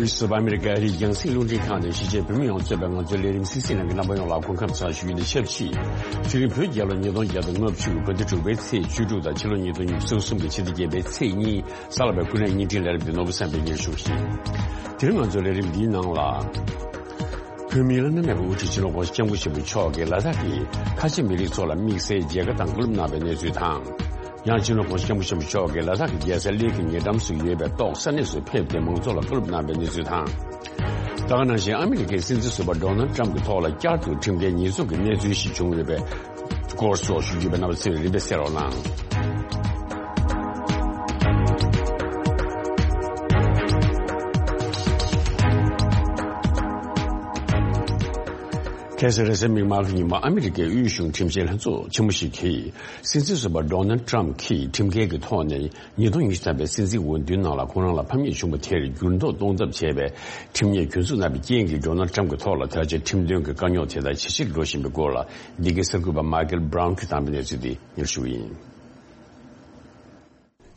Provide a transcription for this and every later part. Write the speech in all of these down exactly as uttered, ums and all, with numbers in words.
སུ་བ་ཨ་མི་རི་ཀའི་ཨ་རིའི་རྒྱང་སྲིང་རླུང་འཕྲིན་ཁང་ནས་གཞིས་བྱེས་བོད་མི་ཡོངས་གཙོས་པའི་ང་ཚོའི་ལས་རིམ་གསན་གཟིགས་གནང་མཁན་རྣམ་པ་ཡོངས་ལ་སྐུ་ཁམས་བཟང་ཞུ་རྒྱུ་དང་ཆབས་ཅིག་དེ་རིང་བོད་རྒྱལ་ལོ་ཉིས་སྟོང་བརྒྱ་དང་ལྔ་བཅུ་བོད་ཟླ་དྲུག་པའི་ཚེས་བཅུ་དྲུག་དང་ཕྱི་ལོ་ཉིས་སྟོང་ཉི་ཤུ་རྩ་གསུམ་གྱི་ཕྱི་ཟླ་བརྒྱད་པའི་ཚེས་གཉིས། གཟའ་ལྷག་པའི་སྐུ་ནས་བརྙན་འཕྲིན་ལས་རིམ་འདི་ནོར་བུ་བསམ་འཕེལ་གྱིས་ཞུ་གི་ཡིན། དེ་རིང་ང་ཚོའི་ལས་རིམ་འདིའི་ནང་ལ། བོད་མིའི་བླ་ན་མེད་པའི་དབུ་ཁྲིད་སྤྱི་ནོར་༸གོང་ས་༸སྐྱབས་མགོན་ཆེན་པོ་མཆོག་གིས་ལ་དྭགས་ཀྱི་ཁ་ཆེ་མི་རིགས་ཚོ་ལ་དམིགས་བསལ་མཇལ་ཁ་དང་བཀའ་སློབ་གནང་བའི་གནས་ཚུལ་དང་། ཡང་སྤྱི་ནོར་༸གོང་ས་༸སྐྱབས་མགོན་ཆེན་པོ་མཆོག་གིས་ལ་དྭགས་ཀྱི་རྒྱལ་ས་གླེ་གི་ཉེ་འགྲམ་དུ་ཡོད་པའི་ཏོག་ས་གནས་སུ་ཕེབས་ཏེ་མང་ཚོགས་ལ་བཀའ་སློབ་གནང་བའི་གནས་ཚུལ་དང་། ད་ག་ནང་བཞིན་ཨ་མི་རི་ཀའི་སྲིད་འཛིན་ཟུར་པ་ཌོ་ནལ་ཊམ་གྱི་ཐོག་ལ་བསྐྱར་དུ་ཁྲིམས་འགལ་ཉེས་འཛུགས་ཀྱི་གནས་ཚུལ་ཞིག་བྱུང་ཡོད་པའི་སྐོར་སོགས་ཞུ་རྒྱུ་ཡོད་པས་རྣམ་པ་ཚོས་རིམ་པས་གསན་རོགས་གནང་། ཁ་སང་རེས་གཟའ་མིག་དམར་གྱི་ཉིན་མོ་ཨ་མི་རི་ཀའི་དབུས་གཞུང་ཁྲིམས་ཞིབ་ལྷན་ཚོགས་ཆེན་མོ་ཞིག་གིས་སྲིད་འཛིན་ཟུར་པ་ཌོ་ནལ་ཊམ་གྱིས་ཁྲིམས་འགལ་གྱི་ཐོག་ནས་ཉིས་སྟོང་ཉི་ཤུ་ཐམ་པའི་སྲིད་འཛིན་འོས་བསྡུའི་ནང་ལ་ཁོང་རང་ལ་ཕམ་ཉེས་བྱུང་བ་དེར་འགྱུར་ལྡོག་གཏོང་ཐབས་བྱས་པའི་ཁྲིམས་ཉེས་གྱོད་འཛུགས་གནང་བའི་རྐྱེན་གྱིས་ཌོ་ནལ་ཊམ་གྱི་ཐོག་ལ་ད་ཆ་ཁྲིམས་དོན་གྱི་དཀའ་རྙོག་དེ་དག་ཇེ་ཆེར་འགྲོ་བཞིན་པའི་སྐོར་ལ་འདི་གའི་གསར་འགོད་པ་མཱ་ཀལ་བྷ་རའུན་གྱིས་བཏང་བའི་གནས་ཚུལ་དེ་སྙན་ཞུ་ཡིན།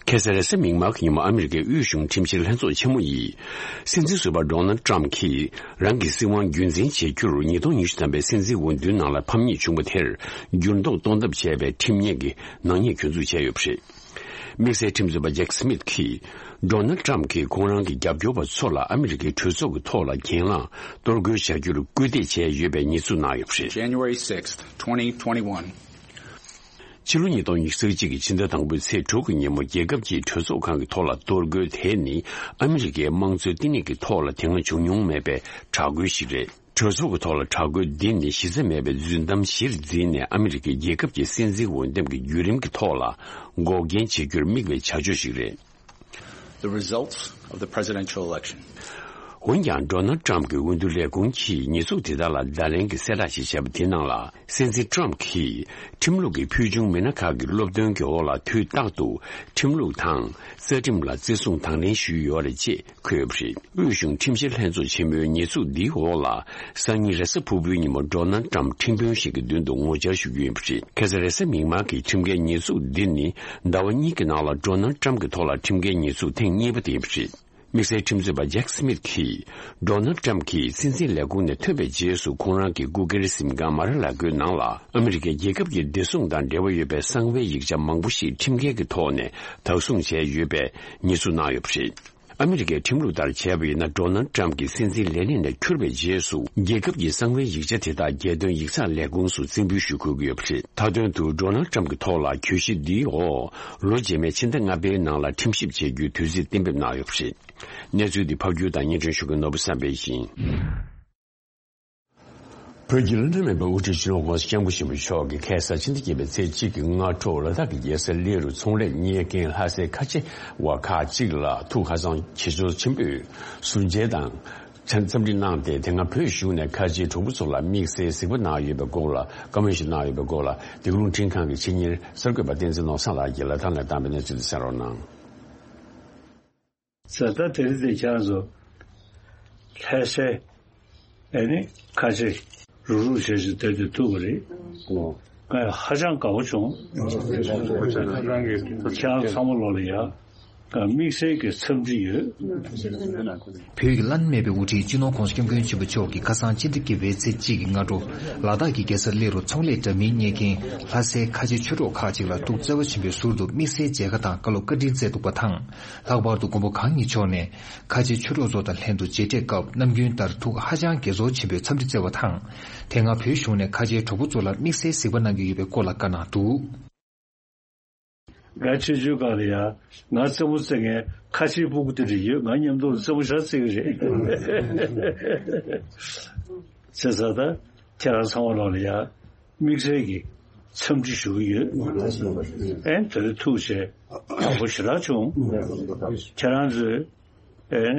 ཁ་སང་རེས་གཟའ་མིག་དམར་གྱི་ཉིན་མོ་ཨ་མི་རི་ཀའི་དབུས་གཞུང་ཁྲིམས་ཞིབ་ལྷན་ཚོགས་ཆེན་མོ་ཡིས། སྲིད་འཛིན་ཟུར་པ་ཌོ་ནལ་ཊམ་གྱིས་རང་གི་སྲིད་དབང་རྒྱུན་འཛིན་བྱེད་རྒྱུར་ཉིས་སྟོང་ཉི་ཤུ་ཐམ་པའི་སྲིད་འཛིན་འོས་བསྡུའི་ནང་ལ་ཕམ་ཉེས་བྱུང་བ་དེར་འགྱུར་ལྡོག་གཏོང་ཐབས་བྱས་པའི་ཁྲིམས་ཉེས་ཀྱི་ནག་ཉེས་གྱོད་འཛུགས་བྱས་ཡོད་པ་རེད། དམིགས་བསལ་ཁྲིམས་རྩོད་པ་ཇེག་སི་མིད་ཀྱིས། ཌོ་ནལ་ཊམ་གྱིས་ཁོང་རང་གི་རྒྱབ་སྐྱོར་བ་ཚོ་ལ་ཨ་མི་རི་ཀའི་གྲོས་ཚོགས་ཀྱི་ཐོག་ལ་གྱེན་ལངས་གཏོར་རྒོལ་བྱ་རྒྱུར་སྐུལ་འདེད་བྱས་ཡོད་པའི་ཉེས་འཛུགས་གནང་ཡོད་པ་རེད། January sixth, twenty twenty-one. ཕྱི་ལོ་ཉིས་སྟོང་ཉི་ཤུ་རྩ་གཅིག་གི་ཕྱི་ཟླ་དང་པོའི་ཚེས་དྲུག་གི་ཉིན་མོ་རྒྱལ་ཁབ་ཀྱི་གྲོས་ཚོགས་ཁང་གི་ཐོག་ལ་གཏོར་རྒོལ་དེ་ནི་ཨ་མི་རི་ཀའི་དམངས་གཙོའི་བསྟི་གནས་ཀྱི་ཐོག་ལ་དེ་སྔ་བྱུང་མྱོང་མེད་པའི་དྲག་རྒོལ་ཞིག་རེད། གྲོས་ཚོགས་ཀྱི་ཐོག་ལ་དྲག་རྒོལ་འདི་ནི་གཞི་རྩ་མེད་པའི་རྫུན་གཏམ་གཞིར་འཛིན་ནས་ཨ་མི་རི་ཀའི་རྒྱལ་ཁབ་ཀྱི་སྲིད་འཛིན་འོས་འདེམས་ཀྱི་བརྒྱུད་རིམ་གྱི་ཐོག་ལ་འགོག་རྐྱེན་བྱེད་རྒྱུར་དམིགས་པའི་བྱ་སྤྱོད་ཞིག་རེད། The results of the presidential election. འོན་ཀྱང་ཌོ་ནལ་ཊམ་གྱི་འོས་བསྡུ་ལས་ཁུངས་ཀྱིས་ཉེས་འཛུགས་དེ་དག་ལ་བརྡ་ལན་གྱི་གསལ་བསྒྲགས་ཤིག་བྱས་པ་དེའི་ནང་ལ། སྲིད་འཛིན་ཊམ་གྱིས་ཁྲིམས་ལུགས་ཀྱི་ཕུལ་བྱུང་མི་སྣ་ཁག་གི་སློབ་སྟོན་གྱི་འོག་ལ་དུས་རྟག་ཏུ་ཁྲིམས་ལུགས་དང་རྩ་ཁྲིམས་ལ་བརྩི་སྲུང་དང་ལེན་ཞུས་ཡོད་རེད་ཅེས་འཁོད་ཡོད་པ་རེད། དབུས་གཞུང་ཁྲིམས་ཞིབ་ལྷན་ཚོགས་ཆེན་མོའི་ཉེས་འཛུགས་འདིའི་འོག་ལ། སང་ཉིན་རེས་གཟའ་ཕུར་བུའི་ཉིན་མོ་ཌོ་ནལ་ཊམ་ཁྲིམས་དཔོན་ཞིག་གི་མདུན་དུ་ངོ་བཅར་ཞུ་རྒྱུ་ཡིན་པ་རེད། ཁ་སང་རེས་གཟའ་མིག་དམར་གྱི་ཁྲིམས་འགལ་ཉེས་འཛུགས་འདི་ནི་ཟླ་བ་གཉིས་ཀྱི་ནང་ལ་ཌོ་ནལ་ཊམ་གྱི་ཐོག་ལ་ཁྲིམས་འགལ་ཉེས་འཛུགས་ཐེངས་གཉིས་པ་དེ་ཡིན་པ་རེད། དམིགས་བསལ་ཁྲིམས་རྩོད་པ་ཇེག་སི་མིད་ཀྱིས། ཌོ་ནལ་ཊམ་གྱིས་སྲིད་འཛིན་ལས་ཁུངས་ནས་ཐོན་པའི་རྗེས་སུ་ཁོང་རང་གི་སྐུ་སྒེར་གཟིམ་ཁང་མ་ར་ལ་གོའི་ནང་ལ་ཨ་མི་རི་ཀའི་རྒྱལ་ཁབ་ཀྱི་བདེ་སྲུང་དང་འབྲེལ་བ་ཡོད་པའི་གསང་བའི་ཡིག་ཆ་མང་པོ་ཞིག་ཁྲིམས་འགལ་གྱི་ཐོག་ནས་བདག་བཟུང་བྱས་ཡོད་པའི་ཉེས་འཛུགས་གནང་ཡོད་པ་རེད། ཨ་མི་རི་ཀའི་ཁྲིམས་ལུགས་ལྟར་བྱས་པ་ཡིན་ན། ཌོ་ནལ་ཊམ་གྱིས་སྲིད་འཛིན་ལས་གནས་ནས་འཁྱུར་བའི་རྗེས་སུ། རྒྱལ་ཁབ་ཀྱི་གསང་བའི་ཡིག་ཆ་དེ་དག་རྒྱལ་དོན་ཡིག་ཚགས་ལས་ཁུངས་སུ་རྩིས་འབུལ་ཞུ་དགོས་ཀྱི་ཡོད་པ་རེད། མཐའ་དོན་དུ་ཌོ་ནལ་ཊམ་གྱི་ཐོག་ལ་གྱོད་གཞི་འདིའི་འོག་ལོ་རྗེས་མའི་ཕྱི་ཟླ་ལྔ་པའི་ནང་ལ་ཁྲིམས་ཞིབ་བྱེད་རྒྱུའི་དུས་ཚོད་གཏན་འབེབས་གནང་ཡོད་པ་རེད། གནས་ཚུལ་འདི་ཕབ་སྒྱུར་དང་སྙན་སྒྲོན་ཞུ་མཁན་ནོར་བུ་བསམ་འཕེལ་ཡིན། བོད་ཀྱི་བླ་ན་མེད་པའི་དབུ་ཁྲིད་སྤྱི་ནོར་༸གོང་ས་༸སྐྱབས་མགོན་ཆེན་པོ་མཆོག་གིས་ཁ་སང་ཕྱི་ཟླ་བརྒྱད་པའི་ཚེས་གཅིག་གི་སྔ་དྲོ་ལ་དྭགས་ཀྱི་རྒྱལ་ས་གླེ་རུ་ཚོང་ལས་གཉེར་མཁན་ལྷ་སའི་ཁ་ཆེ་བ་ཁག་ཅིག་ལ་ཐུགས་ཧ་ཅང་དགྱེས་འཚུབ་ཆེན་པོས་ཟུར་མཇལ་དང་འཚམས་འདྲི་གནང་སྟེ། དེ་སྔ་བོད་གཞུང་ནས་ཁ་ཆེའི་གྲོགས་པོ་ཚོ་ལ་དམིགས་བསལ་གཟིགས་པ་གནང་ཡོད་པའི་སྐོར་ལ། བཀའ་མོལ་ཞིག་གནང་ཡོད་པའི་སྐོར་ལ། འདི་ག་རླུང་འཕྲིན་ཁང་གི་ཆེད་གཉེར་གསར་འགོད་པ་བསྟན་འཛིན་ནོར་བཟང་ལགས་ཀྱིས་ལ་དྭགས་ནས་བཏང་བའི་གནས་ཚུལ་དེ་གསན་རོགས་གནང་། ད་ལྟ་དེ་རིང་དེ་ཁྱེད་རང་ཚོ་ལྷ་སའི་ཨ་ནི་ཁ་ཆེ་རུག་རུག་བྱས་བྱས་བསྡད་དེ་ཐུག་པ་རེད། ང་ཧ་ཅང་དགའ་པོ་བྱུང་། ཁྱེད་རང་ཚང་མ་ལོག་ལ་ཡ་དམིགས་བསལ་གྱི་འཚམས་འདྲི་ཡོད། བོད་ཀྱི་བླ་ན་མེད་པའི་དབུ་ཁྲིད་སྤྱི་ནོར་༸གོང་ས་༸སྐྱབས་མགོན་ཆེན་པོ་མཆོག་གིས་ཁ་སང་ཕྱི་ཟླ་བརྒྱད་པའི་ཚེས་གཅིག་གི་སྔ་དྲོ་ལ་དྭགས་ཀྱི་རྒྱལ་ས་གླེ་རུ་ཚོང་ལས་འདྲ་མིན་གཉེར་མཁན་ལྷ་སའི་ཁ་ཆེ་ཆོས་གྲོགས་ཁག་ཅིག་ལ་ཐུགས་བརྩེ་བ་ཆེན་པོས་ཟུར་དུ་དམིགས་བསལ་མཇལ་ཁ་དང་བཀའ་སློབ་བཀའ་དྲིན་སྩལ་འདུག་པ་དང་། ལྷག་པར་དུ་མགོན་པོ་གང་ཉིད་མཆོག་ནས་ཁ་ཆེ་ཆོས་གྲོགས་ཚོ་དང་ལྷན་དུ་མཇལ་འཕྲད་སྐབས་ནམ་རྒྱུན་ལྟར་ཐུགས་ཧ་ཅང་དགྱེས་ཚོར་ཆེན་པོས་འཚམས་འདྲི་སྩལ་བ་དང་། དེ་སྔ་བོད་གཞུང་ནས་ཁ་ཆེའི་གྲོགས་པོ་ཚོ་ལ་དམིགས་བསལ་གཟིགས་པ་གནང་གི་ཡོད་པའི་སྐོར་ལ་བཀའ་གནང་འདུག། ང་ཆེ་ཆུང་སྒང་ལ་ཡ་ང་རྩེད་མོ་རྩེ་མཁན་ཁ་ཆེའི་སྤུ་གུ་དེ་འདྲ་ཡོད། ང་མཉམ་དུ་རྩེད་མོ་ཞེ་དྲག་རྩེ་གི་རེད། བྱས་ཙང་ད་ཁྱེད་རང་ཚང་མ་ལོག་ལ་ཡ་དམིགས་བསལ་གྱི་འཚམས་འདྲི་ཞུ་གི་ཡོད། ཨེ་དེ་རིང་ཐུག་བྱས་དགའ་པོ་ཞེ་དྲག་བྱུང་། ཁྱེད་རང་ཚོས་ཨེ་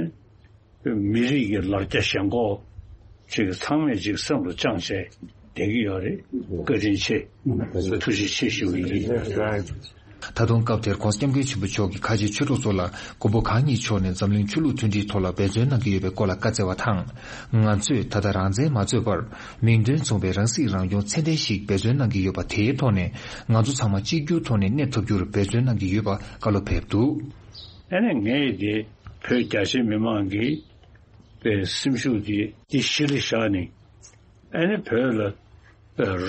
མི་རིགས་ཀྱི་ལ་རྒྱ་ཞེན་ཁོག་ཅིག་ཚང་མས་ཅིག་བསམ་བློ་བཅངས་བྱས་བསྡད་ཀྱི་ཡོད་རེད། བཀའ་དྲིན་ཆེ། ཐུགས་རྗེ་ཆེ་ཞུ་གི་ཡིན། ད་དུང་སྐབས་དེར་༸གོང་ས་༸སྐྱབས་མགོན་ཆེན་པོ་མཆོག་གིས་ཁ་ཆེ་ཆོས་གྲོགས་ཚོ་ལ་མགོན་པོ་གང་ཉིད་མཆོག་ནས་འཛམ་གླིང་ཆོས་ལུགས་མཐུན་སྒྲིལ་ཐོག་ལ་འབད་བརྩོན་གནང་གི་ཡོད་པའི་སྐོར་ལ་བཀའ་སྩལ་བ་དང་། ང་ཚོས་ད་ལྟ་རང་བཙན་མ་རྩོད་པར་མིང་དོན་མཚུངས་པའི་རང་སྲིད་རང་སྐྱོང་ཚད་ལྡན་ཞིག་འབད་བརྩོན་གནང་གི་ཡོད་པ། དེའི་ཐོག་ནས་ང་ཚོ་ཚང་མ་གཅིག་གྱུར་ཐོག་ནས་གནས་ཐུབ་རྒྱུར་འབད་བརྩོན་གནང་གི་ཡོད་པ་བཀའ་སློབ་ཕེབས་འདུག། ཨ་ནི་ངས་དེ་བོད་རྒྱ་ཆེ་མི་མང་གིས་ པའི་སེམས་ཤུགས་དེ་དེ་གཞི་ལ་བཞག་ནས། ཨ་ནི་བོད་ལ་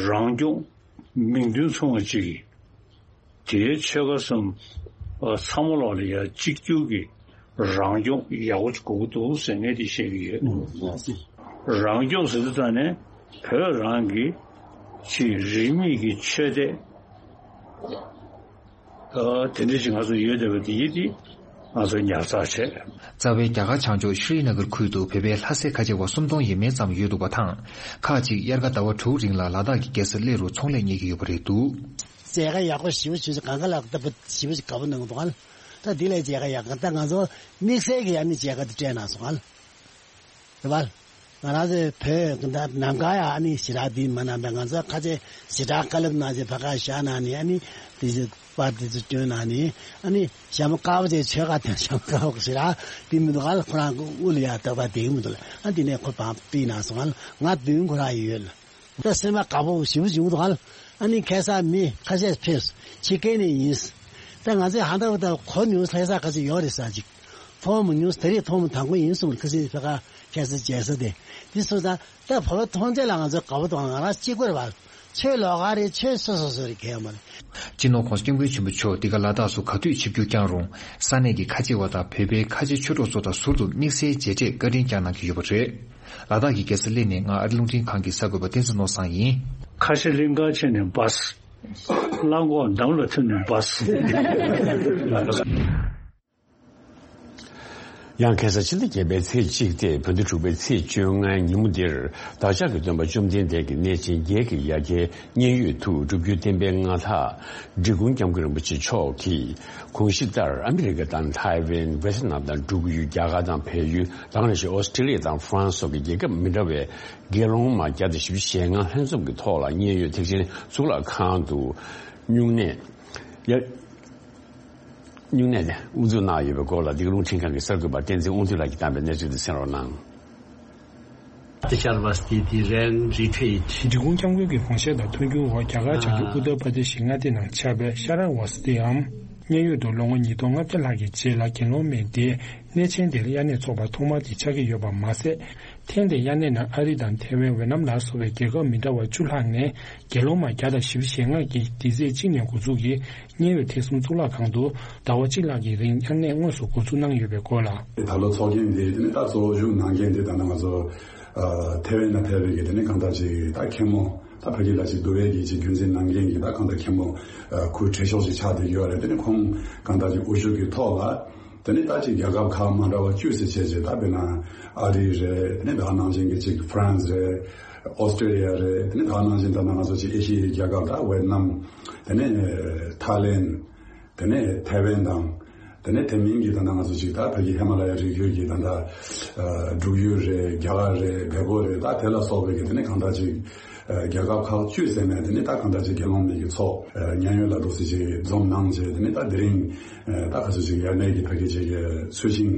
རང་སྐྱོང་མིང་དོན་མཚུངས་པ་ཅིག་གིས། དེའི་ཆོལ་ཁ་གསུམ་ཚང་མ་ལོག་ལ་ཡ་གཅིག་གྱུར་གྱི་རང་སྐྱོང་ཡག་པོ་ཅིག་དགོས་ཀྱི་འདུག་ཟེར་ངས་དེ་བཤད་ཀྱི་ཡོད། རང་སྐྱོང་ཟེར་དུས་ད་ནས་བོད་རང་གི་ཅིག་རིས་མེད་ཀྱི་ཆོས་དད། ཨ། དེ་འདྲ་ཞིག་ང་ཚོ་ཡོད་བསྡད་པ་དེ་ཡིན་དེ་ང་ཚོ་ཉར་ཚགས་བྱས། རྩ་བའི་རྒྱ་གར་བྱང་ཕྱོགས་ཤྲི་ནཱ་གར་ཁུལ་དུ་བོད་པའི་ལྷ་སའི་ཁ་ཆེ་བ་སུམ་སྟོང་ཡས་མས་ཙམ་ཡོད་འདུག་པ་དང་། ཁག་ཅིག་དབྱར་ཁ་ཟླ་བ་དྲུག་རིང་ལ་ལ་དྭགས་ཀྱི་རྒྱལ་ས་གླེ་རུ་ཚོང་ལས་གཉེར་གྱི་ཡོད་པ་རེད་འདུག། མཛད་དགའ་ཡག་པོ་ཞེ་པོ་ཞེ་པོ་ཞིག་ག་བ་གནང་སྟབས་ཞེ་པོ་ཞིག་དགའ་པོ་གནང་གི་འདུག་ཨ། ད་འདི་ལས་མཛད་དགའ་ཡག་ག་ད་ང་ཚོ་དམིགས་བསལ་གྱི་ཨ་ནི་མཛད་དགའ་དེ་སྤྲད་གནང་སོང་ཨ། རེད་པ། ང་རང་ཚོའི་བོད་ནམ་མཁའ་ཡང་ཨ་ནི་ཞེ་དྲག་འདི་མ་གནང་པས། ང་ཚོ་ཁ་ཆེ་ཞེ་དྲག་བཀའ་སློབ་གནང་ཚེ་ཕ་ཁ་བཞག་གནང་ནས་ཨ་ནི་དེ་ཚོ་པར་དེ་ཚོ་བསྐྱོན་གནང་ནས་ཨ་ནི་ཞྭ་མོ་དཀར་པོ་དེ་ཆོལ་ཁ་དང་ཞྭ་མོ་དཀར་པོ་ཞེ་དྲག་འདི་མི་འདུག་ག་ལ་ཁོ་རང་གི་དབུ་ལ་ཡང་འདོགས་པ་བསྡད་ཀྱི་མི་འདུག་ལ། ཨ་འདི་ནས་ཁོ་བང་པི་གནང་སོང་ང་ལ་ང་མདུན་ཁོ་རང་ཡོད་ལ། ད་སེམས་པ་དགའ་པོ་ཞེ་པོ་ཞིག་འདུག་ག་ལ། ཨ་ནི་ཁ་སང་མི་ཁ་ཤས་ཕེབས་ཕྱི་རྒྱལ་ནས་ཡིན། ད་ང་ཚོས་ཧང་ད་བ་ད་གོ་མྱོང་ས་ས་ཁ་ཤས་ཡོད་རེད་ས་ཅིག་མཐོང་མ་མྱོང་ས་དེ་རིང་མཐོང་མ་དང་པོ་ཡིན་གསུངས། ཁ་སང་ཕ་ག་ཁ་སང་མཇལ་ས་དེ་དེ་སོང་ཙང་ད་བོད་པ་མཐོང་ཚད་ལ་ང་ཚོ་དགའ་པོ་དང་ང་རང་གཅིག་པུ་རེད་པ། ཆོས་ལོགས་ཀ་རེད། ཆོས་སོ་སོ་སོ་རེད། གལ་མ་རེད། སྤྱི་ནོར་༸གོང་ས་༸སྐྱབས་མགོན་ཆེན་པོ་མཆོག་འདི་ག་ལ་དྭགས་སུ་ག་དུས་ཆིབས་བསྒྱུར་བསྐྱངས་རུང་ས་གནས་ཀྱི་ཁ་ཆེ་བ་དང་བོད་པའི་ཁ་ཆེ་ཆོས་གྲོགས་ཚོ་དང་ཟུར་དུ་དམིགས་བསལ་མཇལ་འཕྲད་བཀའ་དྲིན་བསྐྱངས་གནང་གི་ཡོད་པ་རེད། ལ་དྭགས་ཀྱི་རྒྱལ་ས་གླེ་ནས་ང་ཨ་རི་རླུང་འཕྲིན་ཁང་གི་གསར་འགོད་པ་བསྟན་འཛིན་ནོར་བཟང་ཡིན། ཁ་ཆེ་གླིང་གར་ཕྱིན་ནས་བཱས། གླང་གོག་འདམ་ལ་ཐིམ་ནས་བཱས། ཡང་ཁ་སང་ཕྱི་ཟླ་བརྒྱད་པའི་ཚེས་གཅིག་སྟེ་བོད་ཟླ་དྲུག་པའི་ཚེས་བཅོ་ལྔའི་ཉིན་མོ་འདིར་བདག་ཅག་གི་སྟོན་པ་བཅོམ་ལྡན་འདས་ཀྱི་གནས་ཆེན་བརྒྱད་ཀྱི་ཡ་གྱལ་མཉན་ཡོད་དུ་སྒྲུབ་བརྒྱུད་བསྟན་པའི་མངའ་བདག་འབྲི་གུང་སྐྱབས་མགོན་རིན་པོ་ཆེ་མཆོག་གིས་གོང་ཞུས་ལྟར་ཨ་མི་རི་ཀ་དང་ཐའེ་ཝན། ཝེ་ཐི་ནམ་དང་འབྲུག་ཡུལ། རྒྱ་གར་དང་བལ་ཡུལ། དེ་ག་ནང་བཞིན་ཨོ་སི་ཀྲི་ལི་ཡ་དང་ཧྥ་རན་སི་སོགས་ཀྱི་རྒྱལ་ཁབ་མི་འདྲ་བའི་དགེ་སློང་མ་བརྒྱ་དང་བཞི་བཅུ་ཞེ་ལྔ་ལྷན་འཛོམས་ཀྱི་ཐོག་ལ་མཉན་ཡོད་ཐེག་ཆེན་གཙུག་ལག་ཁང་དུ་སྨྱུང་གནས། ཡ། སྨྱུང་གནས་དེ་དབུ་འཛུགས་གནང་ཡོད་པའི་སྐོར་ལ་འདི་ག་རླུང་འཕྲིན་ཁང་གི་གསར་འགོད་པ་བསྟན་འཛིན་དབང་འདུས་ལགས་ཀྱིས་བཏང་པའི་གནས་ཚུལ་དེ་གསན་རོགས་གནང་། འབྲི་གུང་སྐྱབས་མགོན་གྱི་དགོངས་བཞེད་དང་མཐུན་འགྱུར་འོག་རྒྱ་གར་བྱང་ཕྱོགས་ཨུ་ཏར་པར་དེ་ཤི་མངའ་སྡེ་ནང་ཆགས་པའི་ཤ་ར་ཝ་སྟི་འམ་མཉན་ཡོད་དུ་ལོ་ངོ་ཉིས་སྟོང་ལྔ་བརྒྱ་ལྷག་གི་རྗེས་ལ་དགེ་སློང་མའི་སྡེ་གནས་ཆེན་དེར་དབྱར་གནས་ཚོགས་པ་ཐོག་མ་དེ་ཆགས་ཀྱི་ཡོད་པ་མ་ཟད། ཐེངས་འདིའི་དབྱར་གནས་ནང་ཨ་རི་དང་ཐའེ་ཝན། ཝེ་ནམ་ལ་སོགས་པའི་རྒྱལ་ཁབ་མི་འདྲ་བ་བཅུ་ལྷག་ནས་དགེ་སློང་མ་བརྒྱ་དང་བཞི་བཅུ་ཞེ་ལྔ་གིས་འདི་ཚེས་གཅིག་ནས་འགོ་འཛུགས་ཀྱིས་མཉན་ཡོད་ཐེག་གསུམ་གཙུག་ལག་ཁང་དུ་ཟླ་བ་གཅིག་ལྷག་གི་རིང་དབྱར་གནས་དངོས་སུ་འགོ་འཛུགས་གནང་ཡོད་པའི་སྐོར་ལ། ད་ལོ་ཚོགས་རྒྱན་འདི་དེ་ནི་ད་གཙོ་བོ་བཞུགས་གནང་མཁན་འདི་ད་ནང་ང་ཚོ་ཐའེ་ཝན་ན་ཕེབས་པའི་གི་དེ་ནི་གང་ལྟར་ཅིག་ད་མཁན་མོ་ད་ཕ་གི་ལ་ཅིག་འདུལ་བའི་གི་ཅིག་རྒྱུན་འཛིན་གནང་མཁན་གི་ད་གང་ལྟར་མཁན་མོ་ཁོའི་གྲས་ཤོག་ཅིག་ཆགས་བསྡད་ཡོད་རེད། དེ་ནི་ཁོང་གང་ལྟར་ཅིག་དབུ་བཞུགས་ཀྱི་ཐོག་ལ། དེ་ནས་ད་ཅིག་རྒྱལ་ཁབ་ཁག་མ་འདྲ་བ་བཅུ་ཙམ་བྱས་རྗེས་ད་དཔེར་ན་ཨ་རི་རེད། དེ་ནས་ད་ནང་བཞིན་གྱི་ཅིག་ཧྥ་རན་སི་རེད། ཨོ་སི་ཀྲི་ལི་ཡ་རེད། དེ་ནས་ད་ནང་བཞིན་ད་ང་ཚོ་ཅིག་ཨེ་ཤི་ཡའི་རྒྱལ་ཁབ་ད་ཝེ་ཏི་ནམ། དེ་ནས་ཐའི་ལེན། དེ་ནས་ཐའེ་ཝན་དང་། དེ་ནས་དེ་མིན་གྱི་ད་ང་ཚོ་ཅིག་ད་བོད་ཀྱི་ཧི་མ་ལ་ཡའི་རི་རྒྱུད་ཀྱི་ད་ད་འབྲུག་ཡུལ་རེད། རྒྱ་གར་རེད། བལ་པོ་རེད། ད་དེ་ལ་སོགས་པའི་གི་དེ་ནས་གང་ལྟར་ཅིག་རྒྱལ་ཁབ་ཁག་བཅུ་ཙམ་ནས་དེ་ནས་ད་གང་ལྟར་ཅིག་དགེ་སློང་མའི་གི་ཚོགས་མཉན་ཡོད་ལ་འདུག་སེ་ཅིག་འཛོམས་གནང་བྱས། དེ་ནས་ད་དེ་རིང་ད་ག་ཚོད་ཅིག་དབྱར་གནས་ཀྱི་ཕ་གི་ཅིག་ཚུལ་ཤིང་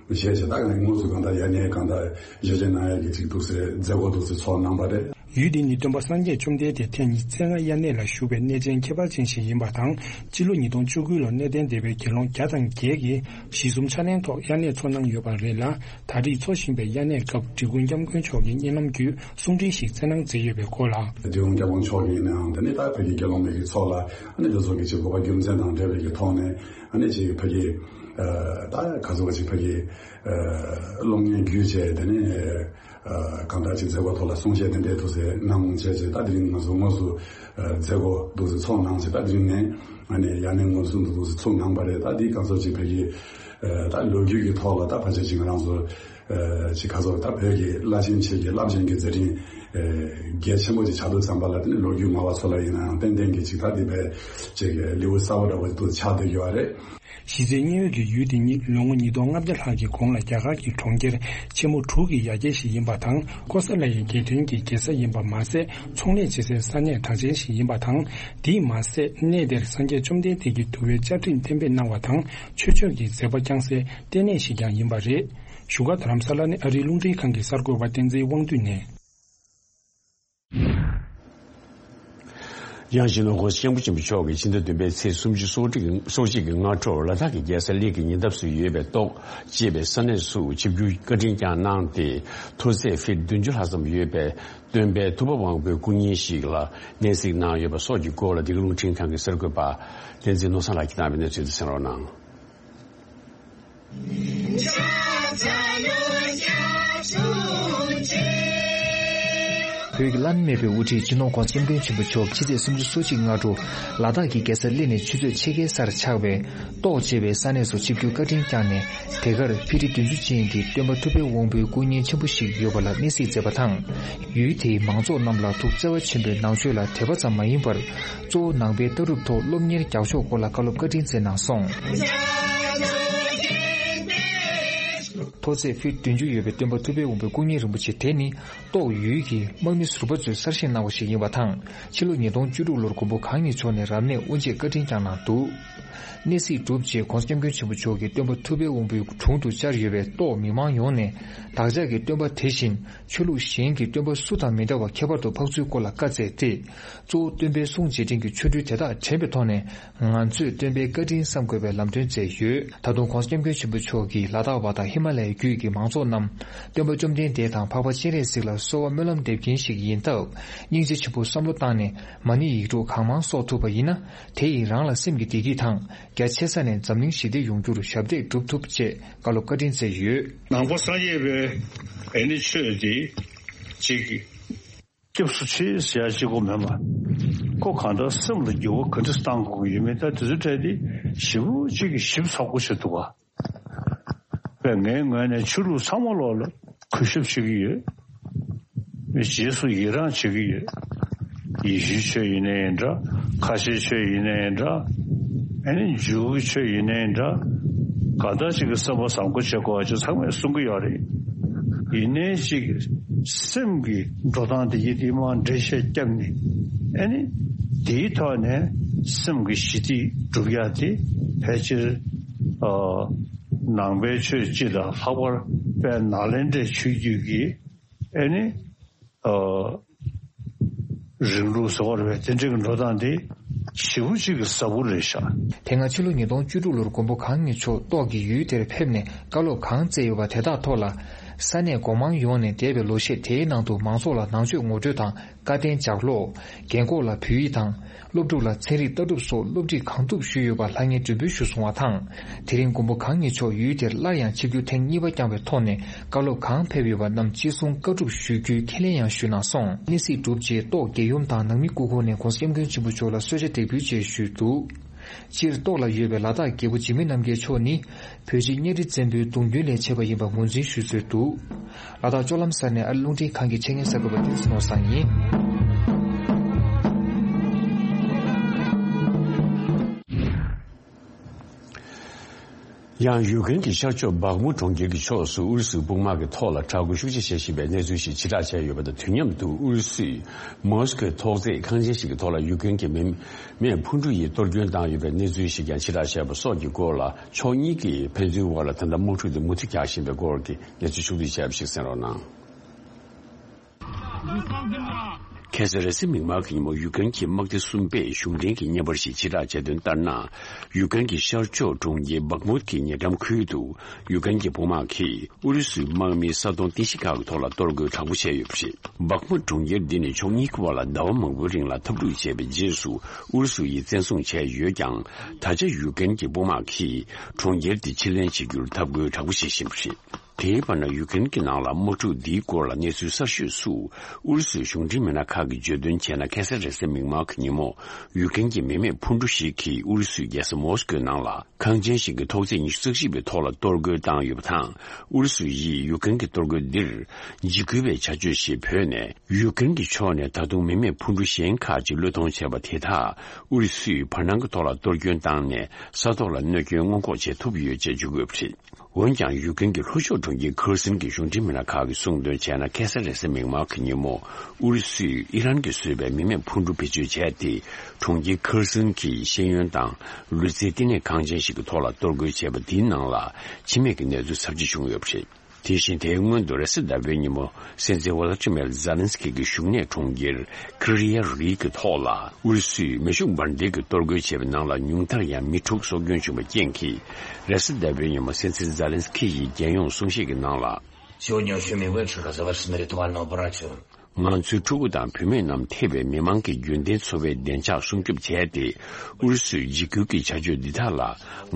བཞེས་བྱས། ད་དངོས་སུ་གང་ལྟར་དབྱར་གནས་གང་ལྟར་བཞེས་བྱས་གནང་ཡ་གི་ཅིག་འདུག་སེ་མཛད་སྒོ་འདུག་སེ་ཚོགས་གནང་པ་རེད། ཡུལ་འདི་ནི་སྟོན་པ་སངས་རྒྱས་བཅོམ་ལྡན་འདས་ཐེངས་ཉི་ཤུ་རྩ་ལྔ་དབྱར་གནས་ལ་བཞུགས་པའི་གནས་ཆེན་ཁྱད་པར་ཅན་ཞིག་ཡིན་པ་དང་། སྤྱི་ལོ་ཉིས་སྟོང་བཅུ་དགུ་ལོར་གནས་བརྟན་སྡེ་པའི་དགེ་སློང་བརྒྱ་དང་བརྒྱད་ཀྱིས་གཞི་བཟུང་ཕྱག་ལེན་ཐོག་དབྱར་གནས་ཚོགས་གནང་ཡོད་པ་རེད་ལ། ད་རེས་འཚོགས་བཞིན་པའི་དབྱར་གནས་སྐབས་འབྲི་གུང་སྐྱབས་མགོན་མཆོག་གིས་བརྙན་ལམ་བརྒྱུད་གསུང་འཕྲིན་ཞིག་བསྩལ་གནང་མཛད་ཡོད་པའི་སྐོར་ལ། འབྲི་གུང་སྐྱབས་མགོན་མཆོག་གིས་ནའང་དེ་ནས་ད་ཕ་གི་དགེ་སློང་མའི་གི་ཚོགས་ལ་ཨ་ནི་དེ་ཚོ་གི་ཅིག་དགོས་པ་རྒྱུ་མཚན་དང་འབྲེལ་བའི་གི་ཐོག་ནས་ཨ་ནི་ཅིག་ཕ་གི་ད་ག་ཚོད་ཅིག་ཕ་གི་གློག་བརྙན་བརྒྱུད་བྱས། དེ་ནས་གང་ལྟར་ཅིག་མཛད་སྒོ་ཐོག་ལ་གསུང་བཤད་དེ་འདྲའི་འདུག་སེ་གནང་བྱས་རྗེས་ད་དེ་རིང་ང་ཚོ་དངོས་སུ་མཛད་སྒོ་འདུག་སེ་ཚོགས་གནང་བྱས། ད་དེ་རིང་ནས་ཨ་ནི་དབྱར་གནས་དངོས་སུ་འདུག་སེ་ཚུགས་གནང་པ་རེད། ད་འདི་ག་ཚོད་ཅིག་ཕ་གི་ད་ལོ་རྒྱུས་ཀྱི་ཐོག་ལ་ད་ཕལ་ཆེར་ཅིག་ང་རང་ཚོ་ཅིག་ག་ཚོད་ད་བོད་ཀྱི་བླ་ཆེན་ཆེ་གི་རླབས་ཆེན་གྱི་མཛད་འཕྲིན་གལ་ཆེན་པོ་ཅིག་ཆགས་དུས་ཙམ་པ་ལ་དེ་ནི་ལོ་རྒྱུས་སྨྲ་བ་ཚོ་ལ་ཡིན་ནའང་ཏན་ཏན་གྱི་ཅིག་ད་འདི་བས་ཅིག་ལེའུ་གསར་པ་འདྲ་བོ་འདུག་ཆགས་བསྡད་ཡོད་རེད། གཞི་རྩའི་མཉན་ཡོད་ཀྱི་ཡུལ་འདི་ཉིད་ལོ་ངོ་ཉིས་སྟོང་ལྔ་བརྒྱ་ལྷག་གི་གོང་ལ་རྒྱ་གར་གྱི་གྲོང་ཁྱེར་ཆེན་མོ་དྲུག་གི་ཡ་གྱལ་ཞིག་ཡིན་པ་དང་། ཀོ་ས་ལ་ཡའི་རྒྱལ་ཕྲན་གྱི་རྒྱལ་ས་ཡིན་པ་མ་ཟད། ཚོང་ལས་བྱེད་སའི་ས་གནས་གྲགས་ཅན་ཞིག་ཡིན་པ་དང་། དེས་མ་ཟད། གནས་དེར་སངས་རྒྱས་བཅོམ་ལྡན་འདས་ཀྱིས་འདུལ་བའི་བཅའ་ཁྲིམས་གཏན་འབེབས་གནང་བ་དང་། ཆོས་སྤྱོད་ཀྱི་མཛད་པ་བསྐྱངས་སའི་ལྟེ་གནས་ཤིག་ཀྱང་ཡིན་པ་རེད། བཞུགས་སྒར་རྡ་རམ་ས་ལ་ནས་ཨ་རིའི་རླུང་འཕྲིན་ཁང་གི་གསར་འགོད་པ་བསྟན་འཛིན་དབང་འདུས་ནས། ཡང་སྤྱི་ནོར་༸གོང་ས་༸སྐྱབས་མགོན་ཆེན་པོ་མཆོག་གིས་ཕྱི་ཟླ་བདུན་པའི་ཚེས་སུམ་ཅུ་སོ་གཅིག་གི་སྔ་དྲོར་ལ་དྭགས་ཀྱི་རྒྱལ་ས་གླེ་གི་ཉེ་འདབས་སུ་ཡོད་པའི་ཏོག་ཅེས་པའི་ས་གནས་སུ་ཆིབས་བསྒྱུར་བཀའ་དྲིན་བསྐྱངས་གནང་སྟེ། མཐོ་ཚད་ཕིཊ་བདུན་ཅུ་ལྷག་ཙམ་ཡོད་པའི་སྟོན་པའི་ཐུབ་པ་དབང་པོའི་སྐུ་བརྙན་ཞིག་ལ་གནས་གཟིགས་གནང་ཡོད་པ་སོགས་ཀྱི་སྐོར་ལ། འདི་ག་རླུང་འཕྲིན་ཁང་གི་གསར་འགོད་པ་བསྟན་འཛིན་ནོར་བཟང་ལགས་ཀྱིས་བཏང་བའི་གནས་ཚུལ་དེ་གསན་རོགས་གནང་། བོད་ཀྱི་བླ་ན་མེད་པའི་དབུ་ཁྲིད་སྤྱི་ནོར་༸གོང་ས་༸སྐྱབས་མགོན་ཆེན་པོ་མཆོག་ཕྱི་ཚེས་སུམ་ཅུ་སོ་གཅིག་སྔ་དྲོ་ལ་དྭགས་ཀྱི་རྒྱལ་ས་གླེ་ནས་ཆུ་ཚོད་ཕྱེད་ཀའི་སར་ཆགས་པའི་ཏོག་ཅེས་པའི་ས་གནས་སུ་ཆིབས་བསྒྱུར་བཀའ་དྲིན་བསྐྱངས་ནས། དེ་གར་ཕི་ཊི་བདུན་ཅུ་ཅན་གྱི་སྟོན་པ་ཐུབ་པའི་དབང་པོའི་སྐུ་བརྙན་ཆེན་པོ་ཞིག་ཡོད་པ་ལ་གནས་གཟིགས་མཛད་པ་དང་། ཡུལ་དེའི་མང་ཚོགས་རྣམས་ལ་ཐུགས་བརྩེ་བ་ཆེན་པོས་ནང་ཆོས་ལ་དད་པ་ཙམ་མ་ཡིན་པར། གཙོ་བོ་ནང་པའི་ལྟ་གྲུབ་ཐོག་སློབ་གཉེར་རྒྱག་ཕྱོགས་སྐོར་ལ་བཀའ་སློབ་བཀའ་དྲིན་སྩལ་གནང་སོང་། མཐོ་ཚད་ཕིཊ་བདུན་ཅུ་ཡོད་པའི་སྟོན་པ་ཐུབ་པའི་དབང་པོའི་སྐུ་བརྙན་རིན་པོ་ཆེ་དེ་ནི། ཏོག་ཡུལ་གྱི་དམག་མི་ཟུར་པ་ཚོས་གསར་བཞེངས་གནང་བ་ཞིག་ཡིན་པ་དང་། ཕྱི་ལོ་ཉིས་སྟོང་བཅུ་དྲུག་ལོར་མགོན་པོ་གང་ཉིད་མཆོག་ནས་རབ་གནས་དབུ་འབྱེད་བཀའ་དྲིན་བསྐྱངས་གནང་འདུག། གནས་གཟིགས་གྲུབ་རྗེས་༸གོང་ས་༸སྐྱབས་མགོན་ཆེན་པོ་མཆོག་གིས་སྟོན་པ་ཐུབ་པའི་དབང་པོའི་དྲུང་དུ་བཅར་ཡོད་པའི་ཏོག་མི་མང་ཡོངས་ནས། བདག་ཅག་གི་སྟོན་པ་དེ་བཞིན་ཆོས་ལུགས་གཞན་གྱི་སྟོན་པ་སུ་དང་མི་འདྲ་བ་ཁྱད་པར་དུ་འཕགས་ཚུལ་སྐོར་ལ་བཀའ་སྩལ་ཏེ། གཙོ་བོ་སྟོན་པའི་གསུང་རྗེས་དྲན་གྱི་ཆོ་འཕྲུལ་དེ་དག་དྲན་པའི་ཐོག་ནས། ང་ཚོས་སྟོན་པའི་བཀའ་དྲིན་བསམ་དགོས་པའི་ལམ་སྟོན་མཛད་ཡོད། ད་དུང་༸གོང་ས་༸སྐྱབས་མགོན་ཆེན་པོ་མཆོག་གིས་ལ་དྭགས་པ་དང་ཧི་མ་ལ་ཡའི་རྒྱུད་ཀྱི་མང་ཚོགས་རྣམས། སྟོན་པ་བཅོམ་ལྡན་འདས་དང་འཕགས་པ་སྤྱན་རས་གཟིགས་ལ་གསོལ་བ་སྨོན་ལམ་འདེབས་མཁན་ཞིག་ཡིན་སྟབས། སྙིང་རྗེ་ཆེན་པོས་བསམ་བློ་བཏང་ནས། མ་ཎི་ཡིག་འབྲུ་གང་མང་གསོག་ཐུབ་པ་ཡིན་ན། དེ་ཡིས་རང་ལ་སེམས་ཀྱི་བདེ་སྐྱིད་དང་། རྒྱ་ཆེ་ས་ནས་འཛམ་གླིང་ཞི་བདེ་ཡོང་རྒྱུར་ཞབས་འདེགས་སྒྲུབ་ཐུབ་ཅེས་བཀའ་སློབ་བཀའ་དྲིན་སྩལ་ཡོད། ནང་པ་སངས་རྒྱས་པའི་ཨེ་ནི་ཆོས་འདི་གཅིག་སྐྱབས་སུ་མཆི་ཟེར་ཡ་གཅིག་པོ་མེད་པ། ཁོ་གང་ལྟར་སེམས་ལ་འགྱུར་བ་ག་འདྲ་བཏང་དགོས་ཀྱི་ཡོད་མེད། ད་དེ་ཚོའི་གྲས་དེ་ཞེ་པོ་གཅིག་གིས་ཞིབ་ཚགས་པོ་བྱེད་ཐུབ་པ། པས་ངའི་ངོས་ནས་ཆོས་ལུགས་ཚང་མ་ལོག་ལ་གུས་ཞབས་བྱེད་ཀྱི་ཡོད། རྗེས་སུ་ཡི་རང་བྱེད་ཀྱི་ཡོད། ཡེ་ཤུའི་ཆོས་ཡིན་ནའི་འདྲ། ཁ་ཆེའི་ཆོས་ཡིན་ནའི་འདྲ། ཨ་ནི་འཇུའུ་གི་ཆོས་ཡིན་ནའི་འདྲ། གང་ལྟར་ཅིག་གི་བསམ་པ་བཟང་པོ་བྱེད་དགོས་པ་ཅིག་ཚང་མས་གསུང་གི་ཡོད་རེད། ཡིན་ནའི་ཅིག་སེམས་ཀྱི་འགྲོ་སྟངས་དེ་ཡི་དེ་མར་འགྲེལ་བཤད་བརྒྱབ་ནས། ཨ་ནི་དེའི་ཐོག་ནས་སེམས་ཀྱི་ཞི་བདེ་སྒྲུབ་ཡ་དེ་ཕལ་ཆེར་ཨ་ནང་པའི་ཆོས་སྤྱི་དང་ལྷག་པར་དཔལ་ནཱ་ལེནྡྲའི་ཆོས་བརྒྱུད་ཀྱི་ཨ་ནི། ཨ། རིང་ལུགས་ཟེར་བ་རེད་པས། དེ་འདྲའི་འགྲོ་སྟངས་དེ་ཞེ་པོ་ཅིག་གི་ཟབ་པོ་རེད་ཤག། དེ་སྔ་ཕྱི་ལོ་ཉིས་སྟོང་བཅུ་དྲུག་ལོར་མགོན་པོ་གང་ཉིད་མཆོག་ཏོག་གི་ཡུལ་དེར་ཕེབས་ནས་བཀའ་སློབ་གང་སྩལ་ཡོད་པ་དེ་དག་ཐོག་ལ། ས་གནས་སྒོ་མང་ཡོངས་ནས་འདས་པའི་ལོ་ཤས་དེའི་ནང་དུ་མང་ཚོགས་ལ་ནང་ཆོས་ངོ་སྤྲོད་དང་། བཀའ་བསྟན་ལྗགས་ཀློག། རྒན་འཁོགས་ལ་བོད་ཡིག་དང་། སློབ་ཕྲུག་ལ་ཚན་རིག་ལྟ་གྲུབ་སོགས་སློབ་ཁྲིད་གང་ཐུབ་ཞུས་ཡོད་པ་ལྷང་ངེར་མགྲོན་འབོད་ཞུས་སོང་བ་དང་། དེ་རིང་མགོན་པོ་གང་ཉིད་མཆོག་ཡུལ་དེར་སླར་ཡང་ཆིབས་བསྒྱུར་ཐེངས་གཉིས་པ་བསྐྱངས་པའི་ཐོག་ནས། བཀའ་སློབ་གང་ཕེབས་ཡོད་པ་རྣམས་ཅི་གསུང་བཀའ་སྒྲུབ་ཞུ་རྒྱུའི་ཁས་ལེན་ཡང་ཞུས་གནང་སོང་། གནས་གཟིགས་གྲུབ་རྗེས་ཏོག་རྒྱལ་ཡུམ་དང་ནང་མི་སྐུ་འཁོར་ནས་༸གོང་ས་༸སྐྱབས་མགོན་ཆེན་པོ་མཆོག་ལ་གསོལ་ཇ་འདེགས་འབུལ་བཅས་ཞུས་འདུག། སྤྱིར་ཏོག་ལ་ཡོད་པའི་ལ་དྭགས་རྒྱལ་པོ་འཇིགས་མེད་རྣམ་རྒྱལ་མཆོག་ནི། བོད་རྗེ་གཉའ་ཁྲི་བཙན་པོའི་གདུང་རྒྱུད་ལས་མཆེད་པ་ཡིན་པ་ངོས་འཛིན་ཞུ་སྲོལ་འདུག། ལ་དྭགས་ལྕོག་ལམ་གསར་ནས་ཨ་རི་རླུང་འཕྲིན་ཁང་གི་ཆེད་མངགས་གསར་འགོད་པ་བསྟན་འཛིན་ནོར་བཟང་ཡིན། ཡང་ཡུཀ་རེན་གྱི་ཤར་ཕྱོགས་སྦག་མུ་གྲོང་ཁྱེར་གྱི་ཕྱོགས་སུ་ཨུ་རུ་སུའི་དཔུང་དམག་གི་ཐོག་ལ་དྲག་རྒོལ་ཤུགས་ཆེ་བྱེད་བཞིན་པའི་གནས་ཚུལ་ཞིག་ཕྱིར་བསྒྲགས་བྱས་ཡོད་པ་དང་། དུས་མཉམ་དུ་ཨུ་རུ་སུས་མོ་སི་ཀོའི་ཐོག་བརྩེགས་ཁང་ཆེན་ཞིག་གི་ཐོག་ལ་ཡུཀ་རེན་གྱི་མི་མེས་འཕུར་གྲུ་ཡིས་གཏོར་སྐྱོན་བཏང་ཡོད་པའི་གནས་ཚུལ་ཞིག་ཀྱང་ཕྱིར་བསྒྲགས་བྱས་པ་སོགས་ཀྱི་སྐོར་ལ། ཕྱོགས་གཉིས་ཀྱིས་ཕན་ཚུན་དབར་ལ་ད་ལྟ་དམག་འཁྲུག་དེ་མུ་མཐུད་རྒྱག་བཞིན་པའི་སྐོར་གྱི་གནས་ཚུལ་ཕྱོགས་བསྡུས་བྱས་པ་ཞིག་གསན་རོགས་གནང་། ཁ་སང་རེས་གཟའ་མིག་དམར་གྱི་ཉིན་མོ་ཡུཀ་རེན་གྱི་དམག་སྡེ་གསུམ་པས་གཞུང་འབྲེལ་གྱི་བརྙན་པར་ཞིག་ཕྱིར་བསྒྲགས་བྱས་དོན་ལྟར་ན། ཡུཀ་རེན་གྱི་ཤར་ཕྱོགས་གྲོང་ཁྱེར་སྦག་མུད་ཀྱི་ཉེ་འགྲམ་ཁུལ་དུ་ཡུཀ་རེན་གྱི་དཔུང་དམག་གིས་ཨུ་རུ་སུའི་དམག་མི་ས་སྟོང་སྟོང་ཕྲག་ཁག་གི་ཐོག་ལ་གཏོར་རྒོལ་དྲག་པོ་བྱས་ཡོད་པ་རེད། སྦག་མུད་གྲོང་ཁྱེར་འདི་ནི་ཕྱོགས་གཉིས་ཀྱི་བར་ལ་ཟླ་བ་མང་པོའི་རིང་ལ་འཐབ་འཁྲུག་བྱས་པའི་རྗེས་སུ་ཨུ་རུ་སུ་ཡིས་བཙན་བཟུང་བྱས་ཡོད་ཀྱང་། ད་ཆ་ཡུཀ་རེན་གྱི་དཔུང་དམག་གིས་གྲོང་ཁྱེར་འདི་ཕྱིར་ལེན་བྱེད་རྒྱུར་འཐབ་རྒོལ་དྲག་པོ་བྱེད་བཞིན་པ་རེད། དེའི་བར་ན་ཡུཀ་རེན་གྱི་ནང་ལ་དམག་འཁྲུག་འདིའི་སྐོར་ལ་གནས་ཚུལ་གསར་ཤོས་སུ། ཨུ་རུ་སུའི་གཞུང་འབྲེལ་མི་སྣ་ཁག་གིས་བརྗོད་དོན་བྱས་ན། ཁ་སང་རེས་གཟའ་མིག་དམར་གྱི་ཉིན་མོ་ཡུཀ་རེན་གྱི་མི་མེད་འཕུར་གྲུ་ཞིག་གིས་ཨུ་རུ་སུའི་རྒྱལ་ས་མོ་སི་ཀོའི་ནང་ལ་ཁང་ཆེན་ཞིག་གི་ཐོག་བརྩེགས་ཉི་ཤུ་རྩ་གཅིག་པའི་ཐོག་ལ་གཏོར་རྒོལ་བཏང་ཡོད་པ་དང་། ཨུ་རུ་སུ་ཡིས་ཡུཀ་རེན་གྱི་གཏོར་རྒོལ་འདིར་འཇིགས་སྐུལ་བའི་བྱ་སྤྱོད་ཞེས་འབོད་ནས། ཡུཀ་རེན་གྱི་ཕྱོགས་ནས་ད་དུང་མི་མེད་འཕུར་གྲུ་གཞན་ཁག་ཅིག་བློས་གཏོང་བྱས་པ་དེ་དག་ཨུ་རུ་སུས་བར་སྣང་གི་ཐོག་ལ་གཏོར་སྐྱོན་བཏང་ནས། ས་ཐོག་ལ་གནོད་སྐྱོན་སྔོན་འགོག་བྱེད་ཐུབ་ཡོད་ཅེས་བརྗོད་ཀྱི་ཡོད་པ་རེད། འོན་ཀྱང་། ཡུཀ་རེན་གྱི་ལྷོ་ཕྱོགས་གྲོང་ཁྱེར་ཁེར་སོན་གྱི་གཞུང་འབྲེལ་མི་སྣ་ཁག་གིས་གསུངས་དོན་བྱས་ན། ཁ་སང་རེས་གཟའ་མིག་དམར་གྱི་ཉིན་མོ་ཨུ་རུ་སུས་ཨི་རན་གྱིས་བཟོས་པའི་མི་མེད་འཕུར་གྲུ་བེད་སྤྱོད་བྱས་ཏེ། གྲོང་ཁྱེར་ཁེར་སོན་གྱི་ཤེས་ཡོན་དང་ལུས་རྩལ་བསྟི་གནས་ཁང་ཆེན་ཞིག་གི་ཐོག་ལ་གཏོར་རྒོལ་བྱས་པ་དེའི་ནང་ལ་འཆི་རྨས་ཀྱི་གནས་ཚུལ་ཚབས་ཆེ་བྱུང་ཡོད་པ་རེད། དེ་བཞིན་དེའི་སྔོན་དུ་རེས་གཟའ་ཟླ་བའི་ཉིན་མོ་སྲིད་འཛིན་ཝོ་ལ་ཏི་མེར་ཛེ་ལན་སི་ཀི་གི་བཞུགས་གནས་གྲོང་ཁྱེར་ཀི་རི་ཡ་རི་གི་ཐོག་ལ་ཨུ་རུ་སུས་མེ་ཤུགས་འབར་མདེལ་གྱིས་གཏོར་རྒོལ་བྱས་པའི་ནང་ལ་ཉུང་མཐར་ཡང་མི་དྲུག་སྲོག་སྐྱོན་བྱུང་བའི་རྐྱེན་གྱིས། རེས་གཟའ་ཟླ་བའི་ཉིན་མོ་སྲིད་འཛིན་ཛེ་ལན་སི་ཀི་ཡིས་རྒྱལ་ཡོངས་གསུང་བཤད་ཀྱི་ནང་ལ། Сегодня очень мы вышли оказалась на ритуальную операцию. ང་ཚོའི་ཕྲུ་གུ་དང་བུད་མེད་རྣམས་ཐེ་བའི་མི་མང་གི་རྒྱུན་ལྡན་འཚོ་བའི་བདེ་འཇགས་སྲུང་སྐྱོབ་བྱས་ཏེ། ཨུ་རུ་སུའི་འཇིགས་སྐུལ་གྱི་བྱ་སྤྱོད་འདི་དག་ལ་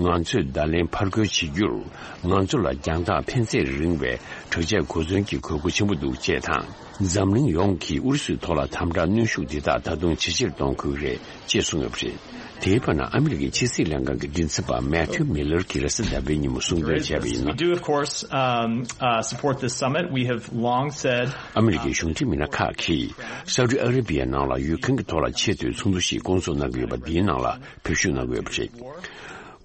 ང་ཚོས་བརྡ་ལན་ཕར་རྒོལ་བྱེད་རྒྱུར། ང་ཚོ་ལ་རྒྱང་ཐག་ཕན་ཚད་རིང་བའི་དྲག་ཆས་གོ་མཚོན་གྱི་དགོས་མཁོ་ཆེན་པོ་འདུག་ཅེས་དང་། འཛམ་གླིང་ཡོངས་ཀྱིས་ཨུ་རུ་སུའི་ཐོག་ལ་དམ་དྲག་གནོན་ཤུགས་འདི་དག་ད་དུང་ཇེ་ཆེར་གཏོང་དགོས་ཀྱི་རེད། ཅེས་གསུངས་ཡོད་པ་རེད། དེའི་བར་ན་ཨ་མི་རི་ཀའི་ཕྱི་སྲིད་ལྷན་ཁང་གི་མགྲིན་ཚབ་པ་མེ་ཐིའུ་མི་ལར་གྱིས་རེས་གཟའ་ཟླ་བའི་ཉིན་མོ་གསུང་དོན་བྱས་པ་ཡིན་ན། We do, of course, um, uh, support this summit. We have long said, ཨ་མི་རི་ཀའི་གཞུང་འབྲེལ་མི་སྣ་ཁག་གིས་སའུ་ཏི་ཨ་ར་པི་ཡའི་ནང་ལ་ཡུ་ཀེ་རེན་གྱི་ཐོག་ལ་ཆེས་མཐོའི་ཚོགས་འདུ་ཞིག་སྐོང་ཚོགས་གནང་གི་ཡོད་པ་འདིའི་ནང་ལ་བོད་བཞུགས་གནང་གི་ཡོད་པ་རེད།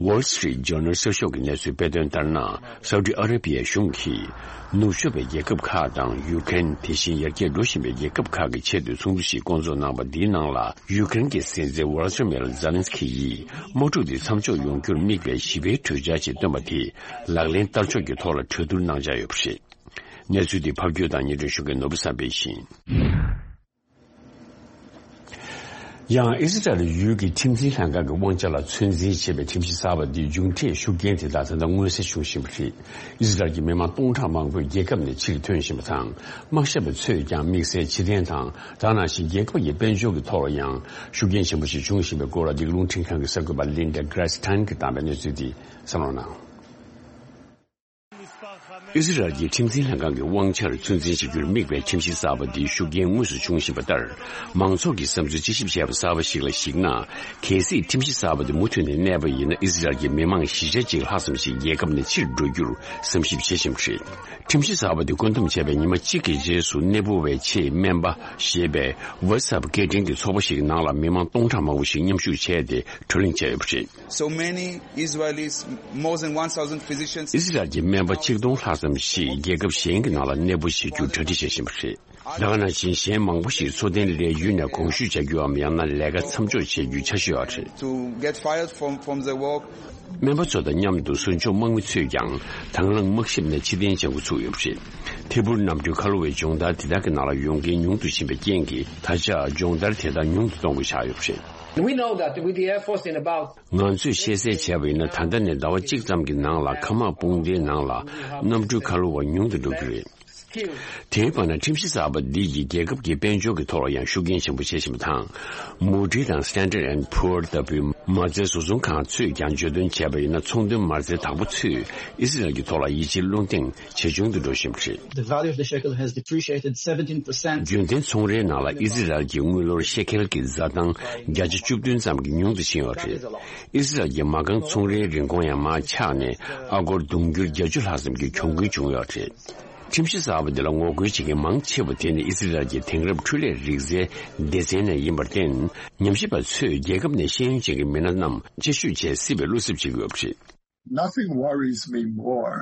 Wall Street Journal་གསར་ཤོག་གི་གནས་ཚུལ་སྤེལ་དོན་ལྟར་ན། སའུ་ཏི་ཨ་ར་པི་ཡའི་གཞུང་གིས་ནུབ་ཕྱོགས་པའི་རྒྱལ་ཁབ་ཁག་དང་ཡུ་ཀེ་རེན། དེ་བཞིན་ཡར་རྒྱས་འགྲོ་བཞིན་པའི་རྒྱལ་ཁབ་ཁག་གི་ཆེས་མཐོའི་ཚོགས་འདུ་ཞིག་སྐོང་ཚོགས་གནང་པ་འདིའི་ནང་ལ། ཡུ་ཀེ་རེན་གྱི་སྲིད་འཛིན་ཝོ་ལ་ཏི་མེར་ཛེ་ལན་སི་ཀི་ཡིས་དམག་འཁྲུག་འདི་མཚམས་འཇོག་ཡོང་རྒྱུར་དམིགས་པའི་ཞི་བའི་གྲོས་འཆར་ཞིག་བཏོན་པ་དེ་ལག་ལེན་བསྟར་ཕྱོགས་ཀྱི་ཐོག་ལ་གྲོས་བསྡུར་གནང་འཆར་ཡོད་པ་རེད། གནས་ཚུལ་འདི་ཕབ་སྒྱུར་དང་སྙན་སྒྲོན་ཞུ་མཁན་ནོར་བུ་བསམ་འཕེལ་ཡིན། ཡང་ཨི་སི་རལ་ཡུལ་གྱི་ཁྲིམས་འཛིན་ལྷན་ཁང་གི་དབང་ཆ་ལ་ཚོད་འཛིན་བྱེད་པའི་ཁྲིམས་གཞི་གསར་པ་འདིའི་མཇུག་འབྲས་ཤུགས་རྐྱེན་དེ་དག་ད་ལྟ་མངོན་གསལ་བྱུང་བཞིན་པ་རེད། ཨི་སི་རལ་གྱི་མི་མང་སྟོང་ཕྲག་མང་པོས་རྒྱལ་ཁབ་ནས་ཕྱིར་ཐོན་བཞིན་པ་དང་། དམག་ཞབས་པ་ཚོས་ཀྱང་དམིགས་བསལ་ཕྱིར་འཐེན་དང་། ད་ནང་བཞིན་རྒྱལ་ཁབ་ཀྱི་དཔལ་འབྱོར་གྱི་ཐོག་ལ་ཡང་ཤུགས་རྐྱེན་ཆེན་པོ་ཞིག་བྱུང་བཞིན་པའི་སྐོར་ལ། འདི་ག་རླུང་འཕྲིན་ཁང་གི་གསར་འགོད་པ་Linda Gradstein་གྱིས་བཏང་བའི་གནས་ཚུལ་འདི་གསན་རོགས་གནང་། ཨི་སི་རལ་གྱི་ཁྲིམས་འཛིན་ལྷན་ཁང་གི་དབང་ཆར་ཚོད་འཛིན་བྱ་རྒྱུར་དམིགས་པའི་ཁྲིམས་གཞི་གསར་པ་འདིའི་ཤུགས་རྐྱེན་དངོས་སུ་བྱུང་བཞིན་པ་ལྟར། མང་ཚོགས་ཀྱིས་བསམ་ཚུལ་དཔྱད་ཞིབ་བྱས་པ་གསར་པ་ཞིག་ལ་གཞིགས་ན། གལ་སྲིད་ཁྲིམས་གཞི་གསར་པ་འདི་མུ་མཐུད་ནས་གནས་པ་ཡིན་ན། ཨི་སི་རལ་གྱི་མི་མང་བཞི་ཆ་གཅིག་ལྷག་ཙམ་ཞིག་རྒྱལ་ཁབ་ནས་ཕྱིར་འགྲོ་རྒྱུར་བསམ་ཞིབ་བྱེད་བཞིན་པ་རེད། ཁྲིམས་གཞི་གསར་པ་འདི་བཀོད་འདོམས་བྱས་པའི་ཉི་མ་གཅིག་གི་རྗེས་སུ། གནས་སྤོ་བའི་ཆེད་སྨན་པ་ཞེས་པའི་WhatsApp་སྐད་འཕྲིན་གྱི་ཚོགས་པ་ཞིག་ནང་ལ་མི་མང་སྟོང་ཕྲག་མང་པོ་ཞིག་མཉམ་ཞུགས་བྱས་ཏེ་བགྲོ་གླེང་བྱས་ཡོད་པ་རེད། So many Israelis, more than one thousand physicians. ཨི་སི་རལ་གྱི་སྨན་པ་ཆིག་སྟོང་ལྷག་ཙམ་ཞིག་རྒྱལ་ཁབ་གཞན་གྱི་ནང་ལ་གནས་སྤོ་བྱེད་རྒྱུར་གྲ་སྒྲིག་བྱེད་བཞིན་པ་རེད། ད་ག་ནང་བཞིན་གཞན་མང་པོ་ཞིག་འཚོ་རྟེན་ལས་ཡུལ་ནས་གོང་ཞུས་བྱ་རྒྱུའམ། ཡང་ན་ལས་ཀ་མཚམས་འཇོག་བྱེད་རྒྱུའི་འཆར་གཞི་ཡོད་པ་རེད། To get fired from, from the work. སྨན་པ་ཚོ་དང་མཉམ་དུ་ཟུར་འཇོག་དམག་མི་ཚོས་ཀྱང་དང་བླངས་དམག་ཞབས་ནས་ཕྱིར་འཐེན་བྱེད་འགོ་ཚུགས་ཡོད་པ་རེད། ཐད་འཕུར་གནམ་གྲུའི་ཁ་ལོ་བའི་སྦྱོང་བརྡར་དེ་དག་གི་ནང་ལ་ཡོང་མཁན་ཉུང་དུ་ཕྱིན་པའི་རྐྱེན་གྱིས། ད་ཆ་སྦྱོང་བརྡར་དེ་དག་ཉུང་དུ་གཏོང་དགོས་ཆགས་ཡོད་པ་རེད། We know that with the Air Force in about ང་ཚོས་ཤེས་གསལ་བྱས་པ་ཡིན་ན། ད་ལྟ་ནས་ཟླ་བ་གཅིག་ཙམ་གྱི་ནང་ལ་མཁའ་དམག་དཔུང་སྡེའི་ནང་ལ་གནམ་གྲུའི་ཁ་ལོ་བ་ཉུང་དུ་འགྲོ་གི་རེད། དེའི་བར་ན་ཁྲིམས་གཞི་གསར་པ་འདི་ཡིས་རྒྱལ་ཁབ་ཀྱི་དཔལ་འབྱོར་གྱི་ཐོག་ལ་ཡང་ཤུགས་རྐྱེན་ཆེན་པོ་བྱེད་བཞིན་པ་དང་། Moody's་དང་Standard and Poor་ལྟ་བུའི་མ་རྩའི་བཟོ་ཚོང་ཁང་ཚོས་ཀྱང་བརྗོད་དོན་བྱས་པ་ཡིན་ན། ཚོང་དོན་མ་རྩའི་བདག་པོ་ཚོས་ཨི་སི་རལ་གྱི་ཐོག་ལ་ཡིད་ཆེས་བློ་འདེངས་ཇེ་ཆུང་དུ་འགྲོ་བཞིན་པ་རེད། The value of the shekel has depreciated seventeen percent. རྒྱུན་ལྡན་ཚོང་རའི་ནང་ལ་ཨི་སི་རལ་གྱི་དངུལ་ལོར་ཤེ་ཁེལ་གྱི་འཛའ་ཐང་བརྒྱ་ཆ་བཅུ་བདུན་ཙམ་གྱིས་ཉུང་དུ་ཕྱིན་ཡོད་རེད། ཨི་སི་རལ་གྱི་མ་རྐང་ཚོང་རའི་རིན་གོང་ཡང་མར་ཆག་ནས། ཨ་སྒོར་དུང་ཕྱུར་བརྒྱད་ཅུ་ལྷག་ཙམ་གྱི་གྱོང་གུན་བྱུང་ཡོད་རེད། ཁྲིམས་གཞི་གསར་པ་འདི་ལ་ངོ་རྒོལ་བྱེད་མཁན་མང་ཆེ་བ་དེ་ནི་ཨི་སི་རལ་གྱི་དེང་རབས་འཕྲུལ་ལས་རིག་རྩལ་སྡེ་ཚན་ནས་ཡིན་པར་བརྟེན། ཉམས་ཞིབ་པ་ཚོས་རྒྱལ་ཁབ་ནས་ཤེས་ཡོན་ཅན་གྱི་མི་སྣ་རྣམས་དཔྱད་ཞིབ་བྱེད་སྲིད་པའི་བློ་འཚབ་བྱེད་ཀྱི་ཡོད་པ་རེད། Nothing worries me more.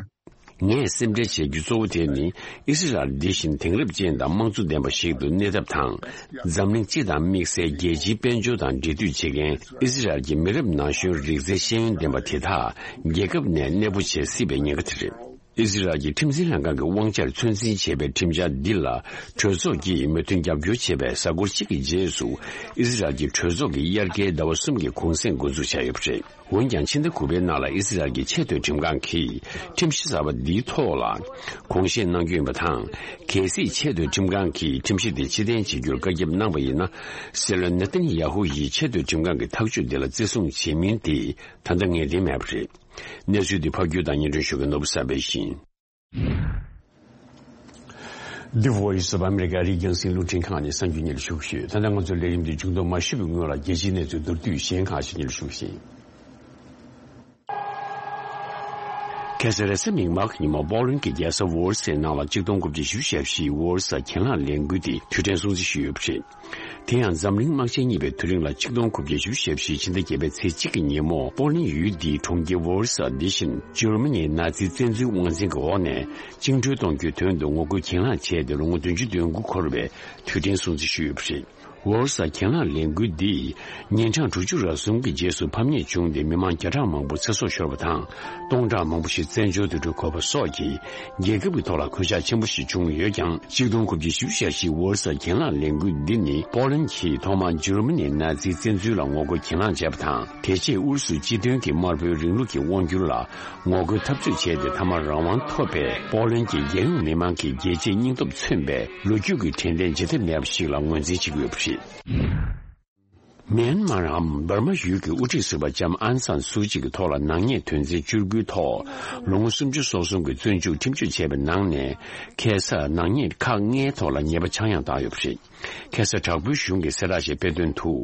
ངས་སེམས་ཁྲལ་བྱེད་རྒྱུ་གཙོ་བོ་དེ་ནི། ཨི་སི་རལ་འདི་བཞིན་དེང་རབས་ཅན་དང་དམངས་གཙོ་ལྡན་པ་ཞིག་ཏུ་གནས་ཐབས་དང་། འཛམ་གླིང་སྤྱི་དང་དམིགས་བསལ་རྒྱལ་སྤྱིའི་དཔལ་འབྱོར་དང་འབྲེལ་མཐུད་བྱེད་མཁན་ཨི་སི་རལ་གྱི་མི་རབས་ན་གཞོན་རིག་རྩལ་ཤེས་ཡོན་ལྡན་པ་དེ་དག་རྒྱལ་ཁབ་ནས་གནས་སྤོ་བྱེད་སྲིད་པའི་ཉེན་ཁ་དེ་རེད། ཨི་སི་རལ་གྱི་ཁྲིམས་འཛིན་ལྷན་ཁང་གི་དབང་ཆར་ཚོད་འཛིན་བྱེད་པའི་ཁྲིམས་འཆར་འདི་ལ་གྲོས་ཚོགས་ཀྱིས་མོས་མཐུན་རྒྱབ་སྐྱོར་བྱས་པའི་གཟའ་འཁོར་གཅིག་གི་རྗེས་སུ། ཨི་སི་རལ་གྱི་གྲོས་ཚོགས་ཀྱི་དབྱར་ཁའི་ཟླ་བ་གསུམ་གྱི་གུང་སེང་འགོ་འཛུགས་བྱས་ཡོད་པ་རེད། འོན་ཀྱང་། ཕྱི་ཟླ་དགུ་པའི་ནང་ལ་ཨི་སི་རལ་གྱི་ཆེས་མཐོའི་ཁྲིམས་ཁང་གིས་ཁྲིམས་གཞི་གསར་པ་འདིའི་ཐོག་ལ་དགོངས་བཞེས་གནང་རྒྱུ་ཡིན་པ་དང་། གལ་སྲིད་ཆེས་མཐོའི་ཁྲིམས་ཁང་གིས་ཁྲིམས་གཞི་དེ་ཕྱིར་འཐེན་བྱེད་རྒྱུར་བཀའ་ཁྱབ་གནང་བ་ཡིན་ན། སྲིད་བློན་ནེ་ཐན་ཡ་ཧུ་ཡིས་ཆེས་མཐོའི་ཁྲིམས་ཁང་གི་ཐག་གཅོད་དེ་ལ་བརྩི་སྲུང་བྱེད་མིན་དེ་ད་ལྟ་ངེས་གཏན་མེད་པ་རེད། གནས་ཚུལ་འདི་ཕབ་སྒྱུར་དང་སྙན་སྒྲོན་ཞུ་མཁན་ནོར་བུ་གསར་པ་ཡིན། The Voice of America་རིགས་རྒྱང་སྲིང་རླུང་འཕྲིན་ཁང་ནས་གསར་འགྱུར་སྙན་ཞུ་ཞུས། ད་ལྟ་ང་ཚོའི་ལས་རིམ་འདི་མཇུག་སྡོམ་མ་ཞུས་པའི་སྔོན་ལ། རྒྱལ་སྤྱིའི་གནས་ཚུལ་མདོར་བསྡུས་གཞན་ཁག་ཅིག་སྙན་ཞུ་ཞུ་ཞིང་། ཁ་སང་རེས་གཟའ་མིག་དམར་གྱི་ཉིན་མོ་པོ་ལན་གྱི་རྒྱལ་ས་ཝོར་སའི་ནང་ལ་གཅིག་སྟོང་དགུ་བརྒྱ་བཞི་བཅུ་ཞེ་བཞི་ཝོར་སའི་གྱེན་ལངས་ལས་འགུལ་དེ་དུས་དྲན་སྲུང་བརྩི་ཞུས་ཡོད་པ་རེད། དེ་ཡང་འཛམ་གླིང་དམག་ཆེན་གཉིས་པའི་དུས་རིང་ལ་གཅིག་སྟོང་དགུ་བརྒྱ་བཞི་བཅུ་ཞེ་བཞི། ཕྱི་ཟླ་བརྒྱད་པའི་ཚེས་གཅིག་གི་ཉིན་མོ་པོ་ལན་ཡུལ་འདིའི་གྲོང་ཁྱེར་ཝོར་སའི་འདི་བཞིན་འཇར་མ་ནིའི་ནཱ་ཛི་བཙན་འཛུལ་དབང་འཛིན་གྱི་འོག་ནས་བཅིངས་འགྲོལ་གཏོང་རྒྱུའི་དོན་དུ་ངོ་རྒོལ་གྱེན་ལངས་བྱས་ཏེ་ལོ་ངོ་བདུན་ཅུ་དོན་དགུ་འཁོར་བའི་དུས་དྲན་སྲུང་བརྩི་ཞུས་ཡོད་པ་རེད། ཝོལ་སར་གྱེན་ལངས་ལས་འགུལ་འདིས་ཉིན་གྲངས་དྲུག་ཅུ་རེ་ཟུང་གི་རྗེས་སུ་ཕམ་ཉེས་བྱུང་སྟེ་མི་མང་བརྒྱ་ཕྲག་མང་པོ་ཚེ་སྲོག་ཤོར་བ་དང་། སྟོང་ཕྲག་མང་པོ་ཞིག་བཙན་བྱོལ་དུ་འགྲོ་དགོས་པ་སོགས་ཀྱིས་རྒྱལ་ཁབ་ཀྱི་ཐོག་ལ་གོད་ཆག་ཆེན་པོ་ཞིག་བྱུང་ཡོད་ཀྱང་། ཆིག་སྟོང་དགུ་བརྒྱ་བཞི་བཅུ་ཞེ་བཞི་ཝོལ་སར་གྱེན་ལངས་ལས་འགུལ་འདི་ནི་པོ་ལན་གྱིས་ཐོག་མར་འཇར་མ་ནིའི་ནཱ་ཛིའི་བཙན་འཛུལ་ལ་ངོ་རྒོལ་གྱེན་ལངས་བྱས་པ་དང་། དེ་རྗེས་ཨུ་རུ་སུ་སྤྱི་མཐུན་གྱི་དམར་པོའི་རིང་ལུགས་ཀྱི་དབང་སྒྱུར་ལ་ངོ་རྒོལ་འཐབ་རྩོད་བྱས་ཏེ། མཐའ་མར་རང་དབང་ཐོབ་པའི་པོ་ལན་གྱི་རྒྱལ་ཡོངས་མི་མང་གི་རྒྱལ་གཅེས་སྙིང་སྟོབས་མཚོན་པའི་ལོ་རྒྱུས་ཀྱི་དྲན་རྟེན་བརྗེད་ཐབས་མེད་པ་ཞིག་ལ་ངོས་འཛིན་བྱེད་ཀྱི་ཡོད་པ་རེད། མེན་མར་འམ་འབར་མ་ཡུལ་གྱི་དབུ་ཁྲིད་ཟུར་པ་ལྕམ་ཨན་སན་སུའུ་ཅི་གི་ཐོག་ལ་ནག་ཉེས་དོན་ཚན་བཅུ་དགུའི་ཐོག་ལོ་ངོ་སུམ་ཅུ་སོ་གསུམ་གྱི་བཙོན་འཇུག་ཁྲིམས་གཅོད་བྱས་པའི་ནང་ནས། ཁ་སང་ནག་ཉེས་ཁག་ལྔའི་ཐོག་ལ་ཉེས་པ་ཆག་ཡང་བཏང་ཡོད་པ་རེད། ཁ་སང་དྲག་པོའི་གཞུང་གིས་གསལ་བསྒྲགས་ཤིག་སྤེལ་དོན་དུ།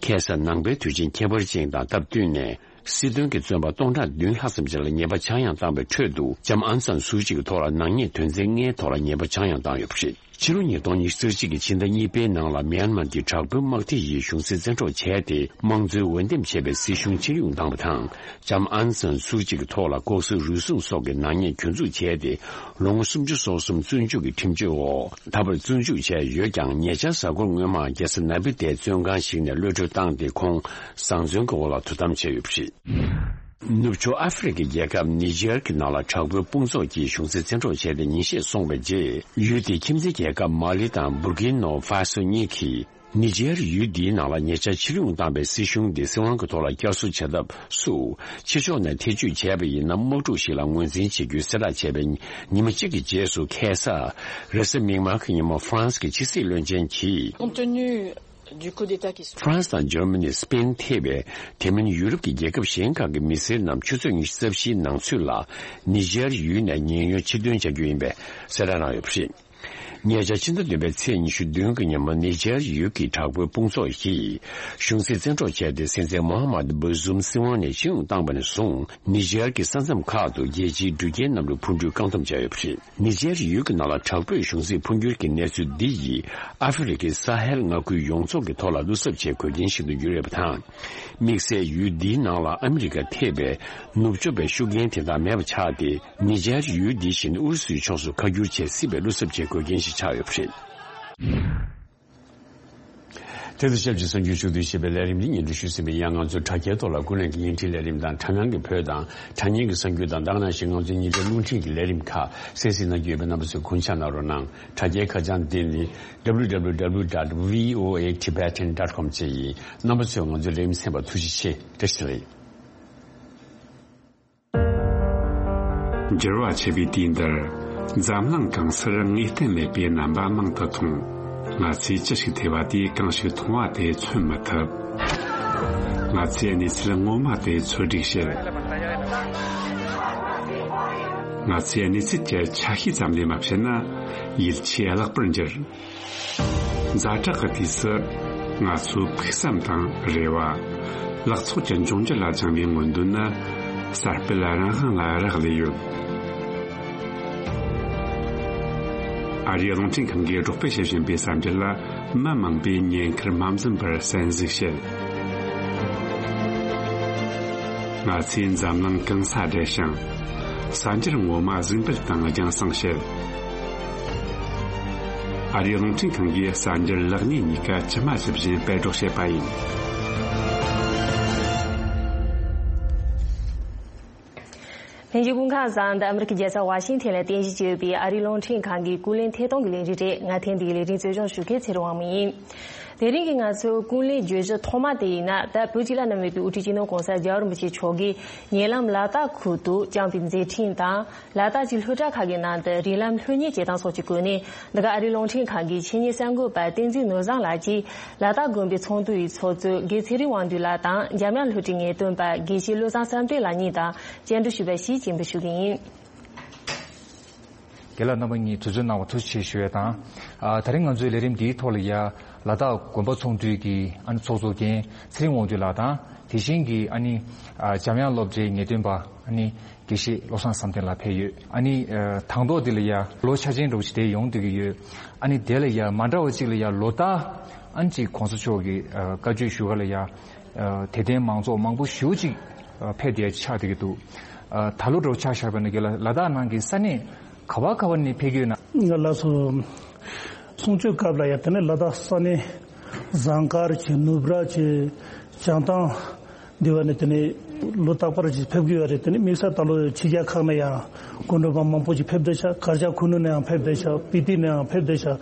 ཁ་སང་ནང་པའི་དུས་ཆེན་ཁྱད་པར་ཅན་དང་སྟབས་བསྟུན་ནས། སྲིད་དོན་གྱི་བཙོན་པ་སྟོང་ཕྲག་བདུན་ལྷག་ཙམ་ཞིག་ལ་ཉེས་པ་ཆག་ཡང་བཏང་བའི་ཁྲོད་དུ། ལྕམ་ཨན་སན་སུའུ་ཅི་གི་ཐོག་ལ་ནག་ཉེས་དོན་ཚན་ལྔའི་ཐོག་ལ་ཉེས་པ་ཆག་ཡང་བཏང་ཡོད་པ་རེད། ཕྱི་ལོ་ཉིས་སྟོང་ཉི་ཤུ་རྩ་གཅིག་གི་ཕྱི་ཟླ་གཉིས་པའི་ནང་ལ་མེན་མར་གྱི་དྲག་པོའི་དམག་སྡེ་ཡིས་གཞུང་སྲིད་བཙན་འཕྲོག་བྱས་ཏེ། དམངས་གཙོའི་འོས་འདེམས་བྱས་པའི་སྲིད་གཞུང་ཕྱིར་ཡོང་བཏང་བ་དང་། ལྕམ་ཨན་སན་སུའུ་ཅི་གི་ཐོག་ལ་ལྐོག་ཟ་རུལ་སུངས་སོགས་ཀྱི་ནག་ཉེས་གྱོད་འཛུགས་བྱས་ཏེ། ལོ་ངོ་སུམ་ཅུ་སོ་གསུམ་བཙོན་འཇུག་གི་ཁྲིམས་གཅོད་འོག་ད་བར་བཙོན་འཇུག་བྱས་ཡོད་ཀྱང་། ཉེ་ཆར་གཟའ་འཁོར་སྔོན་མ་རྒྱལ་ས་ནའི་པི་ཏའི་བཙོན་ཁང་ཞིག་ནས་གློད་གྲོལ་བཏང་སྟེ། ཁོང་བཟང་བཙོན་གྱི་འོག་ལ་དོ་དམ་བྱས་ཡོད་པ་རེད། ནུབ་ཕྱོགས་ཨ་ཧྥེ་རི་ཁའི་རྒྱལ་ཁབ་ནི་ཇེར་གྱི་ནང་ལ་དྲག་པོའི་དཔུང་ཚོགས་ཀྱིས་གཞུང་སྲིད་བཙན་འཕྲོག་བྱས་ཏེ་ཉིན་ཤས་སོང་བའི་རྗེས། ཡུལ་དེའི་ཁྱིམ་མཚེས་རྒྱལ་ཁབ་མ་ལི་དང་བུར་ཀིན་ནོ་ཧྥ་སོ་གཉིས་ཀྱིས། ནི་ཇེར་ཡུལ་འདིའི་ནང་ལ་ཉེ་ཆར་ཕྱིར་ཡོང་བཏང་བའི་སྲིད་གཞུང་དེ་སྲིད་དབང་གི་ཐོག་ལ་བསྐྱར་གསོ་བྱ་ཐབས་སུ། ཕྱི་ཕྱོགས་ནས་ཐེ་བྱུས་བྱས་པ་ཡིན་ན། དམག་འཁྲུག་ཞིག་ལ་ངོས་འཛིན་བྱེད་རྒྱུའི་གསལ་བསྒྲགས་བྱས་པའི་ཉི་མ་གཅིག་གི་རྗེས་སུ། ཁ་སང་རེས་གཟའ་མིག་དམར་གྱི་ཉིན་མོ། ཧྥ་རན་སི་གི་ཕྱི་སྲིད་བློན་ཆེན་གྱིས། Compte tenu du coup d'État qui se ཧྥ་རན་སི་དང་འཇར་མ་ནི། སི་པེན་ཐེ་བའི། དེ་མིན་ཡུ་རོབ་ཀྱི་རྒྱལ་ཁབ་གཞན་ཁག་གི་མི་སེར་རྣམས་ཆུ་ཚོད་ཉི་ཤུ་རྩ་བཞིའི་ནང་ཚུད་ལ་ནི་ཇེར་ཡུལ་ནས་ཉེན་གཡོལ་ཕྱིར་འདོན་བྱ་རྒྱུ་ཡིན་པའི་གསལ་བསྒྲགས་གནང་ཡོད་པ་རེད། ཉེ་ཆར་ཕྱི་ཟླ་བདུན་པའི་ཚེས་ཉི་ཤུ་བདུན་གྱི་ཉིན་མོ། ནི་ཇེར་ཡུལ་གྱི་དྲག་པོའི་དཔུང་ཚོགས་ཀྱིས་གཞུང་སྲིད་བཙན་འཕྲོག་བྱས་ཏེ། སྲིད་འཛིན་མོ་ཧ་མད་བུ་ཟུམ་སྲིད་དབང་ནས་ཕྱིར་ཡོང་བཏང་བ་ནས་བཟུང་། ནི་ཇེར་གྱི་ས་མཚམས་ཁག་ཏུ་རྒྱལ་སྤྱིའི་འགྲུལ་སྐྱེལ་གནམ་གྲུ་འཕུར་འགྲུལ་བཀག་སྡོམ་བྱས་ཡོད་པ་རེད། ནི་ཇེར་ཡུལ་གྱི་ནང་ལ་དྲག་པོས་གཞུང་སྲིད་འཕོ་འགྱུར་གྱི་གནས་ཚུལ་འདི་ཡིས། ཨ་ཧྥེ་རི་ཁའི་ས་ཧེལ་མངའ་ཁུལ་ཡོངས་རྫོགས་ཀྱི་ཐོག་ལ་བློ་འཚབ་བྱེད་དགོས་རྐྱེན་ཞིག་ཏུ་གྱུར་ཡོད་པ་དང་། དམིགས་བསལ་ཡུལ་འདིའི་ནང་ལ་ཨ་མི་རི་ཀ་ཐེ་བའི་ནུབ་ཕྱོགས་པའི་ཤུགས་རྐྱེན་དེ་དག་མེད་པ་ཆགས་ཏེ། ནི་ཇེར་ཡུལ་འདི་བཞིན་ཨུ་རུ་སུའི་ཕྱོགས་སུ་ཁ་བསྒྱུར་བྱེད་སྲིད་པའི་བློ་འཚབ་བྱེད་དགོས་རྐྱེན་ཞིག་ཆགས་ཡོད་པ་རེད། དེ་དང་ཆབས་ཅིག་གསར་འགྱུར་ཕྱོགས་བསྡུས་ཞེས་པའི་ལས་རིམ་འདི་སྙན་སྒྲོན་ཞུས་ཟིན་པ་ཡིན། ང་ཚོའི་དྲ་རྒྱའི་ཐོག་ལ་ཀུན་གླེང་གི་བརྙན་འཕྲིན་ལས་རིམ་དང་། དྲ་སྣང་གི་བོད་དང་དྲ་བརྙན་གྱི་གསར་འགྱུར་དང་། དེ་ནང་བཞིན་ང་ཚོའི་ཉིན་རེའི་རླུང་འཕྲིན་གྱི་ལས་རིམ་ཁག་གསན་གཟིགས་གནང་རྒྱུ་ཡོད་པས། རྣམ་པ་ཚོས་གུས་ཕྱག་གནང་རོགས་གནང་། དྲ་རྒྱའི་ཁ་བྱང་འདི་ནི། W W W dot V O A Tibetan dot com བཅས་ཡིན། རྣམ་པ་ཚོས་ང་ཚོའི་ལས་རིམ་གསན་པར་ཐུགས་རྗེ་ཆེ། བཀྲ་ཤིས་བདེ་ལེགས། འགྱུར་བ་ཆེ་བའི་དུས་འདིར། འཛམ་གླིང་གང་སར་ངེས་གཏན་མེད་པའི་རྣམ་པ་མང་དུ་མཐོང་། ང་ཚོས་ཅི་ཞིག་ཐོས་པ་དེས་གང་ཞིག་མཐོང་བ་དེ་མཚོན་མི་ཐུབ། ང་ཚོས་གནས་ཚུལ་ངོ་མ་དེ་འཚོལ་སྒྲིག་བྱེད། ང་ཚོས་གནས་ཚུལ་གྱི་ཆ་ཤས་ཙམ་ལས་མ་བཤད་ན། ཡིད་ཆེས་བརླག་པར་འགྱུར། ཛ་དྲག་གི་དུས་སུ། ང་ཚོའི་ཕུགས་བསམ་དང་རེ་བ། ལག་ཚོགས་ཀྱི་འབྱུང་འགྱུར་ལ་བཅངས་པའི་མངོན་འདོད་ནི། གསར་སྤེལ་རང་དབང་ལ་རག་ལས་ཡོད། ཨ་རིའི་རླུང་འཕྲིན་ཁང་གིས་སྒྲོག་སྤེལ་བྱེད་བཞིན་པའི་གསར་འགྱུར་ལ། མི་མང་པོས་ཉེན་ཁར་མ་འཛེམས་པར་གསན་གཟིགས་བྱེད། ང་ཚོས་འཛམ་གླིང་གང་སར་བསྡད་ཞིང་། གསར་འགྱུར་ངོ་མ་གཟིགས་འབུལ་དང་རྒྱང་སྲིང་བྱེད། ཨ་རིའི་རླུང་འཕྲིན་ཁང་གིས་གསར་འགྱུར་ལེགས་ཉེས་གཉིས་ཀ་ཇི་མ་ཇི་བཞིན་སྤེལ་སྒྲོག་བྱེད་པ་ཡིན། ལྷན་རྒྱས་སྐུ་ཁམས་བཟང་། འདི་ཨ་མི་རི་ཀའི་རྒྱལ་ས་ཝ་ཤིང་ཐན་ལ་རྟེན་གཞི་བྱས་ཡོད་པའི་ཨ་རིའི་རླུང་འཕྲིན་ཁང་གི་ཀུན་གླེང་ཐད་གཏོང་གི་ལས་རིམ་རེད། ང་ཐེངས་འདིའི་ལས་རིམ་གཙོ་སྐྱོང་ཞུ་མཁན་ཚེ་རིང་དབང་མོ་ཡིན། དེ་རིང་གི་ང་ཚོའི་ཀུན་གླེང་བརྗོད་གཞི་ཐོག་མ་དེ་ཡིན་ན། ད་བོད་ཀྱི་བླ་ན་མེད་པའི་དབུ་ཁྲིད་སྤྱི་ནོར་༸གོང་ས་༸རྒྱལ་བ་རིན་པོ་ཆེ་མཆོག་གིས་ཉེ་ལམ་ལ་དྭགས་ཁུལ་དུ་བསྐྱངས་པའི་མཛད་འཕྲིན་དང་། ལ་དྭགས་ཀྱི་སློབ་གྲྭ་ཁག་གི་ནང་དུ་རིགས་ལམ་སློབ་གཉེར་བྱེད་སྟངས་སོགས་ཀྱི་སྒོ་ནས། འདི་ག་ཨ་རིའི་རླུང་འཕྲིན་ཁང་གི་ཆེད་གཉེར་གསར་འགོད་པ་བསྟན་འཛིན་ནོར་བཟང་ལགས་ཀྱིས་ལ་དྭགས་དགོན་པའི་ཚོགས་འདུ་ཡི་ཚོགས་གཙོ་དགེ་ཚེ་རིང་དབང་འདུས་ལགས་དང་། འཇམ་དབྱངས་སློབ་གྲྭའི་ངེས་སྟོན་པ་དགེ་བཤེས་བློ་བཟང་བསམ་གཏན་ལགས་གཉིས་དང་བཅར་འདྲི་ཞུས་པ་ཞིག་སྤྱན་འབུལ་ཞུ་གི་ཡིན། རྒན་ལགས་རྣམ་པ་གཉིས་དུས་ཚོད་གནང་བར་ཐུགས་རྗེ་ཆེ་ཞུ་ཡས་དང་། ཨ། ད་རིང་ང་ཚོའི་ལས་རིམ་འདིའི་ཐོག་ལ་ཡ་ལ་དྭགས་དགོན་པ་ཚོགས་འདུའི་གི་ཨ་ནི་ཚོགས་གཙོ་རྒན་ཚེ་རིང་དབང་འདུས་ལགས་དང་། དེ་བཞིན་གྱི་ཨ་ནི་ཨ། འཇམ་དབྱངས་སློབ་གྲྭའི་ངེས་སྟོན་པ་ཨ་ནི་དགེ་བཤེས་བློ་བཟང་བསམ་གཏན་ལགས་ཕེབས་ཡོད། ཨ་ནི་ཨ། དང་ཐོག་འདི་ལ་ཡ་ལོ་འཆར་ཅན་འདྲ་བོ་ཞིག་དེ་ཡོང་བསྡད་ཀྱི་ཡོད། ཨ་ནི་དེ་ལ་ཡ་མ་འདྲ་བ་ཅིག་ལ་ཡ་ལོ་ལྟར་ཨ་ནི་ཅིག་༸གོང་ས་མཆོག་གི་ཨ། བཀའ་ཆོས་ཞུ་ག་ལ་ཡ་ཨ། དད་ལྡན་མང་ཚོགས་མང་པོ་ཞེ་པོ་ཅིག་ཨ། ཕེབས་བསྡད་ཆགས་བསྡད་ཀྱི་འདུག། ཨ། ད་ལོ་འདྲ་བོ་ཆ་བཞག་པ་ཡིན་ན་རྒན་ལགས་ལ་དྭགས་ནང་གི་ས་གནས་ག་བ་ག་བ་ནས་ཕེབས་ཀྱི་ཡོད་ན། ང་ལགས་སོ། གསུང་ཆོས་སྐབས་ལ་ཡ་དེ་ནས་ལ་དྭགས་ས་གནས་ ཟངས་དཀར་གྱི་ནུབ་ར་གྱི་བྱང་ཐང་འདི་བ་ནས་དེ་ནས་ལོ་རྟག་པར་གྱི་ཕེབས་ཀྱི་ཡོད་རེད། དེ་ནས་དམིགས་བསལ་ད་ལོ་ཕྱི་རྒྱལ་ཁག་ནས་ཡང་སྐུ་མགྲོན་པ་མང་པོ་ཞིག་ཕེབས་བསྡད་ཤག་གར་ཞ་ཁུ་ནུ་ནས་ཡང་ཕེབས་བསྡད་ཤག་སྤི་ཏི་ནས་ཡང་ཕེབས་བསྡད་ཤག་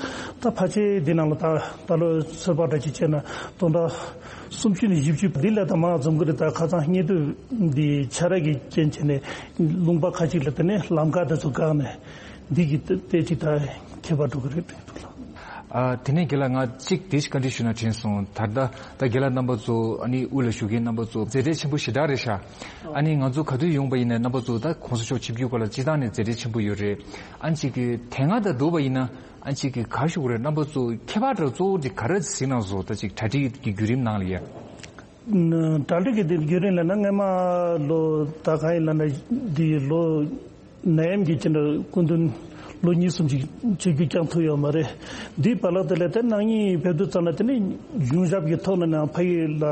ད་ཕལ་ཆེར་འདི་ནང་ལ་ད་ད་ལོ་ཚོད་དཔག་འདྲ་ཅིག་བྱས་ན་སྟོང་ཕྲག་སུམ་ཅུ་ནས་བཞི་བཅུ་འདི་ལས་ད་མང་འཛོམས་ཀྱི་རེད། ད་ཁ་སང་སྙན་ཐོ་འདི་ཆ་ར་གི་རྐྱེན་བྱས་ནས་ལུང་པ་ཁ་ཅིག་ལ་དེ་ནས་ལམ་ཁ་དེ་ཚོ་བཀག་ནས་འདི་གི་ཏོག་ཙམ་ད་ཁྱད་པར་འགྲོ་གི་རེད། ཨ། དེ་ནས་རྒན་ལགས་ང་གཅིག་དེ་ཞིག་བཀའ་འདྲི་ཞུ་ན་དྲན་སོང་། ད་ལྟ་ད་རྒན་ལགས་རྣམ་པ་ཚོ་ཨ་ནི་དབུས་ལ་བཞུགས་མཁན་རྣམ་པ་ཚོ་མཛད་བྲེལ་ཆེན་པོ་ཞེ་དྲག་རེད་ཤག་ཨ་ནི་ང་ཚོ་ག་དུས་ཡོང་པ་ཡིན་ན་རྣམ་པ་ཚོ་ད་གོང་ས་མཆོག་ཆིབས་བསྒྱུར་སྐོར་ལ་སྤྱི་བཏང་ནས་མཛད་བྲེལ་ཆེན་པོ་ཡོད་རེད། ཨ་ནི་གཅིག་གི་དེ་སྔ་དང་བསྡུར་བ་ཡིན་ན་ཨ་ནི་གཅིག་གི་ག་ཞུ་དགོས་རེད། རྣམ་པ་ཚོ་ཁྱད་པར་དུ་གཙོ་བོ་དེ་ག་རེ་གཟིགས་གནང་སོང་། ད་གཅིག་གྲ་སྒྲིག་གི་བརྒྱུད་རིམ་ནང་ལ་ཡ། གྲ་སྒྲིག་གི་དེ་བརྒྱུད་རིམ་ལ་ན་སྔས་མ་ལོ་ད་ག་ཡིན་ལ་ན་འདི་ལོ། ནད་ཡམས་ཀྱི་ཕྱིར་སྐུ་མདུན་ལོ་གཉིས་གསུམ་ཅིག་ཆིབས་བསྒྱུར་བསྐྱངས་ཐུབ་ཡོད་མ་རེད། འདིའི་བར་ལ་དེ་ལས་དེ་ནང་ཉིད་ཕེབས་དུས་ཙམ་ལ་དེ་ནི་གཞུང་ཞབས་ཀྱི་ཐོག་ནས་ནང་ཕ་ཡུལ་ལ་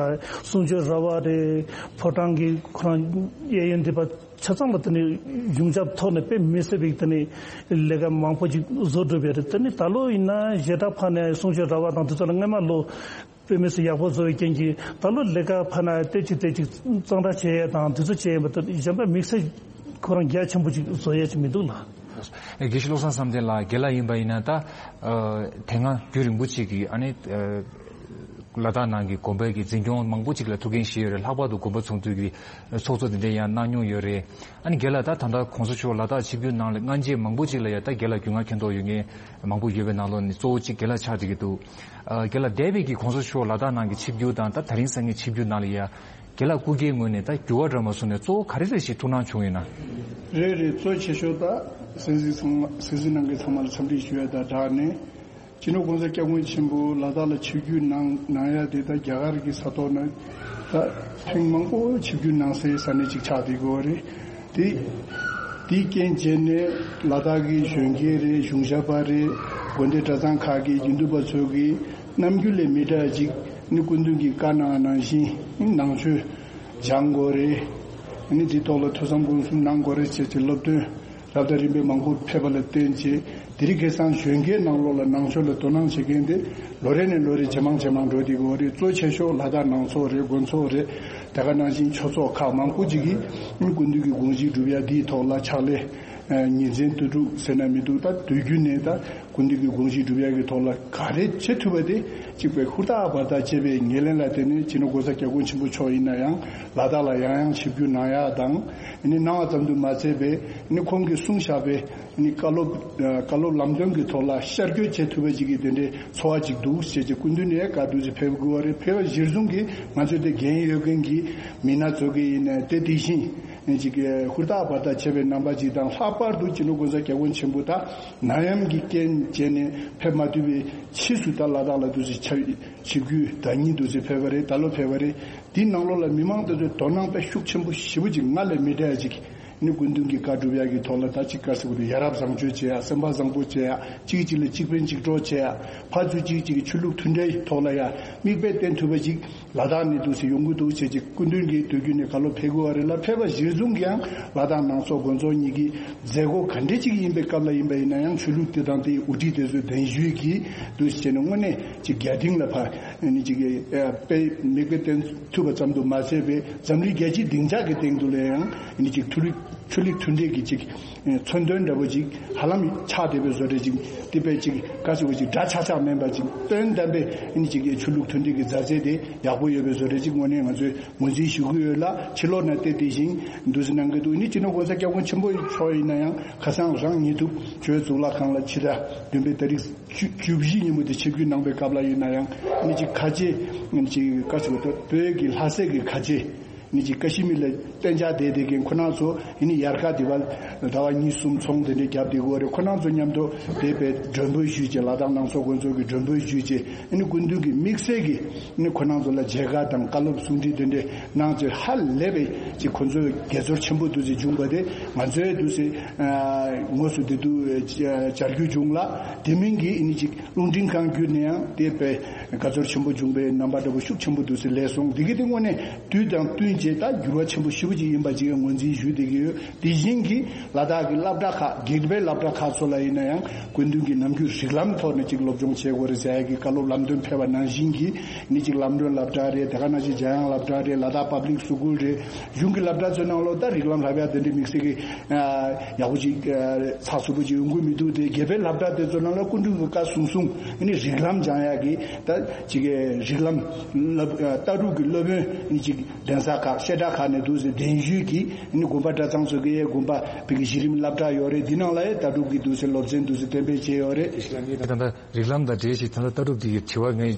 གསུང་ཆོས་ར་བ་རེད། ཕོ་བྲང་གི་ཁོ་རང་གཡས་གཡོན་འདི་པ་ཆ་ཚང་ལ་དེ་ནི་གཞུང་ཞབས་ཐོག་ནས་དཔེ་མི་སྲིད་པའི་དེ་ནི་ལས་ཀ་མང་པོ་ཅིག་བཟོ་གྲུབ་པ་རེད། དེ་ནི་ད་ལོ་ཡིན་ན་ཞེ་དྲག་ཕར་ནས་གསུང་ཆོས་ར་བ་དང་དེ་ཚོ་ལ་སྔས་མ་ལོ། དཔེ་མི་སྲིད་ཡག་པོ་བཟོ་བའི་རྐྱེན་གྱིས་ད་ལོ་ལས་ཀ་ཕར་ན་ཏོག་ཙམ་ཏོག་ཙམ་གཙང་སྦྲ་བྱེད་ཡས་དང་དེ་ཚོ་བྱེད་ཡས་མ་གཏོགས་གཞན་པ་དམིགས་བསལ་ཁོ་རང་རྒྱ་ཆེན་པོ་ཅིག་བཟོ་ཡས་ཅིག་མི་འདུག་ལ། དགེ་བཤེས་བློ་བཟང་བསམ་གཏན་ལགས། རྒན་ལགས་ཡིན་པ་ཡིན་ན་ད་ཨ་དེ་སྔ་རྒྱུན་རིང་པོ་ཅིག་གི་ཨ་ནི་ཨ་ལ་དྭགས་ནང་གི་དགོན་པའི་གི་འཛིན་སྐྱོང་མང་པོ་ཅིག་ལ་ཐུགས་འགན་བཞེས་ཡོད་རེད། ལྷག་པར་དུ་དགོན་པ་ཚོགས་འདུ་གི་ཚོགས་གཙོ་དེ་འདྲ་ཡང་གནང་མྱོང་ཡོད་རེད། ཨ་ནི་རྒན་ལགས་ད་ད་ལྟ་གོང་ས་མཆོག་ལ་དྭགས་ཆིབས་བསྒྱུར་གནང་ལ་སྔ་རྗེས་མང་པོ་ཅིག་ལ་ཡ་ད་རྒན་ལགས་རྒྱུས་མངའ་མཁྱེན་རྟོགས་ཡོད་མཁན་མང་པོ་ཡོད་པའི་ནང་ལོགས་ནས་གཙོ་བོ་གཅིག་རྒན་ལགས་ཆགས་བསྡད་ཀྱི་འདུག་ཨ་རྒན་ལགས་འདས་པའི་གི་གོང་ས་མཆོག་ལ་དྭགས་ནང་གི་ཆིབས་བསྒྱུར་དང་ད་དེ་རིང་སང་ཉིན་ཆིབས་བསྒྱུར་ནང་ལ་ཡ་རྒན་ལགས་སྐུ་སྒེར་ངོས་ནས་ད་འགྱུར་བ་འགྲོ་མ་སོང་ནས་གཙོ་བོ་ག་རེ་རེ་ཞིག་ཐུགས་སྣང་བྱུང་ཡོད་ན། རེད་རེད། གཙོ་ཆེ་ཤོས་ད་སེམས་སེམས་ཚང་མ་སེམས་སེམས་ནང་གི་ཚང་མ་ལ་འཚམས་འདྲི་ཞུ་ཡ་དང་སྦྲགས་ནས། སྤྱི་ནོར་༸གོང་ས་༸སྐྱབས་མགོན་ཆེན་པོ་ལ་དྭགས་ལ་ཆིབས་བསྒྱུར་གནང་གནང་ཡ་དེ་ད་རྒྱ་གར་གྱི་ས་ཐོག་ན་ད་ཐེངས་མང་པོ་ཆིབས་བསྒྱུར་གནང་སའི་ས་གནས་ཅིག་ཆགས་བསྡད་ཡོད་རེད། དེ་དེའི་རྐྱེན་བྱས་ནས་ལ་དྭགས་ཀྱི་གཞོན་སྐྱེས་རེད། གཞུང་ཞབས་པ་རེད། དགོན་སྡེ་གྲྭ་ཚང་ཁག་གི་དགེ་འདུན་པ་ཚོ་གིས་རྣམ་འགྱུར་ལས་མི་འདྲ་ཅིག་ནི་སྐུ་མདུན་གྱིས་བཀའ་གནང་ནང་བཞིན་ནང་ཆོས་སྦྱང་དགོས་རེད། ནི་དེའི་ཐོག་ལ་ཐོས་བསམ་སྒོམ་གསུམ་གནང་དགོས་རེད་ཅེས་ཀྱི་སློབ་སྟོན། རབ་དང་རིམ་པས་མང་པོ་ཕེབས་པ་ལ་བརྟེན་བྱས་དེ་རིང་ཁ་སང་གཞོན་སྐྱེས་ནང་ལོགས་ལ་ནང་ཆོས་ལ་དོ་སྣང་བྱེད་མཁན་དེ་ལོ་རེ་ནས་ལོ་རེ་ཇེ་མང་ཇེ་མང་འགྲོ་བསྡད་ཡོད་རེད། གཙོ་ཆེ་ཤོས་ལ་དྭགས་ནང་ཚོགས་རེད། དགོན་ཚོགས་རེད། དེ་ག་ནང་བཞིན་ཆོས་ཚོགས་ཁག་མང་པོ་ཅིག་གིས་སྐུ་མདུན་གྱི་དགོངས་གཞི་སྒྲུབ་ཡ་འདིའི་ཐོག་ལ་ཕྱག་ལས་ཉིན་མཚན་དུས་དྲུག་ཟེར་ན་མི་འདུག་ད་དུས་རྒྱུན་ནས་ད་སྐུ་མདུན་གྱི་དགོངས་གཞི་སྒྲུབ་ཡ་གི་ཐོག་ལ་ག་རེ་བྱེད་ཐུབ་པ་དེ་གཅིག་པའི་ཧུར་ཐག་འབད་ཐག་བྱས་པའི་ཉེར་ལེན་ལ་བརྟེན་ནས་སྤྱི་ནོར་༸གོང་ས་༸སྐྱབས་མགོན་ཆེན་པོ་མཆོག་ཡིན་ན་ཡང་ལ་དྭགས་ལ་ཡང་ཡང་ཆིབས་བསྒྱུར་གནང་ཡག་དང་ནི་གནང་བ་ཙམ་དུ་མ་ཚད་པའི་ནི་ཁོང་གིས་གསུངས་བཞག་པའི་ནི་བཀའ་སློབ་བཀའ་སློབ་ལམ་སྟོན་གྱི་ཐོག་ལ་ཤར་བསྐྱོད་བྱེད་ཐུབ་པ་ཅིག་གི་དེ་འདྲའི་ཚོར་བ་ཅིག་འདུག་ཞེས་ཀྱི་སྐུ་མདུན་ནས་བཀའ་འདུག་ཅེས་ཕེབས་དགོས་པ་རེད། ཕེབས་པ་གཞིར་བཟུང་གིས་ང་ཚོའི་དེ་འགན་ཡོད་མཁན་གྱི་མི་སྣ་ཚོ་གི་ཡིན་ནའི་དེ་དེ་བཞིན་ནི་ཅིག་ཧུར་ཐག་འབད་ཐག་བྱས་པའི་རྣམ་པ་ཅིག་དང་། ལྷག་པར་དུ་སྤྱི་ནོར་༸གོང་ས་༸སྐྱབས་མགོན་ཆེན་པོ་ད་ནད་ཡམས་ཀྱི་རྐྱེན་བྱས་ནས་ཕེབས་མ་ཐུབ་པའི་ཕྱིས་སུ་ད་ལ་དྭགས་ལ་འདུག་ཅེས་ཆ་ཆིབས་བསྒྱུར་ཟླ་ཉིན་དུས་ཚོད་ཕེབས་པ་རེད། ད་ལོ་ཕེབས་པ་རེད། དེའི་ནང་ལོགས་ལ་མི་མང་དེ་ཚོས་དོ་སྣང་དཔེ་ཤུགས་ཆེན་པོ་ཞེ་པོ་ཅིག་སྔར་ལས་མི་འདྲ་ཡ་ཅིག་ནི་སྐུ་མདུན་གྱི་བཀའ་སྒྲུབ་ཡག་གི་ཐོག་ལ་ད་ཅིག་དཀའ་ཟེར་བ་དེ་ཡ་རབས་བཟང་སྤྱོད་བྱེད་ཡ། སེམས་པ་བཟང་པོ་བྱེད་ཡ། གཅིག་གཅིག་ལ་གཅིག་ཕན་གཅིག་གྲོགས་བྱེད་ཡ། ཕར་ཚུར་གཅིག་གཅིག་གི་ཆོས་ལུགས་མཐུན་འབྲེལ་ཐོག་ལ་ཡ་མིག་དཔེ་བསྟན་ཐུབ་པ་ཅིག་ལ་དྭགས་ནས་འདུག་སེ་ཡོང་གི་འདུག་ཅེས་ཅིག་སྐུ་མདུན་གྱིས་དུས་རྒྱུན་ནས་ག་ལོ་ཕེབས་དགོས་པ་རེད་ལ། ཕེབས་པ་གཞིར་བཟུང་གིས་ཡང་ལ་དྭགས་ནང་སོག་དགོན་ཚོགས་གཉིས་ཀྱི་མཛད་སྒོ་ག་འདྲ་ཅིག་ཡིན་པའི་སྐབས་ལ་ཡིན་པ་ཡིན་ན་ཡང་ཆོས་ལུགས་དེ་དང་དེའི་དབུ་ཁྲིད་དེ་ཚོའི་གདན་ཞུས་ཀྱིས་འདུག་སེ་བྱས་ནས་དངོས་གནས་ཅིག་རྒྱ་སྡིངས་ལ་ཕར་ནི་ཅིག་དཔེ་མིག་དཔེ་བསྟན་ཐུབ་པ་ཙམ་དུ་མ་ཟད་པའི་འཛམ་གླིང་རྒྱལ་སྤྱིའི་སྡིངས་ཆ་གི་སྟེང་དུ་ལ་ཡང་ནི་ཅིག་མཐུན་ལུགས་ཆོས་ལུགས་མཐུན་འབྲེལ་གྱི་ཅིག་མཚོན་དོན་འདྲ་པོ་ཅིག་ཧ་ལམ་ཆགས་བསྡད་པའི་བཟོ་འདྲ་ཅིག་དེ་དཔེ་ཅིག་ག་ཟེར་བ་ཅིག་འདྲ་ཆགས་ཆགས་མིན་པ་ཅིག་དོན་དམ་པའི་ནི་ཅིག་ཆོས་ལུགས་མཐུན་འབྲེལ་གྱི་མཛའ་བརྩེ་དེ་ཡག་པོ་ཡོད་པའི་བཟོ་འདྲ་ཅིག་དངོས་གནས་ང་ཚོས་ངོས་འཛིན་ཞུ་གི་ཡོད་ལ། ཕྱི་ལོགས་ནས་བལྟས་དེ་བཞིན་འདུག་སེ་གནང་གི་འདུག་ནི་སྤྱི་ནོར་༸གོང་ས་༸སྐྱབས་མགོན་ཆེན་པོ་མཆོག་ཡིན་ན་ཡང་ཁ་སང་རང་ཉིད་དུ་ཆོས་གཙུག་ལག་ཁང་ལ་ཕྱི་ཟླ་བདུན་པའི་ཏ་རིག་བཅུ་བཅུ་བཞི་ཉིན་མོ་དེ་ཆིབས་བསྒྱུར་གནང་པའི་སྐབས་ལ་ཡིན་ན་ཡང་ནི་ཅིག་ཁ་ཆེ་ནི་ཅིག་ག་ཟེར་བ་ད་བོད་ཀྱི་ལྷ་སའི་གི་ཁ་ཆེ་ནི་ཅིག་ཀ་ཤི་མིར་ལ་གཏན་འཇགས་བསྡད་བསྡད་མཁན་ཁོ་རང་ཚོ་ཡིན་ནི་ཡར་ཁ་དེ་བ་ཟླ་བ་གཉིས་གསུམ་ཚོང་དེ་འདྲ་བརྒྱབ་བསྡད་ཀྱི་ཡོད་རེད། ཁོ་རང་ཚོ་མཉམ་དུ་དེ་བས་མགྲོན་འབོད་ཞུས་བྱས། ལ་དྭགས་ནང་སོག་དགོན་ཚོགས་ཀྱི་མགྲོན་འབོད་ཞུས་བྱས། ཨ་ནི་སྐུ་མདུན་གྱི་དམིགས་བསལ་གྱི་ཨ་ནི་ཁོ་རང་ཚོ་ལ་མཇལ་ཁ་དང་བཀའ་སློབ་གསུང་འཕྲིན་དེ་འདྲ་གནང་བྱས། ཧ་ལས་པའི་ཅིག་ཁོ་ཚོའི་དགྱེས་ཚོར་ཆེན་པོ་འདུག་སེ་བྱུང་བ་དེ་ང་ཚོའི་འདུག་སེ་དངོས་སུ་དེ་དུས་བཅར་རྒྱུ་བྱུང་ལ། དེ་མིན་གྱི་ཨ་ནི་ཅིག་རླུང་འཕྲིན་ཁང་བརྒྱུད་ནས་ཡང་དེ་བས་དགའ་ཚོར་ཆེན་པོ་བྱུང་བའི་རྣམ་པ་འདྲ་པོ་ཤུགས་ཆེན་པོ་འདུག་སེ་སླེབས་སོང་། འདི་གི་དེ་དངོས་གནས་དུས་དང་བསྟུན་ ཅེས་ད་འགྱུར་བ་ཆེན་པོ་ཞེ་པོ་ཅིག་ཡིན་པ་ཅིག་ངོས་འཛིན་ཞུ་བསྡད་ཀྱི་ཡོད། དེ་བཞིན་གྱི་ལ་དྭགས་ཀྱི་སློབ་གྲྭ་ཁག་དགེ་རྒན་པའི་སློབ་གྲྭ་ཁག་ཚོ་ལ་ཡིན་ན་ཡང་སྐུ་མདུན་གྱི་ནམ་རྒྱུན་རིགས་ལམ་ཐོག་ནས་ཅིག་སློབ་སྦྱོང་བྱེད་དགོས་རེད་ཟེར་ཡ་གི་བཀའ་སློབ་ལམ་སྟོན་ཕེབས་པ་ནང་བཞིན་གྱི་ནི་ཅིག་ལམ་སྒྲོན་སློབ་གྲྭ་རེད། དེ་ག་ནང་བཞིན་འཇམ་དབྱངས་སློབ་གྲྭ་རེད། ལ་དྭགས་པབ་ལིག་སི་ཀུལ་རེད། གཞུང་གི་སློབ་གྲྭ་ཚོའི་ནང་ལོགས་ད་རིགས་ལམ་བསླབ་ཡ་དེ་འདྲའི་དམིགས་བསལ་གྱི་ཡག་པོ་ཅིག་ཚགས་ཚུད་པོ་ཅིག་ཡོང་གི་མི་འདུག་དེ་དགེ་རྒན་པའི་སློབ་གྲྭ་དེ་ཚོ་ནང་ལ་སྐུ་མདུན་གྱི་བཀའ་གསུང་གསུང་ནི་རིགས་ལམ་སྦྱང་ཡ་གི་ད་ཅིག་རིགས་ལམ་ལྟ་གྲུབ་ཀྱི་སློབ་དཔོན་ནི་ཅིག་གདན་ས་ཁག་བཤད་གྲྭ་ཁག་ནས་འདུག་ཟེར་གདན་ཞུས་ཀྱིས་ནི་དགོན་པ་གྲྭ་ཚང་ཚོ་གི་དགོན་པ་བོད་ཀྱི་གཞི་རིམ་སློབ་གྲྭ་ཡོད་རེད། འདི་ནང་ལ་ཡང་ལྟ་གྲུབ་ཀྱི་འདུག་ཟེར་སློབ་ཚན་འདུག་ཟེར་གཏན་འབེབས་བྱས་ཡོད་རེད། ད་ལྟ་རིགས་ལམ་དང་འབྲེལ་ཞིག་ད་ལྟ་ལྟ་གྲུབ་འདི་གི་དྲི་བ་ངས་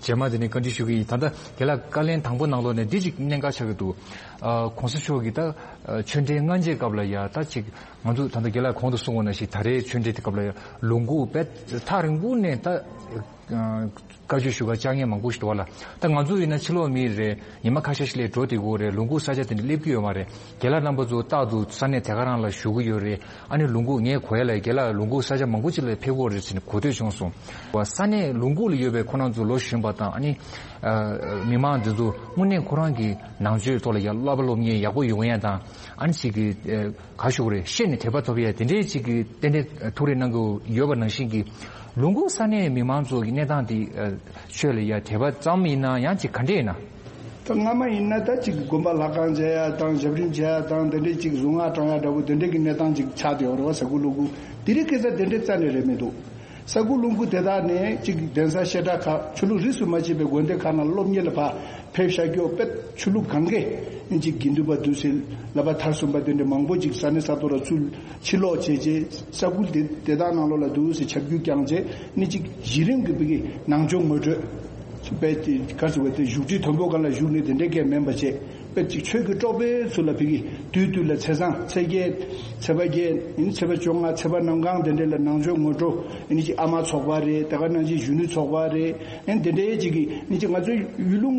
རྗེས་མ་དེ་ནས་བཀའ་འདྲི་ཞུ་གི་ཡིན། ད་ལྟ་རྒན་ལགས་བཀའ་ལན་དང་པོ་ནང་ལོགས་ནས་འདི་ཅིག་གནད་འགག་ཆགས་ཀྱི་འདུག་ཨ་༸གོང་ས་མཆོག་གིས་ད་ཨ་ཆོས་འབྲེལ་སྔ་རྗེས་སྐབས་ལ་ཡ་ད་ཅིག་ང་ཚོ་ད་ལྟ་རྒན་ལགས་གོང་དུ་གསུངས་པ་ནང་བཞིན་ད་རེས་ཆོས་འབྲེལ་དེ་སྐབས་ལ་ཡ་ལོ་ངོ་དཔེ་ཐག་རིང་པོ་ནས་ད་བཀའ་ཆོས་ཞུ་ག་བཅར་མཁན་མང་པོ་ཞིག་འདུག་བ་ལ། ད་ང་ཚོ་ཡིན་ན་ཕྱི་ལོགས་མི་རེད། ཉི་མ་ཁ་ཤས་ཤིག་ལ་འགྲོ་བསྡད་ཀྱི་ཡོད་རེད། ལུང་ཁུག་ས་ཆ་དེ་འདྲ་སླེབས་ཀྱི་ཡོད་མ་རེད། རྒན་ལགས་རྣམ་པ་ཚོ་རྟག་ཏུ་ས་གནས་དེ་ག་རང་ལ་བཞུགས་ཀྱི་ཡོད་རེད། ཨ་ནི་ལུང་ཁུག་ངས་གོ་ཡ་ལ་རྒན་ལགས་ལུང་ཁུག་ས་ཆ་མང་པོ་ཅིག་ལ་ཕེབས་ཀྱི་ཡོད་རེད་ཟེར་ནས་གོ་ཐོས་བྱུང་སོང་། ས་གནས་ལུང་ཁུག་ལ་ཡོད་པའི་ཁོ་རང་ཚོ་ལོ་གཞོན་པ་དང་ཨ་ནི་མི་མང་འདི་ཚོ་དངོས་གནས་ཁོ་རང་གི་ནང་ཆོས་ཐོག་ལ་ཡ་བསླབ་པ་སློབ་གཉེར་ཡག་པོ་ཡོང་ཡ་དང་ཨ་ནི་ཅིག་གི་ག་ཞུ་དགོས་རེད། ཤེས་ནས་དད་པ་ཐོབ་ཡ་དེ་འདྲའི་ཅིག་གི་ཏན་ཏན་ཐུགས་རེ་གནང་གི་ཡོད་པ་ནང་བཞིན་གྱི་ལུང་ཁུག་ས་གནས་མི་མང་ཚོ་གི་གནས་སྟངས་དེ་ཆོས་ལ་ཡ་དད་པ་ཙམ་ཡིན་ན་ཡང་ཅིག་ག་འདྲས་ཡིན་ན། ད་སྔ་མ་ཡིན་ན་ད་ཅིག་དགོན་པ་ལྷ་ཁང་མཇལ་ཡ་དང་ཞབས་རིམ་བྱེད་ཡ་དང་དེ་འདྲས་ཅིག་གཟུངས་སྔགས་བགྲང་ཡ་འདྲ་པོ་དེ་འདྲས་ཀྱི་གནས་སྟངས་ཅིག་ཆགས་བསྡད་ཡོད་རེད་བ། ས་ཁུལ་ལུང་ཁུག་དེ་རིང་ཁ་སང་དེ་འདྲས་རྩ་ནས་རེད་མི་འདུག་ས་ཁུལ་ལུང་ཁུག་དེ་དག་ནས་ཅིག་གདན་ས་བཤད་གྲྭ་ཁག་ཆོས་ལུགས་རིས་སུ་མ་ཆད་པའི་དགོན་སྡེ་ཁག་ནང་སློབ་གཉེར་ལ་ཕར་ཕེབས་བཞག་རྒྱུ་དཔེ་ཆོས་ལུགས་གང་གས་ཅིག་དགེ་འདུན་པ་འདུག་ཟེར་བསླབ་པ་མཐར་སོན་པ་དེ་འདྲ་མང་པོ་ཅིག་ས་གནས་ས་ཐོག་ལ་ཚུར་ཕྱིར་ལོག་བྱས་རྗེས་ས་ཁུལ་དེ་དེ་དག་ནང་ལོགས་ལ་འདུག་ཟེར་ཁྱབ་བསྒྱུར་བསྐྱངས་རྗེས་ནི་ཅིག་གཞི་རིམ་གྱི་བོད་ཀྱི་ནང་ཆོས་ངོ་སྤྲོད་དཔེ་ག་ཟེར་བ་དེ་བཞུགས་ཁྲི་མཐོན་པོ་སྒང་ལ་བཞུགས་ནས་དེ་འདྲའི་སྐད་མིན་པ་བྱས། དཔེ་ཅིག་ཆོས་ཀྱི་གྲོགས་པོའི་ཚུལ་ལ་ཕ་གི་དུས་དུས་ལ་ཚེས་བཟང་ཚེས་བརྒྱད་ཚེས་པ་བརྒྱད་ཡིན་ཚེས་པ་བཅོ་ལྔ་ཚེས་པ་གནམ་གང་དེ་འདྲ་ལ་ནང་ཆོས་ངོ་སྤྲོད་ཡིན་ཅིག་ཨ་མ་ཚོགས་པ་རེད། དེ་ག་ནང་བཞིན་གཞོན་ནུ་ཚོགས་པ་རེད། ཡིན་དེ་འདྲའི་ཅིག་གི་ཡིན་ཅིག་ང་ཚོའི་ཡུལ་ལུང་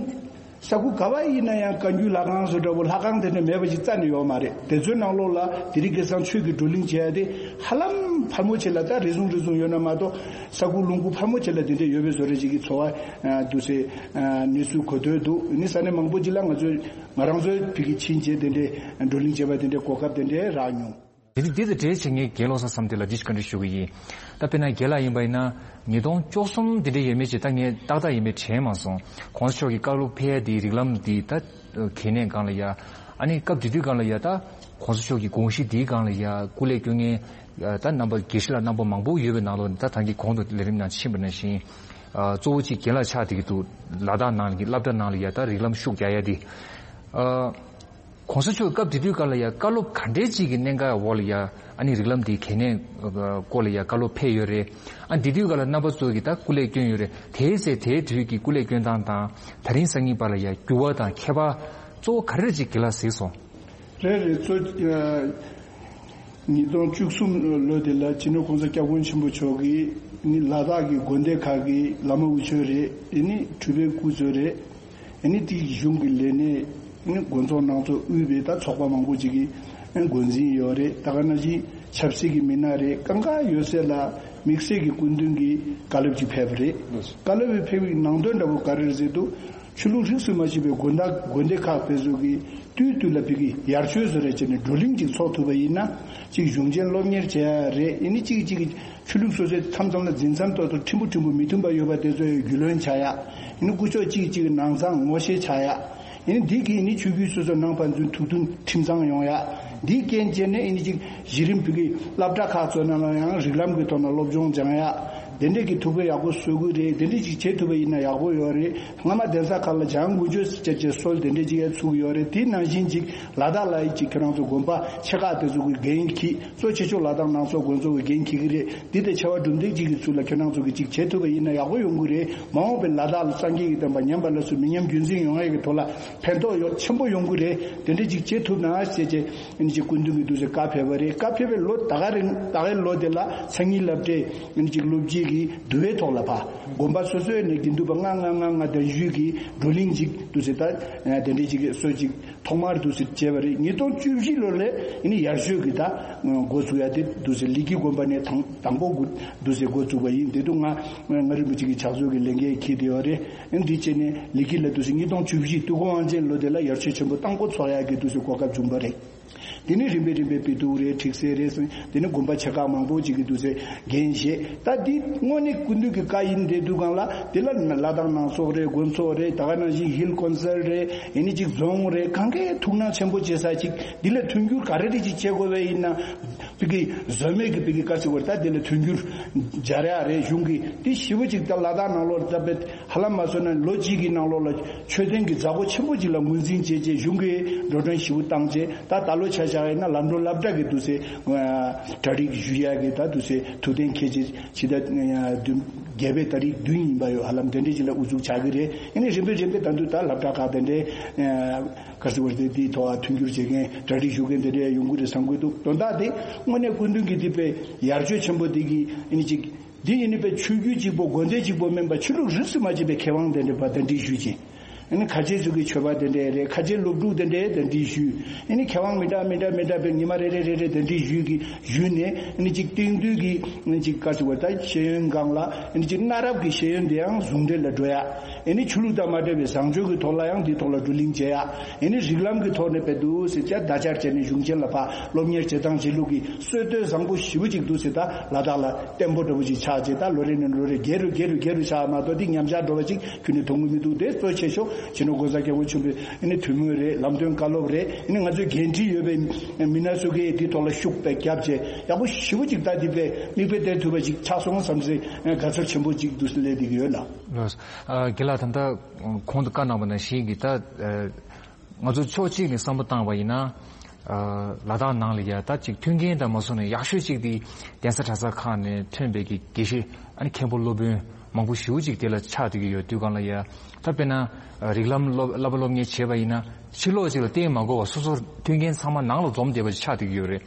ས་ཁུལ་ག་བ་ཡིན་ན་ཡང་བཀའ་འགྱུར་ལྷ་ཁང་སོགས་འདྲ་པོ་ལྷ་ཁང་དེ་འདྲ་མེད་པ་ཅིག་རྩ་ནས་ཡོད་མ་རེད། དེ་ཚོའི་ནང་ལོགས་ལ་དེ་རིང་ཁ་སང་ཆོས་ཀྱི་བགྲོ་གླེང་བྱེད་ཡ་དེ་ཧ་ལམ་ཕལ་མོ་ཆེ་ལ་ད་རེ་ཟུང་རེ་ཟུང་ཡོད་ན་མ་གཏོགས་ས་ཁུལ་ལུང་ཁུལ་ཕལ་མོ་ཆེ་ལ་དེ་འདྲ་ཡོད་པའི་བཟོ་འདྲ་ཅིག་གི་ཚོར་བ་འདུག་སེ་གནས་ཚུལ་གོ་ཐོས་འདུག་ནི་ས་གནས་མང་པོ་ཅིག་ལ་ང་ཚོས་ང་རང་ཚོའི་ཕ་གི་ཕྱིན་ཆད་དེ་འདྲའི་བགྲོ་གླེང་བྱེད་པ་དེ་འདྲའི་གོ་སྐབས་དེ་འདྲའི་རག་མྱོང་། དེ་དེ་དང་འབྲེལ་བྱས་ངས་རྒན་བློ་བཟང་བསམ་གཏན་ལ་འདི་ཞིག་བཀའ་འདྲི་ཞུ་གི་ཡིན། ད་དཔེར་ན་རྒན་ལགས་ཡིན་པ་ཡིན་ན་ཉིས་སྟོང་བཅུ་གསུམ་དེ་འདྲ་ཡོད་མེད་ཅིག་ད་ངས་ཏག་ཏག་ཡིན་མེད་དྲན་མ་སོང་། གོང་ས་མཆོག་གི་བཀའ་སློབ་ཕེབས་ཡ་དེའི་རིགས་ལམ་འདི་ད་གལ་གནད་སྒང་ལ་ཡ། ཨ་ནི་སྐབས་དེ་དུས་སྒང་ལ་ཡ་ད་གོང་ས་མཆོག་གི་དགོངས་གཞི་འདིའི་སྒང་ལ་ཡ་སྐུ་ལས་སྐྱོན་མཁན་ད་རྣམ་པ་དགེ་བཤེས་ལགས་རྣམ་པ་མང་པོ་ཡོད་པའི་ནང་ལོགས་ནས་ད་ད་གིན་གོང་དུ་ལས་རིམ་ནང་ཕྱིན་པ་ནང་བཞིན་གཙོ་བོ་གཅིག་རྒན་ལགས་ཆགས་བསྡད་ཀྱི་འདུག་ལ་དྭགས་ནང་གི་སློབ་གྲྭ་ནང་ལ་ཡ་ད་རིགས་ལམ་ཤུགས་རྒྱག་ཡ་དེ། གོང་ས་མཆོག་སྐབས་དེ་དུས་སྐབས་ལ་ཡ་བཀའ་སློབ་ག་འདྲའི་ཅིག་གི་གནད་འགག་འོག་ལ་ཡ་ཨ་ནི་རིགས་ལམ་འདིའི་གལ་གནད་སྐོར་ལ་ཡ་བཀའ་སློབ་ཕེབས་ཡོད་རེད། ཨ་འདི་དུས་སྐབས་ལ་རྣམ་པ་ཚོ་གིས་ད་སྐུ་ལས་བསྐྱོན་ཡོད་རེད། དེའི་ཚེ་དེའི་དུས་ཀྱི་སྐུ་ལས་བསྐྱོན་སྟངས་དང་དེ་རིང་སང་ཉིན་བར་ལ་ཡ་འགྱུར་བ་དང་ཁྱད་པར་གཙོ་བོ་ག་རེ་ཅིག་རྒན་ལགས་གཟིགས་སོང་། རེད་རེད་གཙོ། ཉིས་སྟོང་བཅུ་གསུམ་ལོ་དེ་ལ་སྤྱི་ནོར་༸གོང་ས་༸སྐྱབས་མགོན་ཆེན་པོ་མཆོག་གིས་ནི་ལ་དྭགས་ཀྱི་དགོན་སྡེ་ཁག་གི་བླ་མ་དབུ་ཆོས་རེད། ཨེ་ནི་གྲུབ་པའི་སྐུ་ཚོ་རེད། ཨེ་ནི་དེའི་གཞུང་གི་ལས་སྣེ་ནི་དགོན་ཚོགས་ནང་ཚོགས་དབུས་པའི་ད་ཚོགས་པ་མང་པོ་ཅིག་གི་འགོ་འཛིན་ཡོད་རེད། ད་ག་ནང་བཞིན་ཆབ་སྲིད་ཀྱི་མི་སྣ་རེད། གང་ག་ཡོད་སའི་ལ་དམིགས་བསལ་གྱི་སྐུ་མདུན་གྱི་བཀའ་སློབ་ཅིག་ཕེབས་པ་རེད། བཀའ་སློབ་ཕེབས་པའི་ནང་དོན་འདྲ་པོ་ག་རེ་རེད་ཟེར་དུས། ཆོས་ལུགས་རིས་སུ་མ་ཆད་པའི་དགོན་བདག་དགོན་སྡེ་ཁག་དེ་ཚོ་གིས་དུས་དུས་ལ་ཕ་གི་ཡར་ཆོས་བཟོ་རེས་བྱས་ནས་བགྲོ་གླེང་ཅིག་ཚོགས་ཐུབ་པ་ཡིན་ན་ཅིག་གཞུང་ཆེན་སློབ་གཉེར་བྱེད་ཡ་རེད། ཡིན་ནི་གཅིག་གིས་གཅིག་གི་ཆོས་ལུགས་སོ་སོའི་མཚམས་མཚམས་ལ་འཛིན་མཚམས་ཐོག་ཏུ་ཕྲན་བུ་ཕྲན་བུ་མི་མཐུན་པ་ཡོད་པ་དེ་ཚོའི་རྒྱུས་ལོན་བྱ་ཡ། ཡིན་ནི་སྐུ་ཕྱོགས་གཅིག་གིས་གཅིག་གི་ནང་གསང་ངོ་ཤེས་བྱ་ཡ། ཡིན་ནི་འདི་གིས་ཡིན་ནི་ཆོས་བརྒྱུད་སོ་སོའི་ནང་ཕན་ཚུན་ཐུགས་མཐུན་ཁྲིམས་གཙང་ཡོང་ཡ། འདིའི་རྐྱེན་བྱས་ནས་ཡིན་ནི་གཅིག་གཞི་རིམ་བོད་ཀྱི་སློབ་གྲྭ་ཁག་ཚོ་ནང་ལ་ཡང་རིགས་ལམ་གྱི་ཐོག་ནས་སློབ་སྦྱོང་སྦྱང་ཡ། དེ་འདྲས་ཀྱི་ཐུགས་ཕན་ཡག་པོ་གསོས་ཀྱི་རེད། དེ་འདྲས་ཅིག་བྱེད་ཐུབ་པ་ཡིན་ན་ཡག་པོ་ཡོད་རེད། སྔ་མ་གདན་ས་ཁག་ལ་བྱང་དགུ་བཅོས་སུ་བཅར་བྱས་སྲོལ་དེ་འདྲས་ཅིག་ཡང་ཚུགས་ཡོད་རེད། དེ་ནང་བཞིན་ཅིག་ལ་དྭགས་ལ་ཡི་ཅིག་ཁྱེད་རང་ཚོ་དགོན་པ་ཆེ་ཁག་དེ་ཚོ་གི་འགན་འཁྱེར་གཙོ་ཆེ་ཤོས་ལ་དྭགས་ནང་སོག་དགོན་ཚོགས་ཀྱི་འགན་འཁྱེར་གྱི་རེད། འདི་དེ་ཆེ་བ་གྲུབ་འདེགས་ཅིག་གི་ཚུལ་ལ་ཁྱེད་རང་ཚོ་གི་ཅིག་བྱེད་ཐུབ་པ་ཡིན་ན་ཡག་པོ་ཡོང་གི་རེད། མ་འོངས་པའི་ལ་དྭགས་ལ་སངས་རྒྱས་ཀྱི་བསྟན་པ་ཉམས་པ་སླར་གསོ་མི་ཉམས་རྒྱུན་འཛིན་ཡོང་ཡ་གི་ཐོག་ལ་ཕན་ཐོགས་ཡོད་ཆེན་པོ་ཡོང་གི་རེད། དེ་འདྲ་ཅིག་བྱེད་ཐུབ་ན་ཟེར་བྱས་ཨ་ནི་ཅིག་སྐུ་མདུན་གྱི་འདུག་སེ་བཀའ་ཕེབས་པ་རེད། བཀའ་ཕེབས་པའི་ལོ་ད་ག་རིང་ད་གའི་ལོ་དེ་ལ་མཚན་ཉིད་བསླབ་གྲྭའི་ཨ་ནི་ཅིག་སློབ་སྤྱིའི་ འདུལ་བའི་ཐོག་ལ་ཕ་དགོན་པ་སོ་སོའི་ནས་དགེ་འདུན་པ་ལྔ་ལྔ་ལྔ་ལྔ་དང་བཞི་གི་བགྲོ་གླེང་ཅིག་འདུག་ཟེར། ད་དེ་འདྲའི་ཅིག་གི་སྲོལ་ཅིག་ཐོག་མར་འདུག་ཟེར་བྱས་པ་རེད། ཉིས་སྟོང་བཅུ་བཞི་ལོ་ལ་ཨ་ནི་ཡར་ཞོལ་གྱི་ད་འགོ་ཚུགས་ཡ་དེ་འདུག་ཟེར། ལི་ཀི་དགོན་པ་ནས་དང་དང་པོ་འགོ་འདུག་ཟེར་འགོ་བཙུགས་པ་ཡིན། དེ་དུས་ང་ང་རིན་པོ་ཆེ་གི་ཕྱག་མཛོད་ཀྱི་ལས་འགན་འཁྱེར་བསྡད་ཡོད་རེད། ཨ་ནི་འདི་བྱས་ནས་ལི་ཀི་ལ་འདུག་ཟེར་ཉིས་སྟོང་བཅུ་བཞི་དུས་འཁོར་དབང་ཆེན་ལོ་དེ་ལ་ཡར་ཞོལ་ཆེན་པོ་དང་པོ་ཚོགས་ཡ་གི་འདུག་ཟེར་གོ་སྐབས་བྱུང་པ་རེད། དེ་ནས་རིམ་པས་རིམ་པས་དཔེ་དེབ་རེད། ཁྲིག་སེ་རེད། དེ་ནས་དགོན་པ་ཆེ་ཁག་མང་པོ་ཅིག་གི་འདུག་ཟེར་འགན་བཞེས། ད་འདི་དངོས་གནས་སྐུ་མདུན་གྱི་བཀའ་ཡིན་བསྡད་དུས་སྒང་ལ་དེ་ལ་ལ་དྭགས་ནང་ཚོགས་རེད། དགོན་ཚོགས་རེད། ད་ག་ནང་བཞིན་ཧིལ་ཀོན་སལ་རེད། ཨེ་ནི་ཅིག་རྫོང་རེད། གང་གའི་ཐུགས་སྣང་ཆེན་པོ་བྱེད་ས་ཅིག་འདི་ལ་མཐུན་འགྱུར་ག་རེ་རེ་ཅིག་བྱེད་དགོས་པ་ཡིན་ན་བི་གི་བཟོ་མེད་ཀྱི་བི་གི་བཀའ་ཟེར་བར་ད་དེ་ལ་མཐུན་འགྱུར་སྦྱར་ཡ་རེད། གཞུང་གི་དེ་ཞེ་པོ་ཅིག་ད་ལ་དྭགས་ནང་ལོགས་ལ་ད་དཔེ་ཧ་ལམ་མ་སོང་ན་ལོ་གཅིག་གི་ནང་ལོགས་ལ་མཆོད་རྟེན་གྱི་མཛད་སྒོ་ཆེན་པོ་ཅིག་ལ་ངོས་འཛིན་བྱས་རྗེས་གཞུང་གིས་འགྲོ་གྲོན་ཞེ་པོ་བཏང་རྗེས། ད་ད་ལོ་ཆ་བཞག་ཡིན་ན་ལམ་འགྲོ་སློབ་གྲྭ་གི་འདུག་སེ་གྲ་སྒྲིག་ཞུ་ཡ་གི་ད་འདུག་སེ་ཐུགས་གཏན་འཁེལ་རྗེས་ཇི་ལྟར་བརྒྱད་པའི་ཏ་རིག་བདུན་ཡིན་པ་ཡོད། ཧ་ལམ་དེ་འདྲའི་ཅིག་ལ་དབུ་འཛུགས་ཆགས་ཀྱི་རེད། ཨ་ནི་རིམ་པས་རིམ་པས་ད་དུང་ད་སློབ་གྲྭ་ཁག་དེ་འདྲའི་ག་རེ་ཟེར་བ་རེད། དེའི་ཐོག་མཐུན་འགྱུར་བྱེད་མཁན་གྲ་སྒྲིག་ཞུ་མཁན་དེ་འདྲའི་ཡོང་གི་རེད་བསམ་གྱི་འདུག་དོན་དག་དེ་དངོས་གནས་སྐུ་མདུན་གྱི་དེ་དཔེ་ཡར་ཆོས་ཆེན་པོ་དེ་གི་ཨ་ནི་ཅིག་འདི་ཡིན་ནི་པའི་ཆོས་བརྒྱུད་གཅིག་པོ་དགོན་སྡེ་གཅིག་པོ་མིན་པ་ཆོས་ལུགས་རིས་སུ་མ་ཆད་པའི་མཁས་དབང་དེ་འདྲ་པ་དེ་འདྲའི་ཞུས་ཀྱི། ཨ་ནི་ཁ་ཆེ་ཚོ་གི་ཆོས་པ་དེ་འདྲ་རེད། ཁ་ཆེ་སློབ་ཕྲུག་དེ་འདྲ་དེ་འདྲའི་ཞུས། ཨ་ནི་མཁས་དབང་མི་འདྲ་མི་འདྲ་མི་འདྲ་པའི་ཉི་མ་རེ་རེ་རེ་རེ་དེ་འདྲའི་ཞུས་ཀྱི་ཞུས་ནས་ཨ་ནི་གཅིག་སྟེང་དུས་ཀྱི་ཨ་ནི་གཅིག་ག་ཟེར་བ་ད་ཤེས་ཡོན་སྒང་ལ་ཨ་ནི་གཅིག་གནའ་རབས་ཀྱི་ཤེས་ཡོན་དེ་ཡང་ཟུང་འབྲེལ་ལ་འགྲོ་ཡ། ཨ་ནི་ཆོས་ལུགས་དང་མ་འབྲེལ་བའི་བཟང་སྤྱོད་ཀྱི་ཐོག་ལ་ཡང་འདིའི་ཐོག་ལ་བགྲོ་གླེང་བྱེད་ཡ། ཨ་ནི་རིགས་ལམ་གྱི་ཐོག་ནས་དཔེ་འདུག་ཟེར་བྱས་བརྡ་སྦྱར་བྱས་ནས་གཞུང་ཆེན་ལ་ཕར་སློབ་གཉེར་བྱེད་སྟངས་བྱེད་ལུགས་ཀྱི་སྲོལ་གཏོད་བཟང་པོ་ཞེ་པོ་ཅིག་འདུག་ཟེར། ད་ལ་དྭགས་ལ་བརྟན་པོ་འདྲ་པོ་ཅིག་ཆགས་བྱས་ད་ལོ་རེ་ནས་ལོ་རེ་རྒྱས་རུ་རྒྱས་རུ་རྒྱས་རུ་ཆགས་མ་གཏོགས་འདི་ཉམས་ཆག་འགྲོ་བ་ཅིག་ཁྱོན་ནས་མཐོང་གི་མི་འདུག་དེ་གཙོ་ཆེ་ཤོས་སྤྱི་ནོར་༸གོང་ས་༸སྐྱབས་མགོན་ཆེན་པོའི་ཨ་ནི་ཐུགས་སྨོན་རེད། ལམ་སྟོན་བཀའ་སློབ་རེད། ཨ་ནི་ང་ཚོའི་འགན་འཁྲི་ཡོད་པའི་མི་སྣ་ཚོ་གིས་འདིའི་ཐོག་ལ་ཤུགས་དཔེ་བརྒྱབ་བྱས་ཡག་པོ་ཞེ་པོ་ཅིག་ད་འདི་དཔེ་མིག་དཔེ་སྟེར་ཐུབ་པ་ཅིག་ཆགས་སོང་བསམ་སའི་དགའ་ཚོར་ཆེན་པོ་ཅིག་འདུག་སེ་སླེབས་བསྡད་ཀྱི་ཡོད་ལགས། ལགས་སོ། ཨ་རྒན་ལགས་ད་ལྟ་གོང་དུ་བཀའ་གནང་བ་ནང་བཞིན་གྱི་ད་ཨ་ང་ཚོ་ཕྱོགས་གཅིག་ནས་བསམ་བློ་བཏང་བ་ཡིན་ན། ཨ་ལ་དྭགས་ནང་ལ་ཡ་ད་ཅིག་མཐུན་རྐྱེན་དང་མ་སོང་ནས་ཡག་ཤོས་ཅིག་དེ་གདན་ས་གྲྭ་ཚང་ཁག་ནས་ཐོན་པའི་གི་དགེ་བཤེས་ཨ་ནི་མཁན་པོ་སློབ་དཔོན་མང་པོ་ཞེ་པོ་ཅིག་དེ་ལ་ཆགས་བསྡད་ཀྱི་ཡོད་དུས་སྒང་ལ་ཡ། ད་དཔེར་ན་ཨ་རིགས་ལམ་སློབ་བསླབ་པ་སློབ་གཉེར་བྱས་པ་ཡིན་ན་ཕྱི་ལོགས་ཅིག་ལ་བརྟེན་མ་དགོས་པ་སོ་སོར་མཐུན་རྐྱེན་ཚང་མ་ནང་ལ་འཛོམས་བསྡད་པ་ཅིག་ཆགས་བསྡད་ཀྱི་ཡོད་རེད།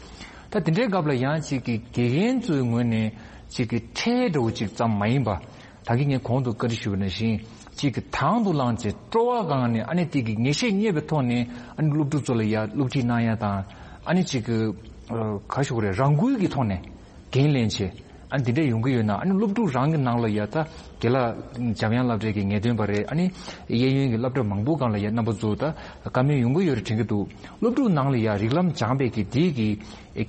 ད་དེ་འདྲའི་སྐབས་ལ་ཡང་ཅིག་གི་དགེ་རྒན་ཚོའི་ངོས་ནས་ཅིག་གི་ཁྲལ་འདྲ་བོ་ཅིག་ཙམ་མ་ཡིན་པ། ད་གིན་ངས་གོང་དུ་བཀའ་འདྲི་ཞུས་པ་ནང་བཞིན་གཅིག་གི་དང་དུ་བླངས་བྱས་སྤྲོ་བ་སྒང་ནས་ཨ་ནི་དེ་གི་ངེས་ཤེས་རྙེད་པའི་ཐོག་ནས་ཨ་ནི་སློབ་ཕྲུག་ཚོ་ལ་ཡ་སློབ་ཁྲིད་གནང་ཡ་དང་ཨ་ནི་གཅིག་གི་ག་ཞུ་དགོས་རེད། རང་འགུལ་གྱི་ཐོག་ནས་འགན་ལེན་བྱས་ཨ་ནི་དེ་འདྲས་ཡོང་གི་ཡོད་ན་ཨ་ནི་སློབ་ཕྲུག་རང་གི་ནང་ལ་ཡ་ད་དགེ་ལགས་འཇམ་དབྱངས་སློབ་གྲྭའི་གི་ངེས་སྟོན་པ་རེད། ཨ་ནི་གཡས་གཡོན་གྱི་སློབ་གྲྭ་མང་པོ་སྒང་ལ་ཡ་རྣམ་པ་ཚོ་ད་བཀའ་མོལ་ཡོང་གི་ཡོད་རེད་དྲན་གྱི་འདུག་སློབ་ཕྲུག་ནང་ལ་ཡ་རིགས་ལམ་སྦྱངས་པའི་གི་དེའི་གི་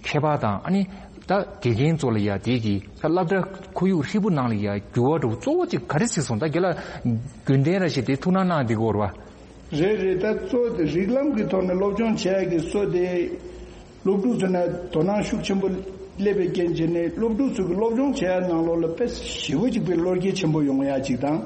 ཁྱད་པར་དང་ཨ་ནི་ད་དགེ་རྒན་ཚོ་ལ་ཡ་དེའི་གི་ད་སློབ་གྲྭ་ཁོར་ཡུག་ཧྲིལ་པོ་ནང་ལ་ཡ་འགྱུར་བ་འགྲོ་གཙོ་བོ་གཅིག་ག་རེ་གཟིགས་སོང་། ད་རྒན་ལགས་རྒྱུན་ལྡན་ར་ཞིག་དེ་ཐུགས་སྣང་གནང་བསྡད་ཀྱི་ཡོད་རེད་པ། རེད་རེད། ད་གཙོ་དེ་རིགས་ལམ་གྱི་ཐོག་ནས་སློབ་སྦྱོང་བྱེད་ཡ་གི་གཙོ་དེ་སློབ་ཕྲུག་ཚོ་ནས་དོ་སྣང་ཤུགས་ཆེན་པོ་སླེབས་པའི་རྐྱེན་བྱས་ནས་སློབ་ཕྲུག་ཚོ་གི་སློབ་སྦྱོང་བྱེད་ཡ་ནང་ལོགས་ལ་དཔེ་ཞེ་པོ་གཅིག་པའི་བློ་སྐྱེད་ཆེན་པོ་ཡོང་ཡ་གཅིག་དང་།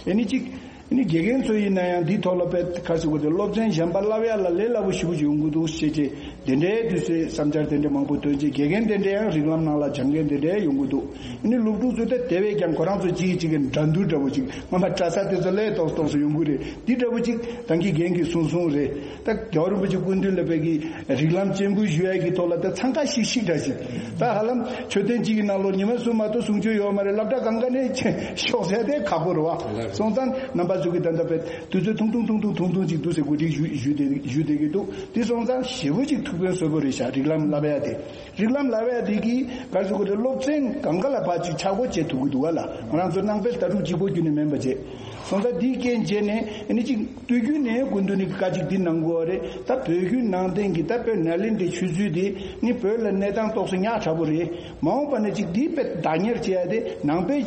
ཨེ་ནི་གཅིག་ཨ་ནི་དགེ་རྒན་ཚོ་ཡིན་ན་ཡང་འདིའི་ཐོག་ལ་དཔེ་ཁ་ཟེར་དགོས་དེ་སློབ་ཚན་གཞན་པ་བསླབ་ཡ་ལ་ལས་སླ་པོ་ཞེ་པོ་ཅིག་ཡོང་གི་འདུག་ཞེས་བྱས་དེ་འདྲའི་དུས་ཚོད་བསམ་འཆར་དེ་འདྲ་མང་པོ་ཐོན་རྗེས་དགེ་རྒན་དེ་འདྲ་ཡང་རིགས་ལམ་ནང་ལ་སྦྱང་མཁན་དེ་འདྲ་ཡོང་གི་འདུག་ཨ་ནི་སློབ་ཕྲུག་ཚོ་དེ་དེ་བས་ཀྱང་ཁོ་རང་ཚོ་གཅིག་གིས་གཅིག་གི་འགྲན་བསྡུར་འདྲ་པོ་ཅིག་སྔོན་མ་གྲྭ་ས་དེ་ཚོ་ལས་ཏོག་ཙམ་ཏོག་ཙམ་ཡོང་གི་རེད། འདི་འདྲ་པོ་ཅིག་ད་གིན་རྒན་གྱིས་གསུངས་སོང་རེད། ད་རྒྱལ་བ་རིན་པོ་ཆེ་སྐུ་མདུན་ལ་དཔེ་གི་རིགས་ལམ་སྤྱན་འབུལ་ཞུ་ཡ་གི་ཐོག་ལ་ད་འཚང་ཁ་ཤིག་ཤིག་འདྲ་ཞིག་ད་ཧ་ལམ་མཆོད་རྟེན་གཅིག་གི་ནང་ལོགས་ཉི་མ་གསུམ་མ་གཏོགས་གསུང་ཆོས་ཡོད་མ་རེད། སློབ་གྲྭ་གང་ག་ནས་ཤོག་ཟེར་དེ་ཁག་པོ་རེད་བ། སོང་ཙང་རྣམ་པ་ཚོ་གི་ད་ལྟ་དཔེ་དུས་ཚོད་ཐུང་ཐུང་ཐུང་ཐུང་ཐུང་ཐུང་ཐུང་ཅིག་འདུག་ཟེར་གོ་སྒྲིག་ཞུ་ཞུ་བསྡད་ཞུ་བསྡད་ཀྱི་འདུག་དེ་སོང་ཙང་ཞེ་པོ་ཅིག་ཐུགས་ཕན་གསོས་པོ་རེད་ཤག་རིགས་ལམ་བསླབ་ཡ་དེ། རིགས་ལམ་བསླབ་ཡ་དེ་གིས་ག་རེ་ཟེར་དགོས་རེད། སློབ་ཚན་གང་ག་ལ་ཕར་ཅིག་ཆ་སྒོ་འབྱེད་ཐུབ་ཀྱི་འདུག་ག་ལ། ང་རང་ཚོ་ནང་པའི་ལྟ་གྲུབ་གཅིག་པོ་བརྒྱུད་ནས་མིན་པ་བྱས། སོང་ཙང་འདིའི་རྐྱེན་བྱས་ནས་ཨ་ནི་ཅིག་སྟོད་རྒྱུད་ནས་སྐུ་མདུན་ནས་བཀའ་ཅིག་འདི་གནང་དགོས་པ་རེད། ད་བོད་བརྒྱུད་ནང་བསྟན་གྱི་ད་དཔེ་ནཱ་ལེནྡྲའི་ཆོས་ཚུལ་དེ་ནི་བོད་ལ་གནས་སྟངས་ཏོག་ཙམ་ཉག་ཕྲ་པོ་རེད། མ་འོངས་པ་ན་ཅིག་འདི་དཔེ་བདག་གཉེར་བྱེད་ཡ་དེ་ནང་པའི་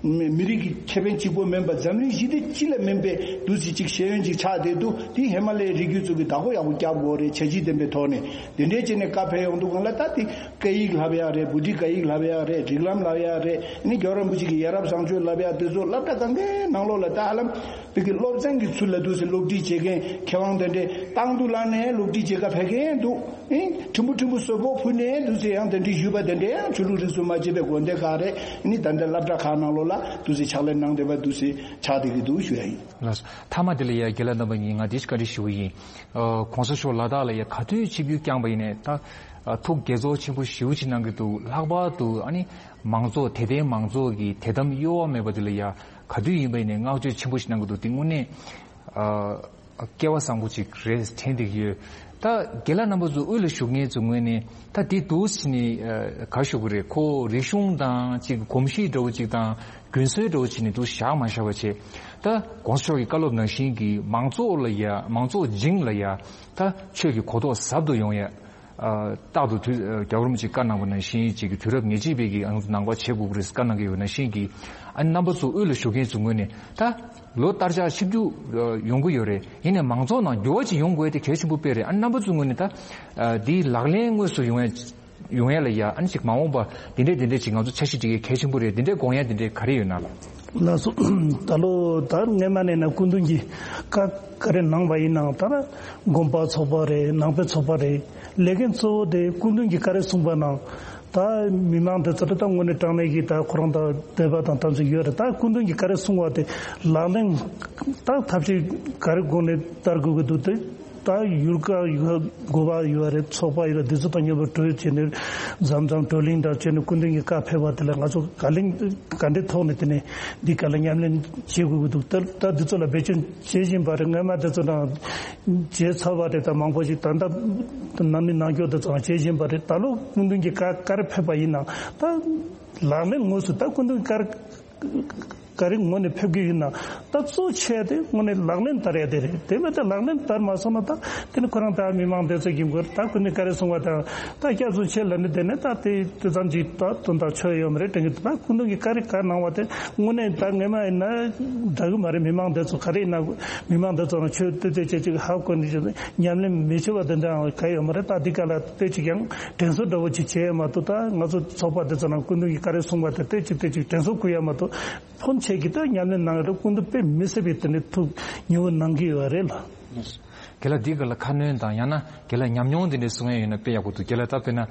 མི་རིགས་ཀྱི་ཁེ་ཕན་གཅིག་པོ་མིན་པ་འཛམ་གླིང་ཞི་བདེ་སྤྱི་ལ་སྨན་པའི་འདུ་ཚིག་ཅིག་ཤེས་ཡོན་ཅིག་ཆགས་བསྡད་འདུག་དེ་ཧི་མ་ལ་ཡའི་རི་རྒྱུད་ཚོ་གིས་བདག་པོ་ཡག་པོ་རྒྱབ་དགོས་རེད། བྱས་རྗེས་ལྡན་པའི་ཐོག་ནས་དེ་འདྲའི་བྱས་ནས་བཀའ་ཕེབས་ཡོང་དུས་སྒང་ལ་ད་དེ་སྐད་ཡིག་བསླབ་ཡག་རེད། བྷུ་ཊི་སྐད་ཡིག་བསླབ་ཡག་རེད། རིགས་ལམ་བསླབ་ཡག་རེད། ཨ་ནི་རྒྱལ་བ་རིན་པོ་ཆེ་གི་ཡ་རབས་བཟང་སྤྱོད་བསླབ་ཡག་དེ་ཚོ་སློབ་གྲྭ་གང་གའི་ནང་ལོགས་ལ་ད་ཧ་ལམ་བོད་ཀྱི་སློབ་ཚན་གྱི་ཚུལ་ལ་འདུག་སེ་སློབ་ཁྲིད་བྱེད་མཁན་མཁས་དབང་དེ་འདྲས་བཏང་དུ་བླངས་ནས་སློབ་ཁྲིད་བྱེད་ག་ཕེབས་མཁན་འདུག་ཨིན། ཕྲན་བུ་ཕྲན་བུ་གསོལ་ཕོགས་ཕུལ་ནས་འདུག་སེ་ཡང་དེ་འདྲས་ཞུས་པ་དེ་འདྲས་ཡང་ཆོས་ལུགས་རིས་སུ་མ་ཆད་པའི་དགོན་སྡེ་ཁག་རེད། ཨ་ནི་ད་ལྟ་སློབ་གྲྭ་ཁག་ནང་ལོགས་ ལ་འདུག་སེ་ཕྱག་ལས་གནང་བསྡད་པ་འདུག་སེ་ཆགས་བསྡད་ཀྱི་འདུག་ཞུ་ཡ་ཡིན། ལགས་སོ། མཐའ་མ་དེ་ལ་ཡ་རྒན་ལགས་རྣམ་པ་གཉིས་ང་འདི་ཞིག་བཀའ་འདྲི་ཞུ་གི་ཡིན། ཨ་གོང་ས་མཆོག་ལ་དྭགས་ལ་ཡ་ག་དུས་ཆིབས་བསྒྱུར་བསྐྱངས་པ་ཡིན་ནའི་ད་ཨ་ཐུགས་དགྱེས་ཚོར་ཆེན་པོ་ཞེ་པོ་ཅིག་གནང་གི་འདུག་ལྷག་པར་དུ་ཨ་ནི་མང་ཚོགས་དད་ལྡན་མང་ཚོགས་ཀྱི་དད་དམ་གཡོ་བ་མེད་པ་དེ་ལ་ཡ་ག་དུས་ཡིན་པ་ཡིན་ནའི་བསྔགས་བརྗོད་ཆེན་པོ་ཞིག་གནང་གི་འདུག་དེ་དངོས་གནས་ཨ་སྐལ་བ་བཟང་པོ་ཅིག་རེད་དྲན་བསྡད་ཀྱི་ཡོད། ད་རྒན་ལགས་རྣམ་པ་ཚོ་དབུས་ལ་བཞུགས་མཁན་ཚོ་ངོས་ནས་ད་དེ་འདུག་ཟེར་ནས་ཨ་ག་ཞུ་གི་རེད། ཁོ་རིག་གཞུང་དང་ཅིག་གོམས་གཤིས་འདྲ་བོ་ཅིག་དང་རྒྱུན་སྲོལ་འདྲ་བོ་ཅིག་ནས་འདུག་བཞག་མ་བཞག་པ་བྱས། ད་གོང་ས་མཆོག་གི་བཀའ་སློབ་ནང་བཞིན་གྱི་མང་ཚོགས་ལ་ཡ་མང་ཚོགས་སྦྱིངས་ལ་ཡ་ད་ཆོས་ཀྱི་གོ་རྟོགས་ཟབ་ཏུ་ཡོང་ཡ། ཨ་རྟག་ཏུ་དུས་ཨ་རྒྱལ་བ་རིན་པོ་ཆེས་བཀའ་གནང་བ་ནང་བཞིན་ཅིག་གི་དུས་རབས་ཉེར་གཅིག་པའི་གི་ཨང་ནང་པ་བྱེད་དགོས་ཀྱི་རེད་བཀའ་གནང་གི་ཡོད་ནང་བཞིན་གྱི་ཨ་ནི་རྣམ་པ་ཚོ་དབུས་ལ་བཞུགས་མཁན་ཚོ་ངོས་ནས་ད་ལོ་ལྟར་ཆགས་ཆིབས་བསྒྱུར་ཨ་ཡོང་གི་ཡོད་རེད། ཡིན་ནའི་མང་ཚོགས་ནང་འགྱུར་བ་ཅིག་ཡོང་དགོས་དེ་གལ་ཆེན་པོ་དཔེ་རེད། ཨ་ནི་རྣམ་པ་ཚོ་ངོས་ནས་ད་ཨ་འདིའི་ལག་ལེན་དངོས་སུ་ཡོང་ཡ་ཡོང་ཡ་ལ་ཡ་ཨ་ནི་ཅིག་མ་འོངས་པ་འདི་འདྲས་འདི་འདྲས་ཅིག་ང་ཚོ་འཆར་གཞི་སྒྲིག་ཡ་གལ་ཆེན་པོ་རེད། འདི་འདྲས་དགོངས་ཡ་འདི་འདྲས་ག་རེ་ཡོད་ན་ལ། ལགས་སོ། ད་ལོ་ད་སྔས་མ་ནས་ན་སྐུ་མདུན་གྱིས་བཀའ་ག་རེ་གནང་བ་ཡིན་ནའང་ད་ན་དགོན་པ་ཚོགས་པ་རེད། ནང་པའི་ཚོགས་པ་རེད། ལས་འགན་གཙོ་བོ་དེ་སྐུ་མདུན་གྱིས་ག་རེ་གསུངས་པ་ནང་ད་མི་མང་དེ་ཚོ་ད་དངོས་གནས་དྲང་གནས་ཀྱི་ད་ཁོ་རང་ད་འདོད་པ་དང་དམ་ཚིག་ཡོད་རེད། ད་སྐུ་མདུན་གྱིས་ག་རེ་གསུངས་པ་དེ་ལག་ལེན་ད་ཐབས་ཤེས་ག་རེ་སྒོ་ནས་བསྟར་དགོས་ཀྱི་འདུག་དེ། ད་ཡུལ་ཀ་ཡུལ་དགོན་པ་ཡོད་རེད། ཚོགས་པ་ཡོད་རེད། འདི་ཚོ་དང་མཉམ་པོ་གྲོས་བྱས་ནས་འཛམ་འཛམ་བགྲོ་གླེང་འདྲ་བྱས་ནས་སྐུ་མདུན་གྱི་བཀའ་ཕེབས་པ་དེ་ལ་ང་ཚོ་ག་ལེན་ག་འདྲའི་ཐོག་ནས་དེ་ནས་འདི་ག་ལ་ཉམས་ལེན་བྱེད་དགོས་ཀྱི་འདུག་ད་ད་འདི་ཚོ་ལ་བེད་སྤྱོད་བྱེད་བཞིན་པ་རེད། སྔོན་མ་དེ་ཚོ་དང་བྱས་ཚར་བ་རེད། ད་མང་པོ་ཞིག་ད་ལྟ་ནང་མི་ནང་སྐྱོར་དེ་ཚོ་བྱེད་བཞིན་པ་རེད། ད་ལོ་སྐུ་མདུན་གྱི་བཀའ་བཀའ་རེ་ཕེབས་པ་ཡིན་ན་ད་ལག་ལེན་དངོས་སུ་ད་སྐུ་མདུན་བཀའ་རེ་ག་རེ་ངོས་ནས་ཕེབས་ཀྱི་ཡིན་ན་ད་གཙོ་ཆེ་དེ་དངོས་གནས་ལག་ལེན་བསྟར་ཡ་དེ་རེད། དེ་མེད་དེ་ལག་ལེན་བསྟར་མ་སོང་ན་ད་དེ་ནི་ཁོ་རང་ད་མི་མང་དེ་ཚོ་གི་མགོར་ད་ཁོ་ནི་ག་རེ་གསུང་བ་དང་ད་སྐྱབས་སུ་མཆི་ལབ་ནི་དེ་ནི་ད་དེ་དེ་ཙམ་གྱིས་ད་དོན་དག་ཆོད་ཡོད་མ་རེད་དྲན་གི་འདུག་ད་སྐུ་མདུན་གྱིས་ག་རེ་ག་གནང་བ་དེ་དངོས་གནས་ད་ངེས་མ་ཡིན་ན་འདྲ་གི་མ་རེད། མི་མང་དེ་ཚོ་ག་རེ་ཡིན་ན་མི་མང་དེ་ཚོ་ལ་ཆོས་དེ་དེ་ཅེས་ཅིག་ཧ་གོ་ནི་ཅིག་ཉམས་ལེན་མི་བྱེད་པ་དེ་འདྲ་ག་ཡོད་མ་རེད། ད་འདི་ག་ལ་དེ་ཅིག་ཡང་དྲན་གསོ་འདྲ་བོ་ཅིག་བྱེད་ཡ་མ་གཏོགས་ད་ང་ཚོ་ཚོགས་པ་དེ་ཚོ་ནང་སྐུ་མདུན་གྱིས་ག་རེ་གསུངས་པ་དེ་དེ་ཅིག་དེ་ཅིག་དྲན་གསོ་བསྐུལ་ཡ་མ་གཏོགས། ཕོན་ཆེ་གི་ད་ཉམས་ལེན་གནང་ཡོད་རེད། སྐུ་མདུན་དཔེ་མི་སྲིད་པའི་དེ་ནས་ཐུགས་ཉེ་བོ་གནང་གི་ཡོད་རེད་ལ། རྒན་ལགས་འདི་ག་ལ་ཁ་སྣོན་དང་ཡང་ན་རྒན་ལགས་ཉམས་མྱོང་དེ་འདྲ་གསུང་ཡ་ཡོད་ན་དཔེ་ཡག་པོ་འདུག་རྒན་ལགས་ད་དཔེར་ན་ཨ་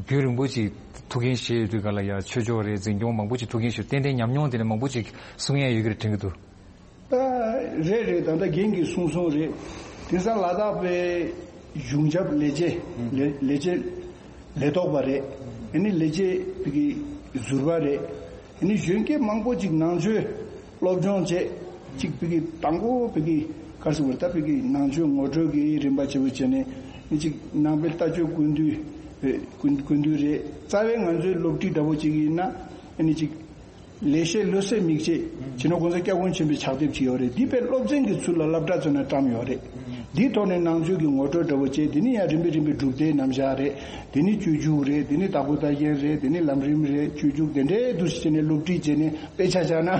རྒྱུན་རིང་པོ་ཅིག་ཐུགས་འགན་བཞེས་ཡོད་དུས་ག་ལ་ཡ་ཆོས་ཕྱོགས་རེད། འཛིན་སྐྱོང་མང་པོ་ཅིག་ཐུགས་འགན་བཞེས་ཏན་ཏན་ཉམས་མྱོང་དེ་འདྲ་མང་པོ་ཅིག་གསུང་ཡ་ཡོད་ཀྱི་རེད་དྲན་གྱི་འདུག་ད་རེད་རེད། ད་ལྟ་རྒན་གྱིས་གསུངས་སོང་རེད། དེང་སང་ལ་དྭགས་པའི་གཞུང་ཞབས་ལས་བྱེད་ལས་ལས་བྱེད་ལས་ཐོག་པ་རེད། ཨ་ནི་ལས་བྱེད་བོད་ཀྱི་ཟུར་པ་རེད། ཨ་ནི་གཞོན་སྐྱེས་མང་པོ་ཅིག་ནང་ཆོས་སློབ་སྦྱོང་བྱས་ཅིག་བོད་ཀྱི་དང་པོ་བོད་ཀྱི་ག་རེ་ཟེར་དགོས་རེད། ད་བོད་ཀྱི་ནང་ཆོས་ངོ་སྤྲོད་ཀྱི་རིམ་པ་ཆེ་བོ་བྱས་ནས་ཨ་ནི་ཅིག་ནང་པའི་ལྟ་སྤྱོད་ཀུན་འདུས་ཀུན་ཀུན་འདུས་རེད། རྩ་བའི་ང་ཚོའི་སློབ་ཁྲིད་འདྲ་བོ་ཅིག་ཡིན་ན་ཨ་ནི་ཅིག་ལེགས་བཤད་བློ་གསལ་མིག་འབྱེད་སྤྱི་ནོར་གོང་ས་སྐྱབས་མགོན་ཆེན་པོའི་ཕྱག་དེབ་ཅིག་ཡོད་རེད། འདི་དཔེ་སློབ་ཚན་གྱི་ཚུལ་ལ་སློབ་གྲྭ་ཚོ་ནས་བཀྲམ་ཡོད་རེད། འདིའི་ཐོག་ནས་ནང་ཆོས་ཀྱི་ངོ་སྤྲོད་འདྲ་བོ་བྱས། འདི་ནི་ཡང་རིམ་པས་རིམ་པས་སྒྲུབ་སྡེའི་རྣམ་གཞག་རེད། འདི་ནི་སྤྱོད་འཇུག་རེད། འདི་ནི་དྭགས་པོ་ལྟ་མཁན་རེད། འདི་ནི་ལམ་རིམ་རེད། སྤྱོད་འཇུག་དེ་འདྲའི་འདུག་སེ་བྱས་ནས་སློབ་ཁྲིད་བྱས་ནས་དཔེ་ཆ་བཞག་ན།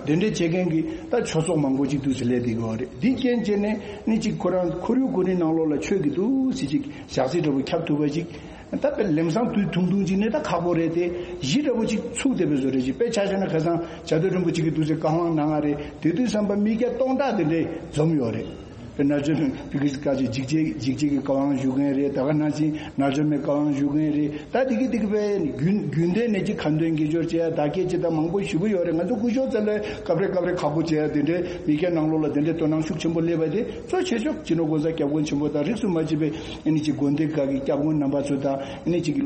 དེ་འདྲའི་བྱེད་མཁན་གྱི་ད་ཆོས་ཚོགས་མང་པོ་ཅིག་འདུག་སེ་སླེབས་བསྡད་ཀྱི་ཡོད་རེད། འདི་རྐྱེན་བྱས་ནས་ནི་ཅིག་ཁོ་རང་ཁོར་ཡུག་ཁོ་རའི་ནང་ལོགས་ལ་ཆོས་ཀྱི་འདུག་སེ་ཅིག་ཞག་ཚི་འདྲ་བོ་ཁྱབ་ཐུབ་པ་ཅིག་ད་དཔེ་ལམ་སང་དུས་ཐུང་ཐུང་ཅིག་ནས་ད་ཁག་པོ་རེད་དེ། གཞི་འདྲ་བོ་ཅིག་ཚུགས་བསྡད་པའི་བཟོ་འདྲ་ཅིག་དཔེ་ཆ་བཞག་ན་ཁ་སང་བྱ་དོ་རིན་པོ་ཆེ་གིས་འདུག་སེ་བཀའ་དབང་གནང་ང་རེད། དེ་དུས་ཙམ་པ་མི་བརྒྱ་སྟོང་ཕྲག་དེ་འདྲས་འཛོམས་ཡོད་རེད། དཔེ་ན་ཆོས་བོད་ཀྱི་བཀའ་ཆོས་འཇིགས་བྱེད་འཇིགས་བྱེད་ཀྱི་བཀའ་དབང་ཞུ་མཁན་རེད། ད་ག་ནང་བཞིན་ན་ཆོས་མའི་བཀའ་དབང་ཞུ་མཁན་རེད། ད་དེ་གི་དེ་གི་དཔེ་རྒྱུན་རྒྱུན་ལྡན་ནས་ཅིག་ཁ་འདོན་དགེ་སྦྱོར་བྱེད་ཡ་བདག་བསྐྱེད་ཅིག་ད་མང་པོ་ཞེ་པོ་ཡོད་རེད། ང་ཚོ་སྐུ་ཞབས་ཚོ་ལ་སྐབས་རེ་སྐབས་རེ་ཁག་པོ་བྱེད་ཡ་དེ་འདྲས་མི་བརྒྱ་ནང་ལོགས་ལ་དེ་འདྲས་དོ་སྣང་ཤུགས་ཆེན་པོ་སླེབས་པ་དེ་གཙོ་ཆེ་ཤོས་སྤྱི་ནོར་གོང་ས་སྐྱབས་མགོན་ཆེན་པོ་དང་རིས་སུ་མ་ཆད་པའི་ཨ་ནི་ཅིག་དགོན་སྡེ་ཁག་གི་སྐྱབས་མགོན་རྣམ་པ་ཚོ་དང་ཨ་ནི་ཅིག་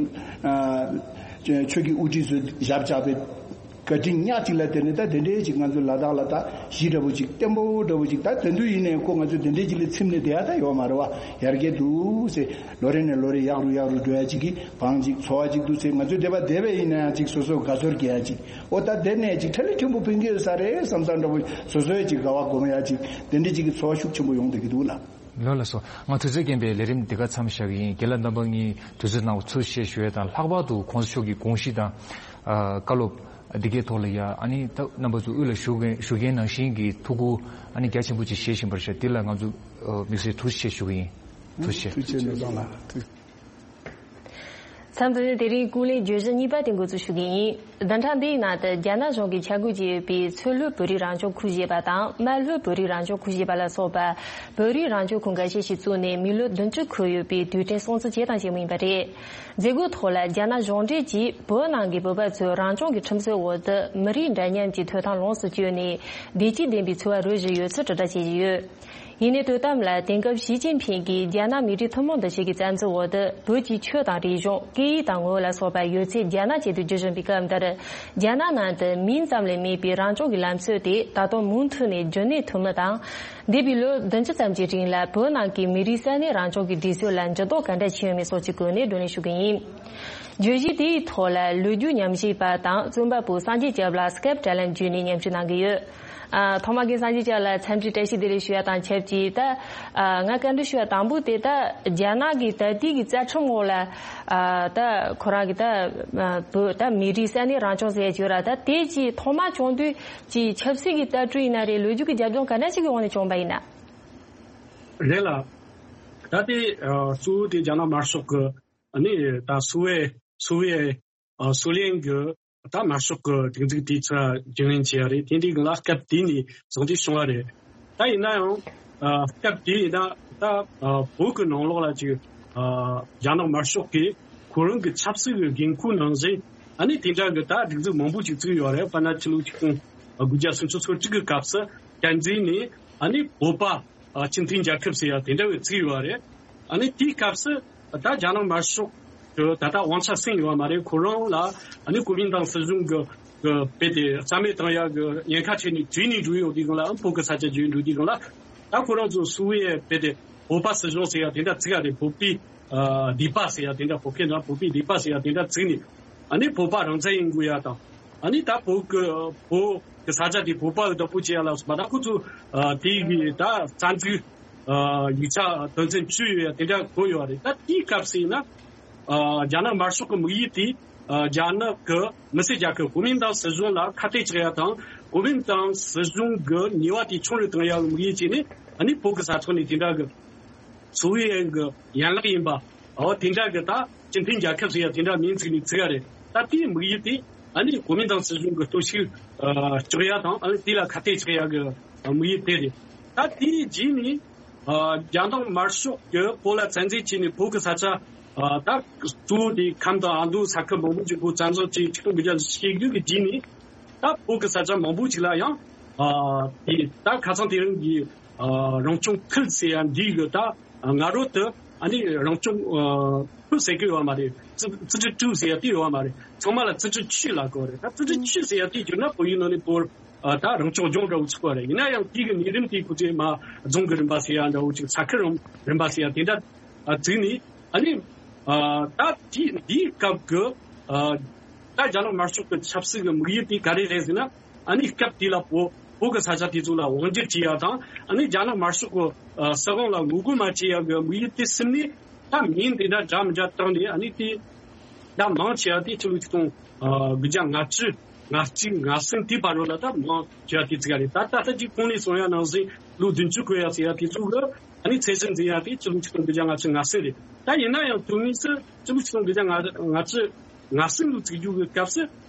ཨ་ཆོས་ཀྱི་དབུ་ཁྲིད་ཚོས་ཞབས་བཅགས་པའི་བཀའ་དྲིན་ཉག་གཅིག་ལ་བརྟེན་ནས་ད་དེ་འདྲའི་ཅིག་ང་ཚོ་ལ་དྭགས་ལ་ད་གཞི་འདྲ་བོ་ཅིག་བརྟན་པོ་འདྲ་བོ་ཅིག་ད་དེ་དུས་ཡིན་ནའི་ཁོ་ང་ཚོ་དེ་འདྲའི་ཅིག་ལ་ཚིམ་ནས་བསྡད་ཡ་ད་ཡོད་མ་རེད་བ། ཡར་རྒྱས་འདུག་ཟེར་ལོ་རེ་ནས་ལོ་རེ་ཡག་རུ་ཡག་རུ་འགྲོ་ཡ་ཅིག་གི་བང་ཅིག་འཚོ་བ་ཅིག་འདུག་ཟེར། ང་ཚོ་བསྡད་པ་བསྡད་པ་ཡིན་ན་ཡང་ཅིག་སོ་སོ་དགའ་ཚོར་སྐྱེ་ཡ་ཅིག་འོ་ད་དེ་ནས་ཅིག་ཁྲ་ལི་ཕྲན་བུ་ཕུན་གྱི་ཡོད་ས་རེད་བསམ་བསམ་འདྲ་བོ་སོ་སོའི་ཅིག་དགའ་བ་སྒོམ་ཡ་ཅིག་དེ་འདྲའི་ཅིག་གི་ཚོར་བ་ཤུགས་ཆེན་པོ་ཡོང་བསྡད་ཀྱི་འདུག་ལ། ལགས་ལགས་སོ། ང་དུས་ཚོད་རྐྱེན་པས་ལས་རིམ་འདི་ག་མཚམས་བཞག་གི་ཡིན། རྒན་ལགས་རྣམ་པ་གཉིས་དུས་ཚོད་གནང་བ་ཚུར་བཤད་ཞུ་ཡས་དང་། ལྷག་པར་དུ་གོང་ས་མཆོག་གི་དགོངས་གཞི་དང་ཨ་བཀའ་སློབ་འདི་གའི་ཐོག་ལ་ཡ་ཨ་ནི་ད་རྣམ་པ་ཚོ་དབུས་ལ་བཞུགས་མཁན་བཞུགས་མཁན་ནང་བཞིན་གྱི་ཐུགས་ཁུར་ཨ་ནི་རྒྱ་ཆེན་པོ་ཅིག་བཞེས་བཞིན་པར་ཤར། འདི་ལ་ང་ཚོ་ཨ་དམིགས་བསལ་ཐུགས་རྗེ་ཆེ་ཞུ་གི་ཡིན། ཐུགས་རྗེ་ཆེ། ཐུགས་རྗེ་ཆེ་ནོར་བཟང་ལགས། ཐུགས། མཚམས་འདི་ནས་དེ་རིང་ཀུན་གླེང་བརྗོད་གཞི་གཉིས་པ་དེ་འགོ་འཛུགས་ཞུ་གི་ཡིན། བདུན་ཕྲག་འདིའི་ནང་དུ་རྒྱ་ནག་གཞུང་གིས་འཆར་འགོད་བྱས་ཡོད་པའི་མཚོ་ལྷོ་བོད་རིགས་རང་སྐྱོང་ཁུལ་ཞེས་པ་དང་རྨ་ལྷོ་བོད་རིགས་རང་སྐྱོང་ཁུལ་ཞེས་པ་ལ་སོགས་པ་བོད་རིགས་རང་སྐྱོང་ཁུལ་འགའ་ཤས་ཤིག་བཙུགས་ནས་མི་ལོ་བདུན་ཅུ་འཁོར་ཡོད་པའི་དུས་དྲན་སྲུང་བརྩི་བྱས་དང་བྱེད་མུས་ཡིན་པ་རེད། མཛད་སྒོའི་ཐོག་ལ་རྒྱ་ནག་གཞུང་འབྲེལ་གྱིས་བོད་ནང་གི་བོད་པ་ཚོས་རང་སྐྱོང་གི་ཁྲིམས་སྲོལ་འོག་ཏུ་མི་རིགས་འདྲ་མཉམ་གྱི་ཐོབ་ཐང་ལོངས་སུ་སྤྱོད་ནས་བདེ་སྐྱིད་ལྡན་པའི་འཚོ་བ་རོལ་བཞིན་ཡོད་ཚུལ་དྲིལ་བསྒྲགས་བྱེད་བཞིན་ཡོད། ཡིན་ནའི་དོ་དམ་ལ་དེང་སྐབས་ཞི་ཅིན་ཕིང་གིས་རྒྱ་ནག་མི་རིགས་ཐུན་མོང་དུ་ཆེད་ཀྱི་བཙན་འཛུལ་འོག་ཏུ་བོད་ཀྱི་ཆོས་དང་རིག་གཞུང་སྐད་ཡིག་དང་ངོ་བོ་ལ་སོགས་པ་ཡོད་ཚད་རྒྱ་ནག་ཆེད་དུ་བསྒྱུར་བཞིན་པའི་སྐབས་འདིར། རྒྱ་ནག་ནང་དུ་མིང་ཙམ་ལས་མེད་པའི་རང་སྐྱོང་གི་ལམ་སྲོལ་དེ་ད་དུང་མུ་མཐུད་ནས་རྒྱུན་གནས་ཐུབ་མིན་དང་། འདས་པའི་ལོ་བདུན་ཅུ་ཙམ་གྱི་རིང་ལ་བོད་ནང་གི་མི་རིགས་ས་གནས་རང་སྐྱོང་གི་སྒྲིག་སྲོལ་ལ་འགྱུར་ལྡོག་ག་འདྲ་ཕྱིན་ཡོད་མེད་སོགས་ཀྱི་སྐོར་ནས་བགྲོ་གླེང་ཞུ་གི་ཡིན། བརྗོད་གཞི་དེའི་ཐོག་ལ་ལོ་རྒྱུས་ཉམས་ཞིབ་པ་དང་རྩོམ་པ་པོ་སངས་རྒྱས་སྐྱབས་ལགས་སྐེབ་དྲ་ལམ་བརྒྱུད་ནས་མཉམ་ཞུགས་གནང་གི་ཡོད། ཨ། ཐོག་མ་གི་སངས་རྒྱས་སྐྱབས་ལགས་འཚམས་འདྲི་བཀྲ་ཤིས་བདེ་ལེགས་ཞུ་ཡ་དང་ཆབས་ཅིག་ད། ཨ། ང་བཀའ་འདྲི་ཞུ་ཡ་དང་པོ་དེ་ད་རྒྱ་ནག་གི་ད་ལྟའི་གི་རྩ་ཁྲིམས་འོག་ལ། ཨ། ད་ཁོ་རང་གི་ད། ཨ། བོད་ད་མི་རིགས་ས་གནས་རང་སྐྱོང་ཟེར་ཡ་ཅིག་ཡོད་ར། ད་དེ་ཅིག་ཐོག་མ་བྱུང་དུས་ཀྱི་ཆབ་སྲིད་ཀྱི་ལྟ་གྲུབ་ཡིན་ན་རེད། ལོ་རྒྱུས་ཀྱི་རྒྱབ་ལྗོངས་ག་འདྲ་ཞིག་གི་འོག་ནས་བྱུང་པ་ཡིན་ན། རེད་ལ། ད་དེ་ཨ་གཙོ་བོ་དེ་རྒྱ་ནག་དམར་ཤོག་གི་ཨ་ནི་ད་སུའེ་སུའེ་ཨ་སུའུ་ལེན་གྱི་ད་དམར་ཤོག་གི་སྒྲིག་འཛུགས་དེའི་ཚུར་རྒྱུན་ལེན་བྱས་ཡ་རེད། དེ་འདྲའི་སྒང་ལ་སྐབས་དེ་ནས་བཟུང་སྟེ་བྱུང་བ་རེད། ད་ཡིན་ན་ཡང་ཨ་སྐབས་དེ་ཡིན་ན་ད་ཨ་བོད་ཀྱི་ནང་ལོགས་ལ་ཅིག་ཨ་རྒྱ་ནག་དམར་ཤོག་གིས་ཁོ་རང་གི་ཆབ་སྲིད་ཀྱི་འགན་ཁུར་ནང་བཞིན་ཨ་ནི་དེ་འདྲ་གི་ད་སྒྲིག་འཛུགས་མང་པོ་ཅིག་བཙུགས་ཡོད་རེད། དཔེར་ན་ཕྱི་ལོ་ཆིག་སྟོང་དགུ་བརྒྱ་སུམ་ཅུ་སོ་གཅིག་གི་སྐབས་སུ་བསྟན་འཛིན་ནས་ཨ་ནི་བོད་པ་ཨ་སྤྱི་མཐུན་རྒྱལ་ཁབ་ཟེར་ཡ་དེ་འདྲ་བའི་བརྩི་ཡོད་རེད། ཨ་ནི་དེའི་སྐབས་སུ་ད་རྒྱ་ནག་དམར་ཤོག་གི་ད་ལྟ་དབང་ཆ་ཟིན་ཡོད་མ་རེད། ཁོ་རང་ལ་ཨ་ནི་གོ་མིན་ཏང་སྲིད་གཞུང་གི་གི་རྦད་དེ་རྩ་མེད་བཏང་ཡ་གི་ཉེན་ཁ་ཆེ་ནས་བྲོས་ནས་འགྲོ་ཡོང་དུས་སྒང་ལ། ཨ་བོད་ཀྱི་ས་ཆ་བརྗེ་འགྲོ་དུས་སྒང་ལ་ད་ཁོ་རང་ཚོ་སུའུ་ཝེ་རྦད་དེ་བོད་པ་སྲིད་གཞུང་ཟེར་ཡ་དེ་འདྲ་བརྩི་ཡ་རེད། བོད་པའི་ཨ་སྡེ་པ་ཟེར་ཡ་དེ་འདྲ། བོད་སྐད་ནང་བོད་པའི་སྡེ་པ་ཟེར་ཡ་དེ་འདྲ་བརྩིས་ནས། ཨ་ནི་བོད་པ་རང་བཙན་ཡིན་དགོས་ཡ་དང་། ཨ་ནི་ད་བོད་ཀྱི་བོད་ཀྱི་ས་ཆ་དེ་བོད་པ་གི་བདག་པོ་བྱེད་ཡ་ལ་སོགས་པ། ད་ཁོ་ཚོ་ཨ་དེ་གི་ད་རྩ་འཛུགས་ཨ་ཡིག་ཆ་དོན་ཚན་བཅུ་ཡོད་ཡ་དེ་འདྲ་བཀོད་ཡོད་རེད། ད་དེའི་སྐབས་སུ་ཡིན་ན་ཨ་རྒྱ་ནག་དམར་ཤོག་གི་དམིགས་ཡུལ་དེ་ཨ་རྒྱ་ནག་གི་མི་སེར་རྒྱལ་ཁབ་གོ་མིན་ཏང་སྲིད་གཞུང་ལ་ཁ་གཏད་གཅོག་ཡ་དང་། གོ་མིན་ཏང་སྲིད་གཞུང་གི་ཉེས་པ་དེ་ཆུང་རུ་གཏོང་ཡ་གི་དམིགས་ཡུལ་བྱས་ནས། ཨ་ནི་བོད་ཀྱི་ས་ཐོག་ནས་དེ་འདྲ་གི་སུའུ་ཝེ་གི་ཡན་ལག་ཡིན་པ། འོ་དེ་འདྲ་གི་ད་སྤྱི་མཐུན་རྒྱལ་ཁབ་ཟེར་ཡ་དེ་འདྲ་མིང་བརྩིས་ནས་བརྩི་ཡ་རེད། ད་དེའི་དམིགས་ཡུལ་དེ་ཨ་ནི་གོ་མིན་ཏང་སྲིད་གཞུང་གི་གཏོར་བཤིག་ཨ་གཅོག་ཡ་དང་། ཨ་ནི་དེ་ལ་ཁ་གཏད་གཅོག་ཡ་གི་དམིགས་ཡུལ་དེ་རེད། ད་དེའི་རྗེས་ནས་ཨ་རྒྱ་ནག་དམར་ཤོག་གིས་བོད་ལ་བཙན་འཛུལ་བྱས་ནས་བོད་ཀྱི་ས་ཆ་ཨ་ད་གཙོ་བོ་དེ་ཁམས་དང་ཨ་མདོ་ས་ཁུལ་མང་པོ་ཅིག་བོད་བཙན་བཟུང་བྱས། ཆིག་སྟོང་དགུ་བརྒྱ་ཞེ་དགུ་གི་རྗེས་ནས་ད་བོད་ཀྱི་ས་ཆ་མང་པོ་ཅིག་ལ་ཡང་ཨ་དེ་ད་ཁ་སང་དེ་རིང་གི་ཨ་རང་སྐྱོང་ཁུལ་ཟེར་ཡ་འདི་གི་ད་སྔ་རོལ་དུ་ཨ་ནི་རང་སྐྱོང་ཨ་ཁུལ་ཟེར་གི་ཡོད་མ་རེད།自自治州ཟེར་ཡ་དེ་ཡོད་མ་རེད། ཚང་མ་ལ་自治区ལབ་གི་རེད། ད་自治区ཟེར་ཡ་དེ་བསྒྱུར་ན་བོད་ཡིག་ནང་ནས་བོད་ཨ་ད་རང་སྐྱོང་ལྗོངས་འདྲ་བོ་ཚུགས་པ་རེད། ཡིན་ན་ཡང་དེ་གི་གནས་རིམ་དེ་ཁོ་ཚོས་མ་རྫོང་གི་རིམ་པ་ཟེར་ཡ་འདྲ་བོ་ཅིག་ས་ཁུལ་རིམ་རིམ་པ་ཟེར་ཡ་དེ་འདྲ་ཨ་བརྩིས་ནས། ཨ་ནི་ཨ་ད་དེ་འདིའི་སྐབས་ཀྱི་ཨ་ད་རྒྱ་ནག་དམར་ཤོག་གི་ཆབ་སྲིད་ཀྱི་དམིགས་ཡུལ་དེ་ག་རེ་རེད་ཟེར་ན། ཨ་ནི་སྐབས་དེ་ལ་བོད་བོད་ཀྱི་ས་ཆ་དེ་ཚོ་ལ་དབང་སྒྱུར་བྱེད་ཡ་དང་། ཨ་ནི་རྒྱ་ནག་དམར་ཤོག་གི་ཨ་སྲིད་དབང་ལ་ངོ་རྒོལ་མ་བྱེད་ཡ་གི་དམིགས་ཡུལ་དེ་སེམས་ནས། ད་མིང་དེ་འདྲ་འདྲ་མི་འདྲ་བཏགས་ནས། ཨ་ནི་དེ་ད་མང་ཆེ་བ་དེ་ཕྱི་ལོ་ཆིག་སྟོང་དགུ་བརྒྱ་ལྔ་བཅུ་ང་གཅིག་ང་གསུམ་དེའི་བར་རོ་ལ་ད་མང་ཆེ་བ་དེ་བརྩི་གི་རེད། ད་ད་ལྟ་ཅིག་གོང་ནས་གསུངས་ཡ་ནང་བཞིན་ལོ་བདུན་ཅུ་འཁོར་ཡ་ཟེར་ཡ་དེ་ཚོ་གི་ཨ་ནི་ཚད་གཞི་འཛིན་ཡ་དེ་ཕྱི་ལོ་ཆིག་སྟོང་དགུ་བརྒྱ་ལྔ་བཅུ་ང་གསུམ་རེད། ད་ཡིན་ན་ཡང་དོན་དངོས་སུ་ཕྱི་ལོ་ཆིག་སྟོང་དགུ་བརྒྱ་ལྔ་བཅུ་ང་གསུམ་ལོ་བརྩི་རྒྱུ་གི་སྐབས་སུ་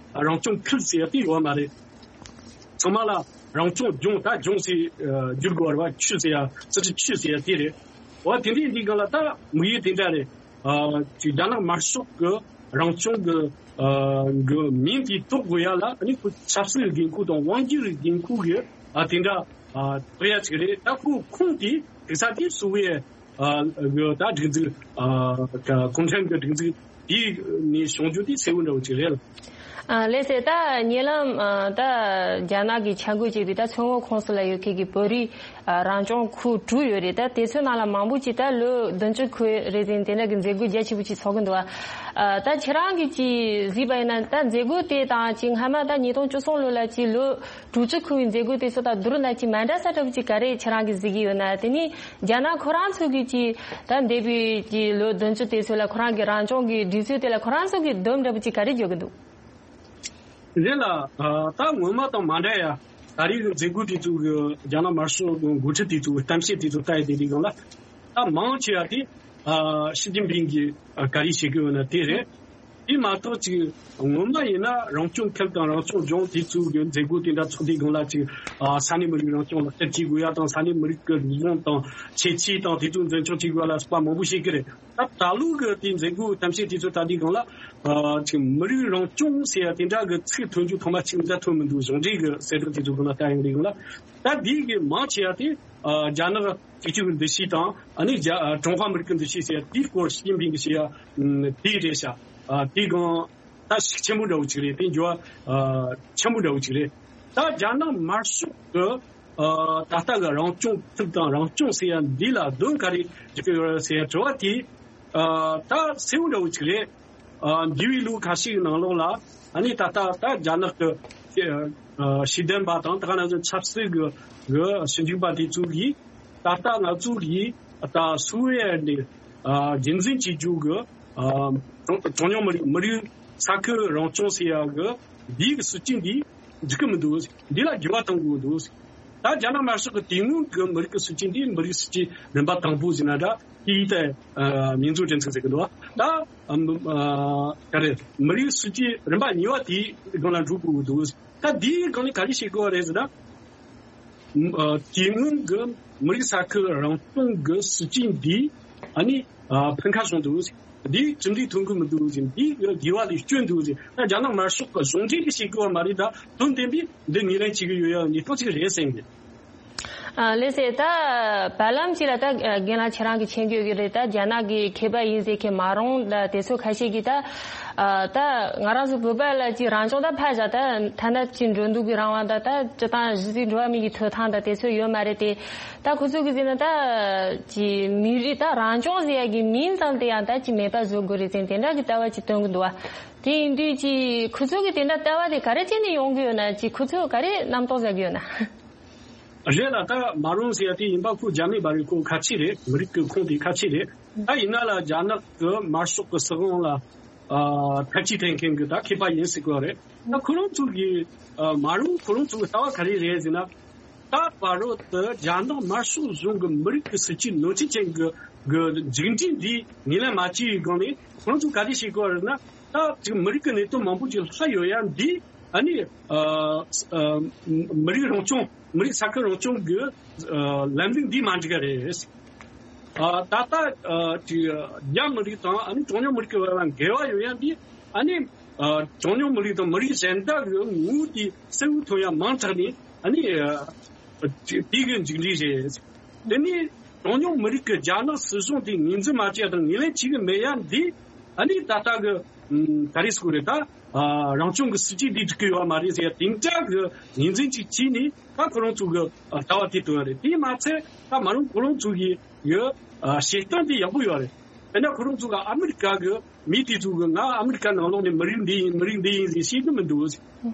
རང་སྐྱོང་ཁུལ་ཟེར་ཡ་དེ་ཡོད་མ་རེད། ཚང་མ་ལ་རང་སྐྱོང་ལྗོངས། ད་ལྗོངས་ཟེར་ཨ་བསྒྱུར་དགོས་པ་རེད་བ། 区ཟེར་ཡ་自治区ཟེར་ཡ་དེ་རེད། འོ་དེ་འདྲའི་འདི་སྒང་ལ་ད་དམིགས་ཡུལ་དེ་འདྲ་རེད། ཨ་ཅིག་རྒྱ་ནག་དམར་ཤོག་གི་རང་སྐྱོང་གི་ཨ་གི་མིང་དེ་འདོགས་དགོས་ཡ་ལ། ཨ་ནི་ཁོ་ཆབ་སྲིད་ཀྱི་འགན་ཁུར་དང་དབང་སྒྱུར་གྱི་འགན་ཁུར་གི་ཨ་དེ་འདྲ་ཨ་འདོགས་ཡ་ཅིག་རེད། ད་ཁོ་ཁོངས་དེ་དེ་ས་དེ་སུ་བའི་ཨ་གི་ད་སྒྲིག་འཛུགས་ཨ་ག་གུང་ཁྲན་གི་སྒྲིག་འཛུགས་དེ་ནས་བྱུང་རྒྱུ་དེ་གསལ་བོ་འདྲ་བོ་ཅིག་རེད། ཨ་ལགས་སེ། ད་ཉེ་ལམ་ཨ་ད་རྒྱ་ནག་གིས་འཆར་འགོད་བྱས་པའི་ད་མཚོ་སྔོན་ཁོངས་སུ་ལ་ཡོད་མཁན་གྱི་བོད་རིགས་ཨ་རང་སྐྱོང་ཁུལ་དྲུག་ཡོད་རེད། ད་དེ་ཚོའི་ནང་ལ་མང་པོ་ཅིག་ད་ལོ་བདུན་ཅུ་འཁོར་རེ་ཟིན་དེ་འདྲ་གི་མཛད་སྒོ་རྒྱ་ཆེ་པོ་ཅིག་ཚོགས་ཀྱི་འདུག་བ། ཨ་ད་ཁྱེད་རང་གིས་ཅིག་གཟིགས་པ་ཡིན་ན། ད་མཛད་སྒོ་དེ་དང་ཅིག་སྔ་མ་ད་ཉིས་སྟོང་བཅུ་གསུམ་ལོ་ལ་ཅིག་ལོ་དྲུག་ཅུ་འཁོར་བའི་མཛད་སྒོ་དེ་ཚོ་དང་བསྡུར་ན་ཅིག་མ་འདྲ་ས་འདྲ་པོ་ཅིག་ག་རེ་ཁྱེད་རང་གིས་གཟིགས་ཀྱི་ཡོད་ན། དེ་ནི་རྒྱ་ནག་ཁོ་རང་ཚོ་གིས་ཅིག་ད་འདས་པའི་ཅིག་ལོ་བདུན་ཅུ་དེ་ཚོ་ལ་ཁོ་རང་གི་རང་སྐྱོང་གི་སྒྲིག་སྲོལ་དེ་ལ་ཁོ་རང་ཚོ་གིས་སྡོམ་འདྲ་པོ་ཅིག་ག་རེ་འཇོག་གི་འདུག་རེད་ལ། ཨ་ད་སྔོན་མ་དང་མ་འདྲ་ཡ། ད་རེས་ཀྱི་མཛད་སྒོ་དེ་ཚོ་གི་རྒྱ་ནག་དམར་ཤོག་གི་འགོ་ཁྲིད་དེ་ཚོ་གི་གཏམ་བཤད་དེ་ཚོ་ལྟ་ཡི་དེ་རིགས་སྒང་ལ། ད་མང་ཆེ་བ་དེ་ཨ་ཞི་ཅིན་ཕིང་གིས་ཨ་ག་རེ་བྱེད་ཀྱི་ཡོད་ན་དེ་རེད། དེ་མ་གཏོགས་ཅིག་སྔོན་མ་ཡིན་ན་རང་སྐྱོང་ཁུལ་དང་རང་སྐྱོང་ལྗོངས་དེ་ཚོའི་གི་མཛད་སྒོ་དེ་འདྲ་ཚོགས་དུས་སྒང་ལ་ཅིག་ཨ་ས་གནས་མི་རིགས་རང་སྐྱོང་ལག་བསྟར་བྱེད་དགོས་ཡ་དང་། ས་གནས་མི་རིགས་ཀྱི་རིག་གཞུང་དང་ཁྱད་ཆོས་དང་དེ་ཚོ་འཛིན་སྐྱོང་བྱེད་དགོས་ཡ་ལ་སོགས་པ་མང་པོ་བཤད་ཀྱི་རེད། ད་ད་ལོ་གི་དེ་མཛད་སྒོའི་གཏམ་བཤད་དེ་ཚོ་ལྟ་དུས་སྒང་ལ་ཨ་ཅིག་མི་རིགས་རང་སྐྱོང་ཟེར་ཡ་དེ་འདྲ་གི་ཚིག་ཐོན་རྒྱུ་ཐོག་མ་ཅིག་མ་ཐོན་མི་འདུག་གཞུང་འབྲེལ་གི་གསལ་བསྒྲགས་དེ་ཚོ་སྒང་ལ་ལྟ་ཡོང་དུས་སྒང་ལ། ད་འདི་གི་མང་ཆེ་བ་དེ་ཨ་རྒྱ་ནག་གཅིག་གྱུར་གྱི་འདུ་ཤེས་དང་། ཨ་ནི་རྒྱ་ཨ་ཀྲུང་ཧྭ་མི་རིགས་ཀྱི་འདུ་ཤེས་ཟེར་ཡ་དེའི་སྐོར་ཞི་ཅིན་ཕིང་གིས་བཤད་ཡ་ཨམ་དེ་རེད་ཤག་ཨ་དེ་གང་ད་ཤུགས་ཆེན་པོ་འདྲ་བོ་ཅིག་རེད། དེ་འགྱུར་བ་ཨ་ཆེན་པོ་འདྲ་བོ་ཅིག་རེད། ད་རྒྱ་ནག་དམར་ཤོག་གི་ཨ་ད་ལྟ་གི་རང་སྐྱོང་ཐུབ་དང་རང་སྐྱོང་ཟེར་ཡ་འདི་ལ་དོན་ག་རེ་བརྒྱབ་ཡོད་རེད་ཟེར་ཡ་དྲི་བ་དེ་ཨ་ད་གསལ་བོ་འདྲ་བོ་ཅིག་རེད། ཨ་འདས་པའི་ལོ་ཁ་ཤས་ཀྱི་ནང་ལོགས་ལ་ཨ་ནི་ད་ལྟ་ད་རྒྱ་ནག་གི་ཨ་ཤེས་ལྡན་པ་དང་། ད་ག་ནང་བཞིན་ཆབ་སྲིད་ཀྱི་གི་ཞིབ་འཇུག་པ་དེ་ཚོ་གིས་ད་ལྟ་ང་ཚོ་གིས་ད་སུའུ་ཝེ་ནས་ཨ་རྒྱུན་འཛིན་བྱེད་རྒྱུ་གི་ཨ་གྲངས་གྲངས་ཉུང་མི་རིགས་མི་རིགས་ས་ཁུལ་རང་སྐྱོང་ཟེར་ཡ་གི་འདི་གི་སྲིད་ཇུས་འདི་འགྲིག་གི་མི་འདུག་འདི་ལ་འགྱུར་བ་གཏོང་དགོས་འདུག་ད་རྒྱ་ནག་དམར་ཤོག་གི་དེ་སྔོན་གྱི་མི་རིགས་ཀྱི་སྲིད་ཇུས་འདི་མི་རིགས་སྲིད་ཇུས་རིམ་པ་དང་པོ་ཟེར་ན་འདྲ། དེའི་ཐད་ཨ་མིང་རྫོང་སྒྲིག་འཛུགས་ཟེར་གི་འདུག་ད་ཨ་ཨ་ག་རེ་མི་རིགས་སྲིད་ཇུས་རིམ་པ་གཉིས་པ་དེའི་སྒང་ལ་འགྲོ་དགོས་ཀྱི་འདུག་ད་འདིའི་སྒང་ནས་ག་རེ་བྱེད་དགོས་པ་རེད་ཟེར་ན། ཨ་དེ་སྔོན་གྱི་མི་རིགས་ས་ཁུལ་རང་སྐྱོང་གི་སྲིད་ཇུས་འདི་ཨ་ནི་ཨ་ཕན་ཁ་བྱུང་འདུག་འདི་གྲུབ་འབྲས་ཐོན་གི་མི་འདུག་ཟེར། འདི་གི་དགེ་བ་ལས་སྐྱོན་འདུག་ཟེར། ད་རྒྱ་ནག་དམར་ཤོག་གི་གཞུང་འབྲེལ་གྱི་བྱེད་དགོས་པ་མ་རེད། ད་དོན་བདེན་པའི་འདི་ངོས་ལེན་བྱེད་ཀྱི་ཡོད་ཡ་གནས་སྟངས་ཅིག་རེད་བསམ་གི། ཨ་ལགས་སེ། ད་བར་ལམ་ཅིག་ལ་ད་རྒན་ལགས་ཁྱེད་རང་གིས་མཁྱེན་གྱི་ཡོད་ཀྱི་རེད། ད་རྒྱ་ནག་གི་མཁས་པ་ཡིན་ཟེར་མཁན་མ་རུང་ད་དེ་ཚོ་ཁ་ཤས་ཀྱིས་ད་ཨ་ད་ང་རང་ཚོ་བོད་པ་ལ་ཅིག་རང་སྐྱོང་ད་ཕར་བཞག་ད་ཐ་ན་ཅིག་འགྲོ་འདུག་གི་རང་དབང་ད་ད་སྤྱི་བཏང་གཞི་རྩའི་འགྲོ་བ་མི་གི་ཐོབ་ཐང་ད་དེ་ཚོ་ཡོད་མ་རེད་དེ། ད་ཁོ་ཚོ་གིས་ཟེར་ན་ད་ཅིག་མི་རིགས་ད་རང་སྐྱོང་ཟེར་ཡ་གི་མིང་ཙམ་དེ་ཡང་ད་ཅིག་མེད་པ་བཟོ་དགོས་རེད་ཟེར་དེ་འདྲ་གི་ལྟ་བ་ཅིག་སྟོན་གི་འདུག་བ། དེ་ཡིན་དུས་ཅིག་ཁོ་ཚོ་གི་དེ་འདྲ་ལྟ་བ་དེ་ག་རེ་བྱས་ནས་ཡོང་གི་ཡོད་ན། ཅིག་ཁོ་ཚོ་ག་རེ་རྣམ་རྟོག་ཟ་གི་ཡོད་ན། རེད་ལ། ད་མ་རུང་ཟེར་ཡ་དེ་ཡིན་པ་ཁོ་རྒྱ་མི་མ་རེད། ཁོ་ཁ་ཆེ་རེད། མི་རིགས་ཀྱི་ཁོངས་དེ་ཁ་ཆེ་རེད། ད་ཡིན་ན་ལ་རྒྱ་ནག་གི་དམར་ཤོག་གི་སྲིད་དབང་ལ་ཨ་ཐབས་ཇུས་འཐེན་མཁན་གྱི་ད་མཁས་པ་ཡིན་ཟེར་གི་རེད། ད་ཁོ་རང་ཚོ་གི་ཨ་མ་རུང་ཁོ་རང་ཚོ་གི་ལྟ་བ་ག་རེ་རེད་ཟེར་ན། ད་བར་རོ་དུ་རྒྱ་ནག་དམར་ཤོག་གཞུང་གི་མི་རིགས་ཀྱི་སྲིད་ཇུས་ནོར་འཁྲུལ་ཅན་གྱི་གི་མཇུག་འབྲས་འདི་ངོས་ལེན་མ་བྱས་པའི་སྒང་ནས་ཁོ་རང་ཚོ་ག་རེ་བྱེད་དགོས་རེད་ན། ད་ཅིག་མི་རིགས་ཀྱི་གནད་དོན་མང་པོ་ཅིག་ལྷག་ཡོད་ཡ་འདི་ཨ་ནི་ཨ་ཨ་མི་རིགས་རང་སྐྱོང་། མི་རིགས་ས་ཁུལ་རང་སྐྱོང་གི་ཨ་ལམ་ལུགས་འདི་མ་འགྲིག་ག་རེད། ཨ་ད་ལྟ་ཨ་ཅིག་རྒྱ་མི་རིགས་དང་ཨ་ནི་གྲངས་ཉུང་མི་རིགས་ཀྱི་བར་ལ་འགལ་བ་ཡོད་ཡ་འདི་ཨ་ནི་ཨ་གྲངས་ཉུང་མི་རིགས་དང་མི་རིགས་གཞན་དག་གི་ངོ་བོ་དེ་གསལ་བོ་ཐོན་ཡ་མང་དྲགས་ནས་ཨ་ནི་ཨ་དེ་གི་མཇུག་འབྲས་རེད། དེ་ནས་གྲངས་ཉུང་མི་རིགས་ཀྱི་རྒྱ་ནག་སྲིད་གཞུང་དེ་ངོས་འཛིན་མ་བྱས་དང་ངོས་ལེན་བྱེད་གི་མེད་ཡ་འདི་ཨ་ནི་ད་ལྟ་གི་ཨམ་ག་རེ་ཟེར་དགོས་རེད། ད་ཨ་རང་སྐྱོང་གི་སྲིད་ཇུས་འདི་འགྲིག་གི་ཡོད་མ་རེད་ཟེར་ཡ་དེ་འདྲ་གི་ངོས་འཛིན་ཅིག་བྱས་ནས་ད་ཁོ་རང་ཚོ་གི་ཨ་ལྟ་བ་དེ་སྟོན་ཡ་རེད། དེ་མ་ཚད་ད་མ་རུང་ཁོ་རང་ཚོ་གི་གི་ཨ་བྱེད་སྟངས་དེ་ཡག་པོ་ཡོད་རེད། དཔེར་ན་ཁོ་རང་ཚོ་གི་ཨ་མི་རི་ཀ་གི་མི་དེ་ཚོ་གི་ང་ཨ་མི་རི་ཀ་ནང་ལོགས་ནས་མི་རིགས་འདི་ཡིན་མི་རིགས་འདི་ཡིན་ཟེར་ཤེས་གི་མི་འདུག་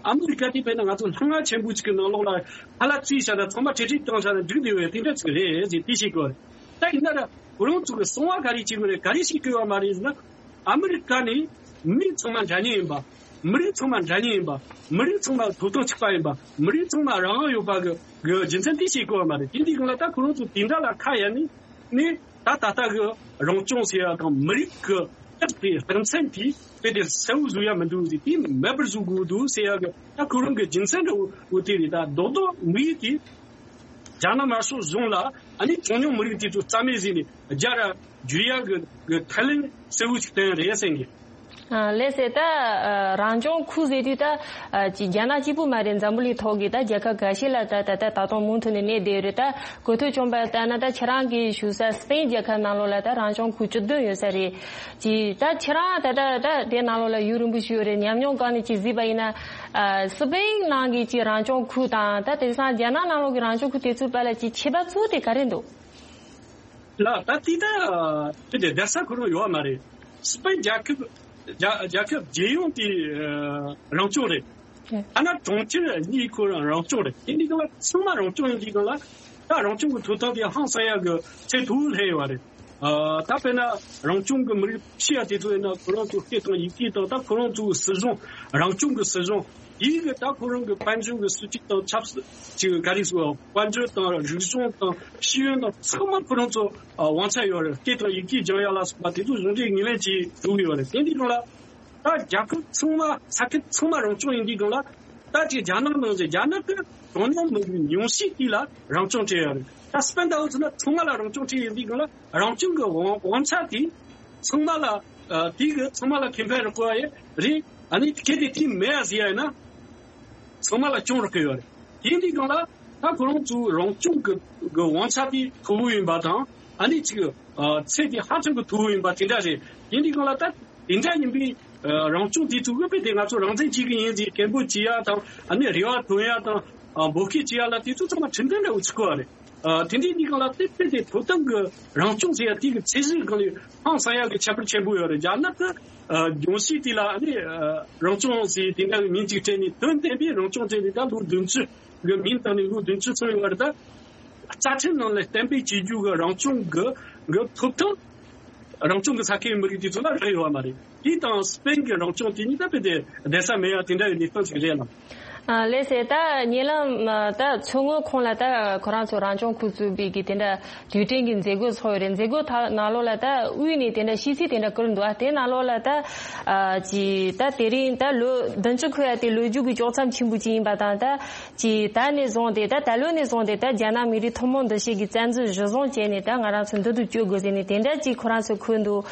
ཨ་མི་རི་ཀ་དེ་དཔེར་ན་ང་ཚོ་ལྷ་ང་ཆེན་པོ་ཅིག་གི་ནང་ལོགས་ལ་ཁ་ལག་བཙིར་བཞག་ན་ཚང་མ་ཁྲིག་ཁྲིག་བཏང་བཞག་ན་འགྲིག་འདི་ཡོད་དེ་འདྲ་ཅིག་རེད་ཟེར་དེ་ཤེས་དགོས་རེད། ད་ཡིན་ན་ར་ཁོ་རང་ཚོ་གི་གསང་བ་ག་རེ་བྱེད་དགོས་རེད། ག་རེ་ཤེས་དགོས་བ་མ་རེད་ཟེར་ན། ཨ་མི་རི་ཀ་ནི་མི་ཚང་མ་འདྲ་མཉམ་ཡིན་པ། མི་རིགས་ཚང་མ་འདྲ་མཉམ་ཡིན་པ། མི་རིགས་ཚང་མ་ཐོབ་ཐང་གཅིག་པ་ཡིན་པ། མི་རིགས་ཚང་མ་རང་དབང་ཡོད་པ་གི་གི་རྒྱུ་མཚན་དེ་ཤེས་དགོས་བ་མ་རེད། དེ་འདི་གང་ལ་ད་ཁོ་རང་ཚོ་དེ་འདྲ་ལ་ཁ་གཡར་ནས་ནི་ད་ད་ལྟ་གི་རང་སྐྱོང་ཟེར་ཡ་དང་མི་རིགས་ཀྱི་རྟགས་དེ་རྟགས་མཚན་དེ་དཔེ་དེ་གསལ་བོ་བཟོ་ཡ་མི་འདུག་ཟེར། དེ་མེད་པར་བཟོ་དགོས་འདུག་ཟེར་ཡ་གི་ད་ཁོ་རང་གི་རྒྱུ་མཚན་འདྲ་བོ་དེ་རེད། ད་རྡོག་རྡོག་མི་ཡིག་དེ་རྒྱ་ནག་དམར་ཤོག་གཞུང་ལ་ཨ་ནི་གྲངས་ཉུང་མི་རིགས་དེ་ཚོ་རྩ་མེད་བཟོས་ནས་རྒྱ་ར་བསྒྱུར་ཡ་གི་གི་ཐབས་ལམ་གསལ་བོ་ཞིག་བསྟན་རེད་བསམ་གི། ཨ་ལགས་སེ། ད་ཨ་རང་སྐྱོང་ཁུལ་ཟེར་དུས་ད་ཨ་ཅིག་རྒྱ་ནག་གཅིག་པུ་མ་རེད། འཛམ་བུ་གླིང་ཐོག་གི་ད་རྒྱལ་ཁབ་འགའ་ཤས་ལ་ད་ད་ད་ད་དུང་མུ་མཐུད་ནས་གནས་བསྡད་ཡོད་རེད། ད་གོ་ཐོས་བྱུང་བ་ལྟར་ན་ད་ཁྱེད་རང་གིས་ཞུ་ས་སི་པེན་རྒྱལ་ཁབ་ནང་ལོགས་ལ་ད་རང་སྐྱོང་ཁུལ་བཅུ་བདུན་ཡོད་ས་རེད། ཅིག་ད་ཁྱེད་རང་ད་ད་ད་དེ་ནང་ལོགས་ལ་ཡུན་རིང་པོ་ཞིག་ཡོད་རེད། ཉམས་མྱོང་སྒང་ནས་ཅིག་གཟིགས་པ་ཡིན་ན། ཨ་སི་པེན་ནང་གི་ཅིག་རང་སྐྱོང་ཁུལ་དང་ད་དེང་སང་རྒྱ་ནག་ནང་ལོགས་ཀྱི་རང་སྐྱོང་ཁུལ་དེ་ཚོའི་བར་ལ་ཅིག་ཁྱད་པར་གཙོ་བོ་དེ་ག་རེ་འདུག་ལགས། ད་དེ་ད་དེ་འདྲ་བསྡད་ས་ཁོ་རང་ཡོད་མ་རེད། སི་པན་རྒྱལ་ཁབ་རྒྱ་རྒྱལ་ཁབ་རྒྱལ་ཡོངས་དེ་ཨ་རང་སྐྱོང་རེད། ཨ་ན་གྲོང་ཁྱེར་གཉིས་ཁོ་རང་རང་སྐྱོང་རེད། དེ་འདི་ག་ལ་ཚང་མ་རང་སྐྱོང་ཡིན་དུས་ག་ལ་ད་རང་སྐྱོང་གི་ཐོབ་ཐང་དེ་ཧང་སང་ཡ་གི་ཚད་མཐོ་བོ་སླེབས་ཡོད་རེད། ཨ་ད་དཔེར་ན་རང་སྐྱོང་གི་མི་རིགས་ཕྱི་ཡ་དེ་ཚོ་ཡིན་ན་ཁོ་རང་ཚོ་སྐད་དང་ཡི་གེ་དང་ད་ཁོ་རང་ཚོའི་སྲིད་གཞུང་རང་སྐྱོང་གི་སྲིད་གཞུང་དེའི་གི་ད་ཁོ་རང་གི་དཔལ་འབྱོར་གི་སྲིད་ཇུས་དང་ཆབ་སྲིད་ཅིག་ག་རེ་ཟེར་དཔལ་འབྱོར་དང་རིག་གཞུང་དང་ཤེས་ཡོན་དང་ཚང་མ་ཁོ་རང་ཚོ་ཨ་དབང་ཆ་ཡོད་རེད། སྐད་དང་ཡི་གེ་སྦྱང་ཡ་ལ་སོགས་པ་དེ་ཚོ་གཞུང་འབྲེལ་ངོས་ལེན་བྱེད་འགྲོ་གི་ཡོད་རེད། དེ་འདི་སྒང་ལ་ ད་རྒྱལ་ཁབ་ཚང་མ་ས་ཁུལ་ཚང་མ་རང་སྐྱོང་ཡིན་དུས་སྒང་ལ། ད་ཅིག་རྒྱ་ནག་ནང་བཞིན་རྒྱ་ནག་གི་གྲངས་ཉུང་མི་རིགས་ཉུང་ཤས་དེ་ལ་རང་སྐྱོང་སྤྲད་ཡོད་རེད། ད་སྤེན་ཟླ་འོ་ཚོ་ན་ཚང་མ་ལ་རང་སྐྱོང་སྤྲད་ཡོད་དུས་སྒང་ལ། རང་སྐྱོང་གི་དབང་དབང་ཆ་དེ་ཚང་མ་ལ་ཨ་དེ་གི་ཚང་མ་ལ་ཁེ་ཕན་རག་གི་ཡོད་རེད། ཨ་ནི་གལ་ཏེ་དེ་མེད་ཟེར་ཡ་ཡིན་ན། ཚང་མ་ལ་སྐྱོན་རག་གི་ཡོད་རེད། དེ་འདི་སྒང་ལ་ད་ཁོ་རང་ཚོའི་རང་སྐྱོང་གི་གི་དབང་ཆ་དེ་མཐོ་བོ་ཡིན་པ་དང་། ཨ་ནི་ཅིག་ཨ་ཚད་དེ་ཧ་ཅང་གི་མཐོ་བོ་ཡིན་པ་དེ་འདྲ་རེད། དེ་འདི་སྒང་ལ་ད་དེ་འདྲ་ཡིན་པའི་ཨ་རང་སྐྱོང་དེ་ཚོ་དབུས་པའི་དེ་ང་ཚོ་རང་བཙན་གཅིག་གི་ཡིན་ཟེར་སྐད་འབོད་བྱེད་ཡ་དང་། ཨ་ནི་རེ་བ་འདོན་ཡ་དང་། ཨ་འབོད་སྐུལ་བྱེད་ཡ་ལ་དེ་ཚོ་ཚང་མ་ཁྲིམས་མཐུན་འདྲ་བོ་ཆགས་ཀྱི་ཡོད་རེད། ཨ་དེ་འདྲའི་གནས་སྟངས་ལ་དེ་དཔེ་དེ་ཐོབ་ཐང་གི་རང་སྐྱོང་ཟེར་ཡ་དེ་གི་ཚད་གཞི་སྒང་ལ་ཧང་སང་ཡ་གི་ཁྱད་པར་ཆེན་པོ་ཡོད་རེད། རྒྱ་ནག་གི་ཨ་ལྗོངས་ཕྱོགས་དེ་ལ་ཨ་ནི་ཨ་རང་སྐྱོང་ཟེར་དེ་འདྲ་གི་མིང་གཅིག་སྤྲད་ནས་དོན་བདེན་པའི་རང་སྐྱོང་སྤྲད་ནས། ད་ལོ་བདུན་ཅུ་གི་མིང་བཏགས་ནས་ལོ་བདུན་ཅུ་སོང་ཡོད་རེད། ད་རྩ་ཁྲིམས་ནང་ལ་གཏན་འབེབས་བྱེད་རྒྱུ་གི་རང་སྐྱོང་གི་གི་ཐོབ་ཐང་རང་སྐྱོང་གི་ས་ཁུལ་མི་རིགས་དེ་ཚོ་ལ་རག་ཡོད་པ་མ་རེད། དེ་དང་སྤེན་གྱི་རང་སྐྱོང་དེ་གཉིས་ད་དཔེ་དེ་བསྡད་ས་མེད་ཡ་དེ་འདྲ་ཡི་གནས་སྟངས་ཤིག་རེད་ལ། ཨ་ལགས་སེ། ད་ཉེ་ལམ་ཨ་ད་མཚོ་སྔོན་ཁོངས་ལ་ད་ཁོ་རང་ཚོ་རང་སྐྱོང་ཁུལ་བཙུགས་པའི་གི་དེ་འདྲ་དུས་དྲན་གྱི་མཛད་སྒོ་ཚོགས་ཡོད་རེད། མཛད་སྒོ་ཐ་ནང་ལོགས་ལ་ད་དབུས་ནས་དེ་འདྲ་ཤིས་ཚིག་དེ་འདྲ་བསྐུར་འདུག་ཨ་དེ་ནང་ལོགས་ལ་ད་ཨ་ཅི་ད་དེ་རིང་ད་ལོ་བདུན་ཅུ་འཁོར་ཡ་དེ་ལོ་རྒྱུས་ཀྱི་ལྕོགས་མཚམས་ཆེན་པོ་ཅིག་ཡིན་པ་དང་། ད་ཅི་ད་ནས་བཟུང་སྟེ་ད་ད་ལོ་ནས་བཟུང་སྟེ་ད་རྒྱ་ནག་མི་རིགས་ཐུན་མོང་འདུ་ཤེས་ཀྱི་བཙན་འཛུལ་གཞི་བཟུང་བྱས་ནས་ད་ང་རང་ཚོ་འདི་དུ་བསྐྱོད་དགོས་ཟེར་ནས་དེ་འདྲ་ཅིག་ཁོ་རང་ཚོས་འཁོད་འདུག་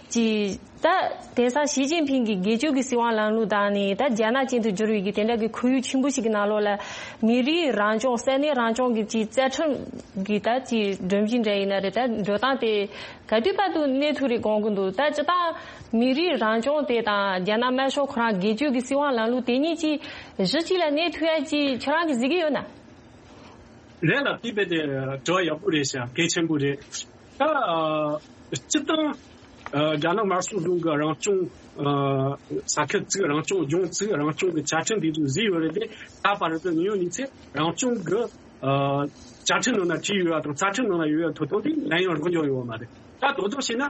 ཅི། ད་དེང་སང་ཞི་ཅིན་ཕིང་གི་སྒེར་གཅོད་ཀྱི་སྲིད་དབང་ལམ་ལུགས་དང་ནི་ད་རྒྱ་ནག་ཅན་དུ་བསྒྱུར་བའི་གི་དེ་འདྲ་གི་ཁོར་ཡུག་ཆེན་པོ་ཞིག་གི་ནང་ལོགས་ལ་མི་རིགས་རང་སྐྱོང་ས་གནས་རང་སྐྱོང་གི་ཅིག་རྩ་ཁྲིམས་ཀྱི་ད་ཅིག་སྒྲོམ་གཞི་འདྲ་ཡིན་ན་རེད། ད་འགྲོ་སྟངས་དེ་ག་དུས་བར་དུ་གནས་ཐུབ་རེད་དགོངས་ཀྱི་འདུག་ད་སྤྱིར་བཏང་མི་རིགས་རང་སྐྱོང་དེ་དང་རྒྱ་ནག་དམར་ཤོག་ཁོ་རང་སྒེར་གཅོད་ཀྱི་སྲིད་དབང་ལམ་ལུགས་དེ་གཉིས་ཀྱིས་གཞི་གཅིག་ལ་གནས་ཐུབ་ཡ་ཅིག་ཁྱོད་རང་གིས་གཟིགས་ཀྱི་ཡོད་ན། རེད་ལ། དེ་རྦད་དེ་དྲི་བ་ཡག་པོ་རེད་ཤག་གལ་ཆེན་པོ་རེད། ད་ཨ་སྤྱིར་བཏང་ཨ་རྒྱ་ནག་དམར་ཤོག་གཞུང་གི་རང་སྐྱོང་ཨ་ས་ཁུལ་བཙུགས། རང་སྐྱོང་ལྗོངས་བཙུགས། རང་སྐྱོང་གི་བཅའ་ཁྲིམས་དེ་ཚོ་བཟོས་ཡོད་རེད་དེ། ད་བར་དུ་ངོས་ནས་ཚེ་རང་སྐྱོང་གི་ཨ་བཅའ་ཁྲིམས་ནང་ན་བྲིས་ཡོད་པ་དང་རྩ་ཁྲིམས་ནང་ན་ཡོད་པའི་ཐོབ་ཐང་དེ་ནམ་ཡང་རག་མྱོང་ཡོད་པ་མ་རེད། ད་དོ་དོ་བྱས་ན་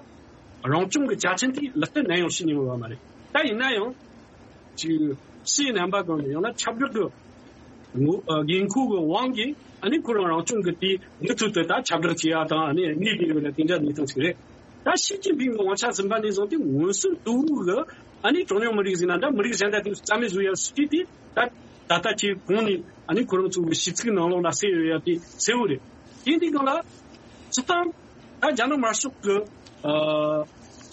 རང་སྐྱོང་གི་བཅའ་ཁྲིམས་དེ་ལག་བསྟར་ནམ་ཡང་བྱེད་མྱོང་ཡོད་པ་མ་རེད། ད་ཡིན་ན་ཡང་། ཅིག་ཕྱིའི་རྣམ་པ་སྒང་ནས་ཡང་ན་ཁྱབ་བསྒྲགས་ཀྱི་ངོ་ཨ་དགོས་མཁོ་གི་དབང་གིས་ཨ་ནི་ཁོ་རང་རང་སྐྱོང་གི་དེ་མུ་མཐུད་དུ་ད་ཁྱབ་བསྒྲགས་བྱེད་ཡ་དང་ཨ་ནི་གནས་བསྡད་ཡོད་ན་དེ་འདྲ་གནས་སྟངས་ཤིག་རེད། ད་ཞི་ཅིན་ཕིང་གི་དབང་ཆ་ཟིན་པ་ནས་བཟུང་སྟེ་མངོན་སུམ་དུ་གི་ཨ་ནི་གྲངས་ཉུང་མི་རིགས་ཟེར་ན་འདྲ། མི་རིགས་གཞན་དག་དེ་རྩ་མེད་བཟོ་ཡ་སྲིད་ཇུས་དེ་ད་ད་ལྟ་ཆེས་གོང་ནས་ཨ་ནི་ཁོ་རང་ཚོ་གི་ཞི་ཚིག་ནང་ལོགས་ལ་གསལ་ཡོད་ཡ་དེ་གསལ་བོ་རེད། དེ་འདི་སྒང་ལ་སྤྱིར་བཏང་ད་རྒྱ་ནག་དམར་ཤོག་གི་ཨ་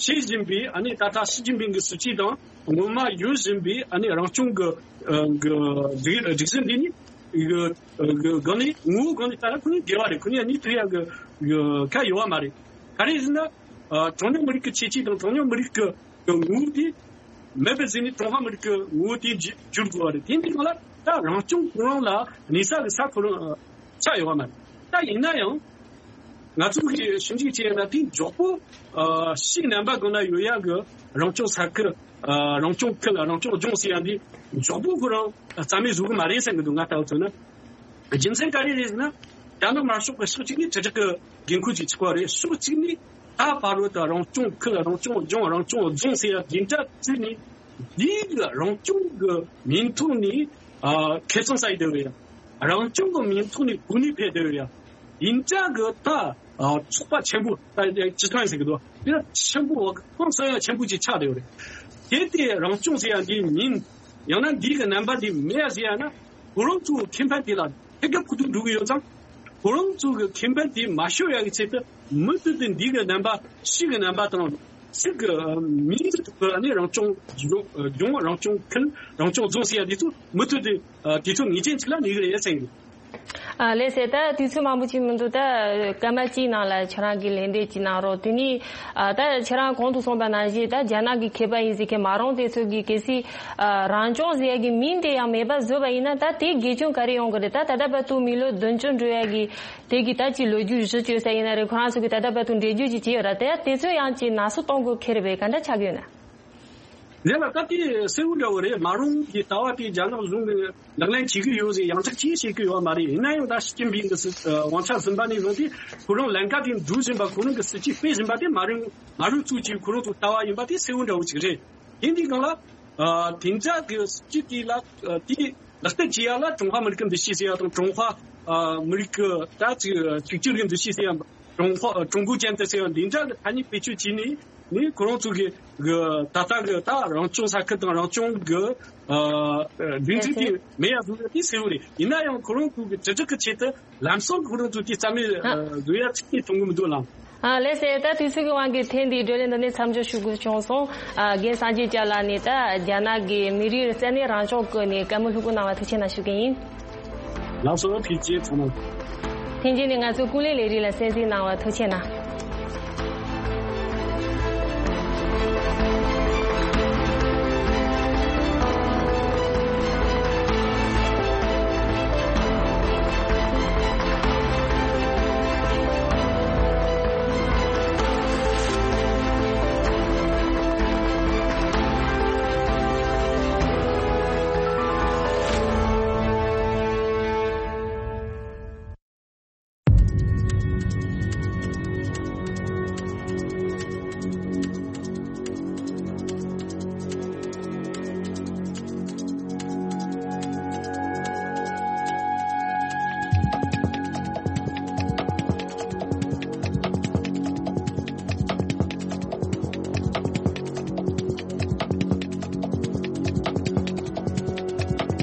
བྱེད་བཞིན་པའི་ཨ་ནི་ད་ལྟ་ཞི་ཅིན་ཕིང་གི་སྲིད་ཇུས་དང་སྔོན་མ་ཡོད་བཞིན་པའི་ཨ་ནི་རང་སྐྱོང་གི་ཨ་གི་སྒྲིག་སྒྲིག་གཞི་འདི་ནི་གི་གི་སྒང་ནས་ངོ་བོ་སྒང་ནས་ད་ལ་ཁོ་གཉིས་འགལ་བ་རེད། ཁོ་གཉིས་གཉིས་ཐུག་ཡ་གི་གི་ཁ་ཡོད་བ་མ་རེད། ག་རེ་ཟེར་ན་ཨ་གྲངས་ཉུང་མི་རིགས་ཀྱི་ཁྱད་ཆོས་དང་གྲངས་ཉུང་མི་རིགས་ཀྱི་གི་ངོ་བོ་དེ་མེད་པའི་ཟིན་ནས་ཀྲུང་ཧྭ་མི་རིགས་ཀྱི་ངོ་བོ་དེ་བསྒྱུར་བསྒྱུར་དགོས་པ་རེད། དེ་འདི་སྒང་ལ་ད་རང་སྐྱོང་ཁོ་རང་ལ་གནས་ས་གི་ས་ཁོ་རང་ཆགས་ཡོད་པ་མ་རེད། ད་ཡིན་ན་ཡང་ང་ཚོ་གི་ཞིབ་འཇུག་བྱས་ན་དེ་མགྱོགས་པོ་ཨ་ཕྱིའི་རྣམ་པ་སྒང་ན་ཡོད་ཡ་གི་རང་སྐྱོང་ས་ཁུལ་ཨ་རང་སྐྱོང་ཁུལ་རང་སྐྱོང་ལྗོངས་ཟེར་ཡ་འདི་མགྱོགས་པོ་ཁོ་རང་རྩ་མེད་བཟོ་གི་མ་རེད་བསམ་གི་འདུག་ང་ལྟ་བུ་མཚོན་ན། རྒྱུ་མཚན་ག་རེ་རེད་ཟེར་ན། རྒྱ་ནག་དམར་ཤོག་གི་ཕྱོགས་གཅིག་ནས་དྲིལ་བསྒྲགས་ཀྱི་དགོས་མཁོ་ཅིག་ཆགས་པ་རེད། ཕྱོགས་གཅིག་ནས་ད་བར་དུ་རང་སྐྱོང་ཁུལ་རང་སྐྱོང་ལྗོངས་རང་སྐྱོང་རྫོང་ཟེར་ཡ་འདི་འདྲ་བརྩིས་ནས་འདིའི་གི་རང་སྐྱོང་གི་མིང་ཐོག་ནས་ཨ་ཁེ་བཟང་ཟ་ཡི་བསྡད་ཡོད་ཡ། རང་སྐྱོང་གི་མིང་ཐོག་ནས་གོ་གནས་འཕེར་བསྡད་ཡོད་ཡ། འདི་འདྲ་གི་ད་ཨ་ཚོགས་པ་ཆེན་པོ་ད་སྤྱི་ཚོགས་ཟེར་གི་འདུག་འདི་འདྲ་ཆེན་པོ་ཧང་སང་ཡ་ཆེན་པོ་ཅིག་ཆགས་བསྡད་ཡོད་རེད། དེ་དེ་རང་སྐྱོང་ཟེར་ཡ་འདིའི་མིང་ཡང་ན་འདི་གི་རྣམ་པ་འདི་མེད་ཡ་ཟེར་ཡ་ན། ཁོ་རང་ཚོའི་ཁེ་ཕན་དེ་ལ་ཐད་ཀར་ཕུགས་ཐུབ་འགྲོ་གི་ཡོད་ཙང་། ཁོ་རང་ཚོ་གི་ཁེ་ཕན་དེ་མ་ཤོར་ཡག་གི་ཆེད་དུ་མུ་མཐུད་དུ་འདི་གི་རྣམ་པ་ཕྱི་གི་རྣམ་པ་དང་ཚིག་གི་མིང་གི་ཐོག་ལ་ནི་རང་སྐྱོང་ལྗོངས་རང་སྐྱོང་ཁུལ་རང་སྐྱོང་རྫོང་ཟེར་ཡ་འདི་ཚོ་མུ་མཐུད་དུ་དུས་ཚོད་ངེས་ཅན་ཅིག་ལ་གནས་གི་རེད་བསམ་གི། ཨ་ལགས་སེ། ད་དུས་ཚོད་མང་པོ་ཅིག་མི་འདུག་ད་སྐར་མ་གཅིག་ནང་ལ་ཁྱེད་རང་གིས་ལན་འདེབས་ཅིག་གནང་རོགས། དེ་ནི་ཨ་ད་ཁྱེད་རང་གོང་དུ་གསུངས་པ་ནང་བཞིན་ད་རྒྱ་ནག་གི་མཁས་པ་ཡིན་ཟེར་མཁན་མ་རུང་དེ་ཚོ་གིས་གལ་སྲིད་ཨ་རང་སྐྱོང་ཟེར་ཡ་གི་མིང་དེ་ཡང་མེད་པ་བཟོས་པ་ཡིན་ན། ད་དེ་དགེ་སྐྱོན་ག་རེ་ཡོང་གི་རེད། ད་ད་ལྟ་བར་དུ་མི་ལོ་བདུན་ཅུ་འགྲོ་ཡ་གི་དེ་གི་ད་ཅིག་ལོ་རྒྱུས་གཞི་བཅོལ་ས་ཡིན་ན་རེད། ཁོ་རང་ཚོ་གི་ད་ལྟ་བར་དུ་འགྲེལ་བརྗོད་ཅིག་བྱས་ཡོད་ར། དེ་དེ་ཚོ་ཡང་ཅིག་ནག་སུ་གཏོང་དགོས་ཁེལ་རེད་པས། ག་འདྲ་ཆགས་ཀྱི་ཡོད་ན། རེད་ལ། ད་དེ་གསལ་བོ་འདྲ་བོ་རེད། མ་རུང་གི་ལྟ་བ་དེ་རྒྱ་ནག་གཞུང་གི་ལག་ལེན་བྱེད་ཀྱི་ཡོད་ཟེར་ཡང་ཅིག་ཅིག་བཤད་ཀྱི་ཡོད་མ་རེད། ཡིན་ན་ཡང་ད་ཞི་ཅིན་ཕིང་གི་སྲིད་དབང་ཆ་ཟིན་པ་ནས་བཟུང་སྟེ་ཁོ་རང་ལམ་ཁ་དེ་འགྲོ་བཞིན་པ། ཁོ་རང་གི་སྲིད་ཇུས་སྤེལ་བཞིན་པ་དེ་མ་རུང་མ་རུང་ཚུལ་གྱིས་ཁོ་རང་ཚོ་ལྟ་བ་ཡིན་པ་དེ་གསལ་བོ་འདྲ་བོ་ཅིག་རེད། དེ་འདི་སྒང་ལ་ཨ་དེ་འདྲ་གི་སྲིད་ཇུས་དེ་ལ་ཨ་དེ་ལག་བསྟར་བྱེད་ཡ་ལ་ཀྲུང་ཧྭ་མི་རིགས་ཀྱི་འདུ་ཤེས་ཟེར་ཡ་དང་། ཀྲུང་ཧྭ་ཨ་མི་རིགས་ཀྱི་ད་ཅིག་གཅིག་གྱུར་གྱི་འདུ་ཤེས་ཟེར་ཡ། ཀྲུང་ཧྭ་ཀྲུང་གོ་ཅན་དུ་ཟེར་ཡ་འདི་འདྲ་གི་ཐ་སྙད་བེད་སྤྱོད་བྱས་ནས། ནི་ཁོ་རང་ཚོ་གི་གི་ད་ལྟ་གི་ད་རང་སྐྱོང་ས་ཁུལ་དང་རང་སྐྱོང་གི་ཨ་སྡིངས་ཆ་དེ་མེད་ཡ་བཟོ་ཡ་དེ་གསལ་བོ་རེད། ཡིན་ན་ཡང་ཁོ་རང་ཚོ་གི་དྲིལ་བསྒྲགས་ཀྱི་ཆེད་དུ་ལམ་སང་ཁོ་རང་ཚོ་དེ་རྩ་མེད་ཨ་བཟོ་ཡ་ཆེད་དུ་གཏོང་གི་མི་འདུག་ལགས། ཨ་ལགས་སེ། ད་དུས་ཚོད་ཀྱི་དབང་གིས་ཐེངས་འདིའི་བགྲོ་གླེང་འདི་ནས་མཚམས་འཇོག་ཞུ་དགོས་བྱུང་སོང་། ཨ་རྒན་སངས་རྒྱས་སྐྱབས་ལགས་ནས་ད་རྒྱ་ནག་གི་མི་རིགས་རྩ་ནས་རང་སྐྱོང་སྐོར་ནས་བཀའ་མོལ་ལྷུག་པོ་གནང་བ་ཐུགས་རྗེ་ཆེ་གནང་ཞུ་གི་ཡིན། ལགས་སོ། ཐུགས་རྗེ་ཆེ་གནང་། ཐེངས་རྗེས་ནས་ང་ཚོའི་ཀུན་གླེང་ལས་རིགས་ལ་གསན་གཟིགས་གནང་བ་ཐུགས་རྗེ་ཆེ་གནང་།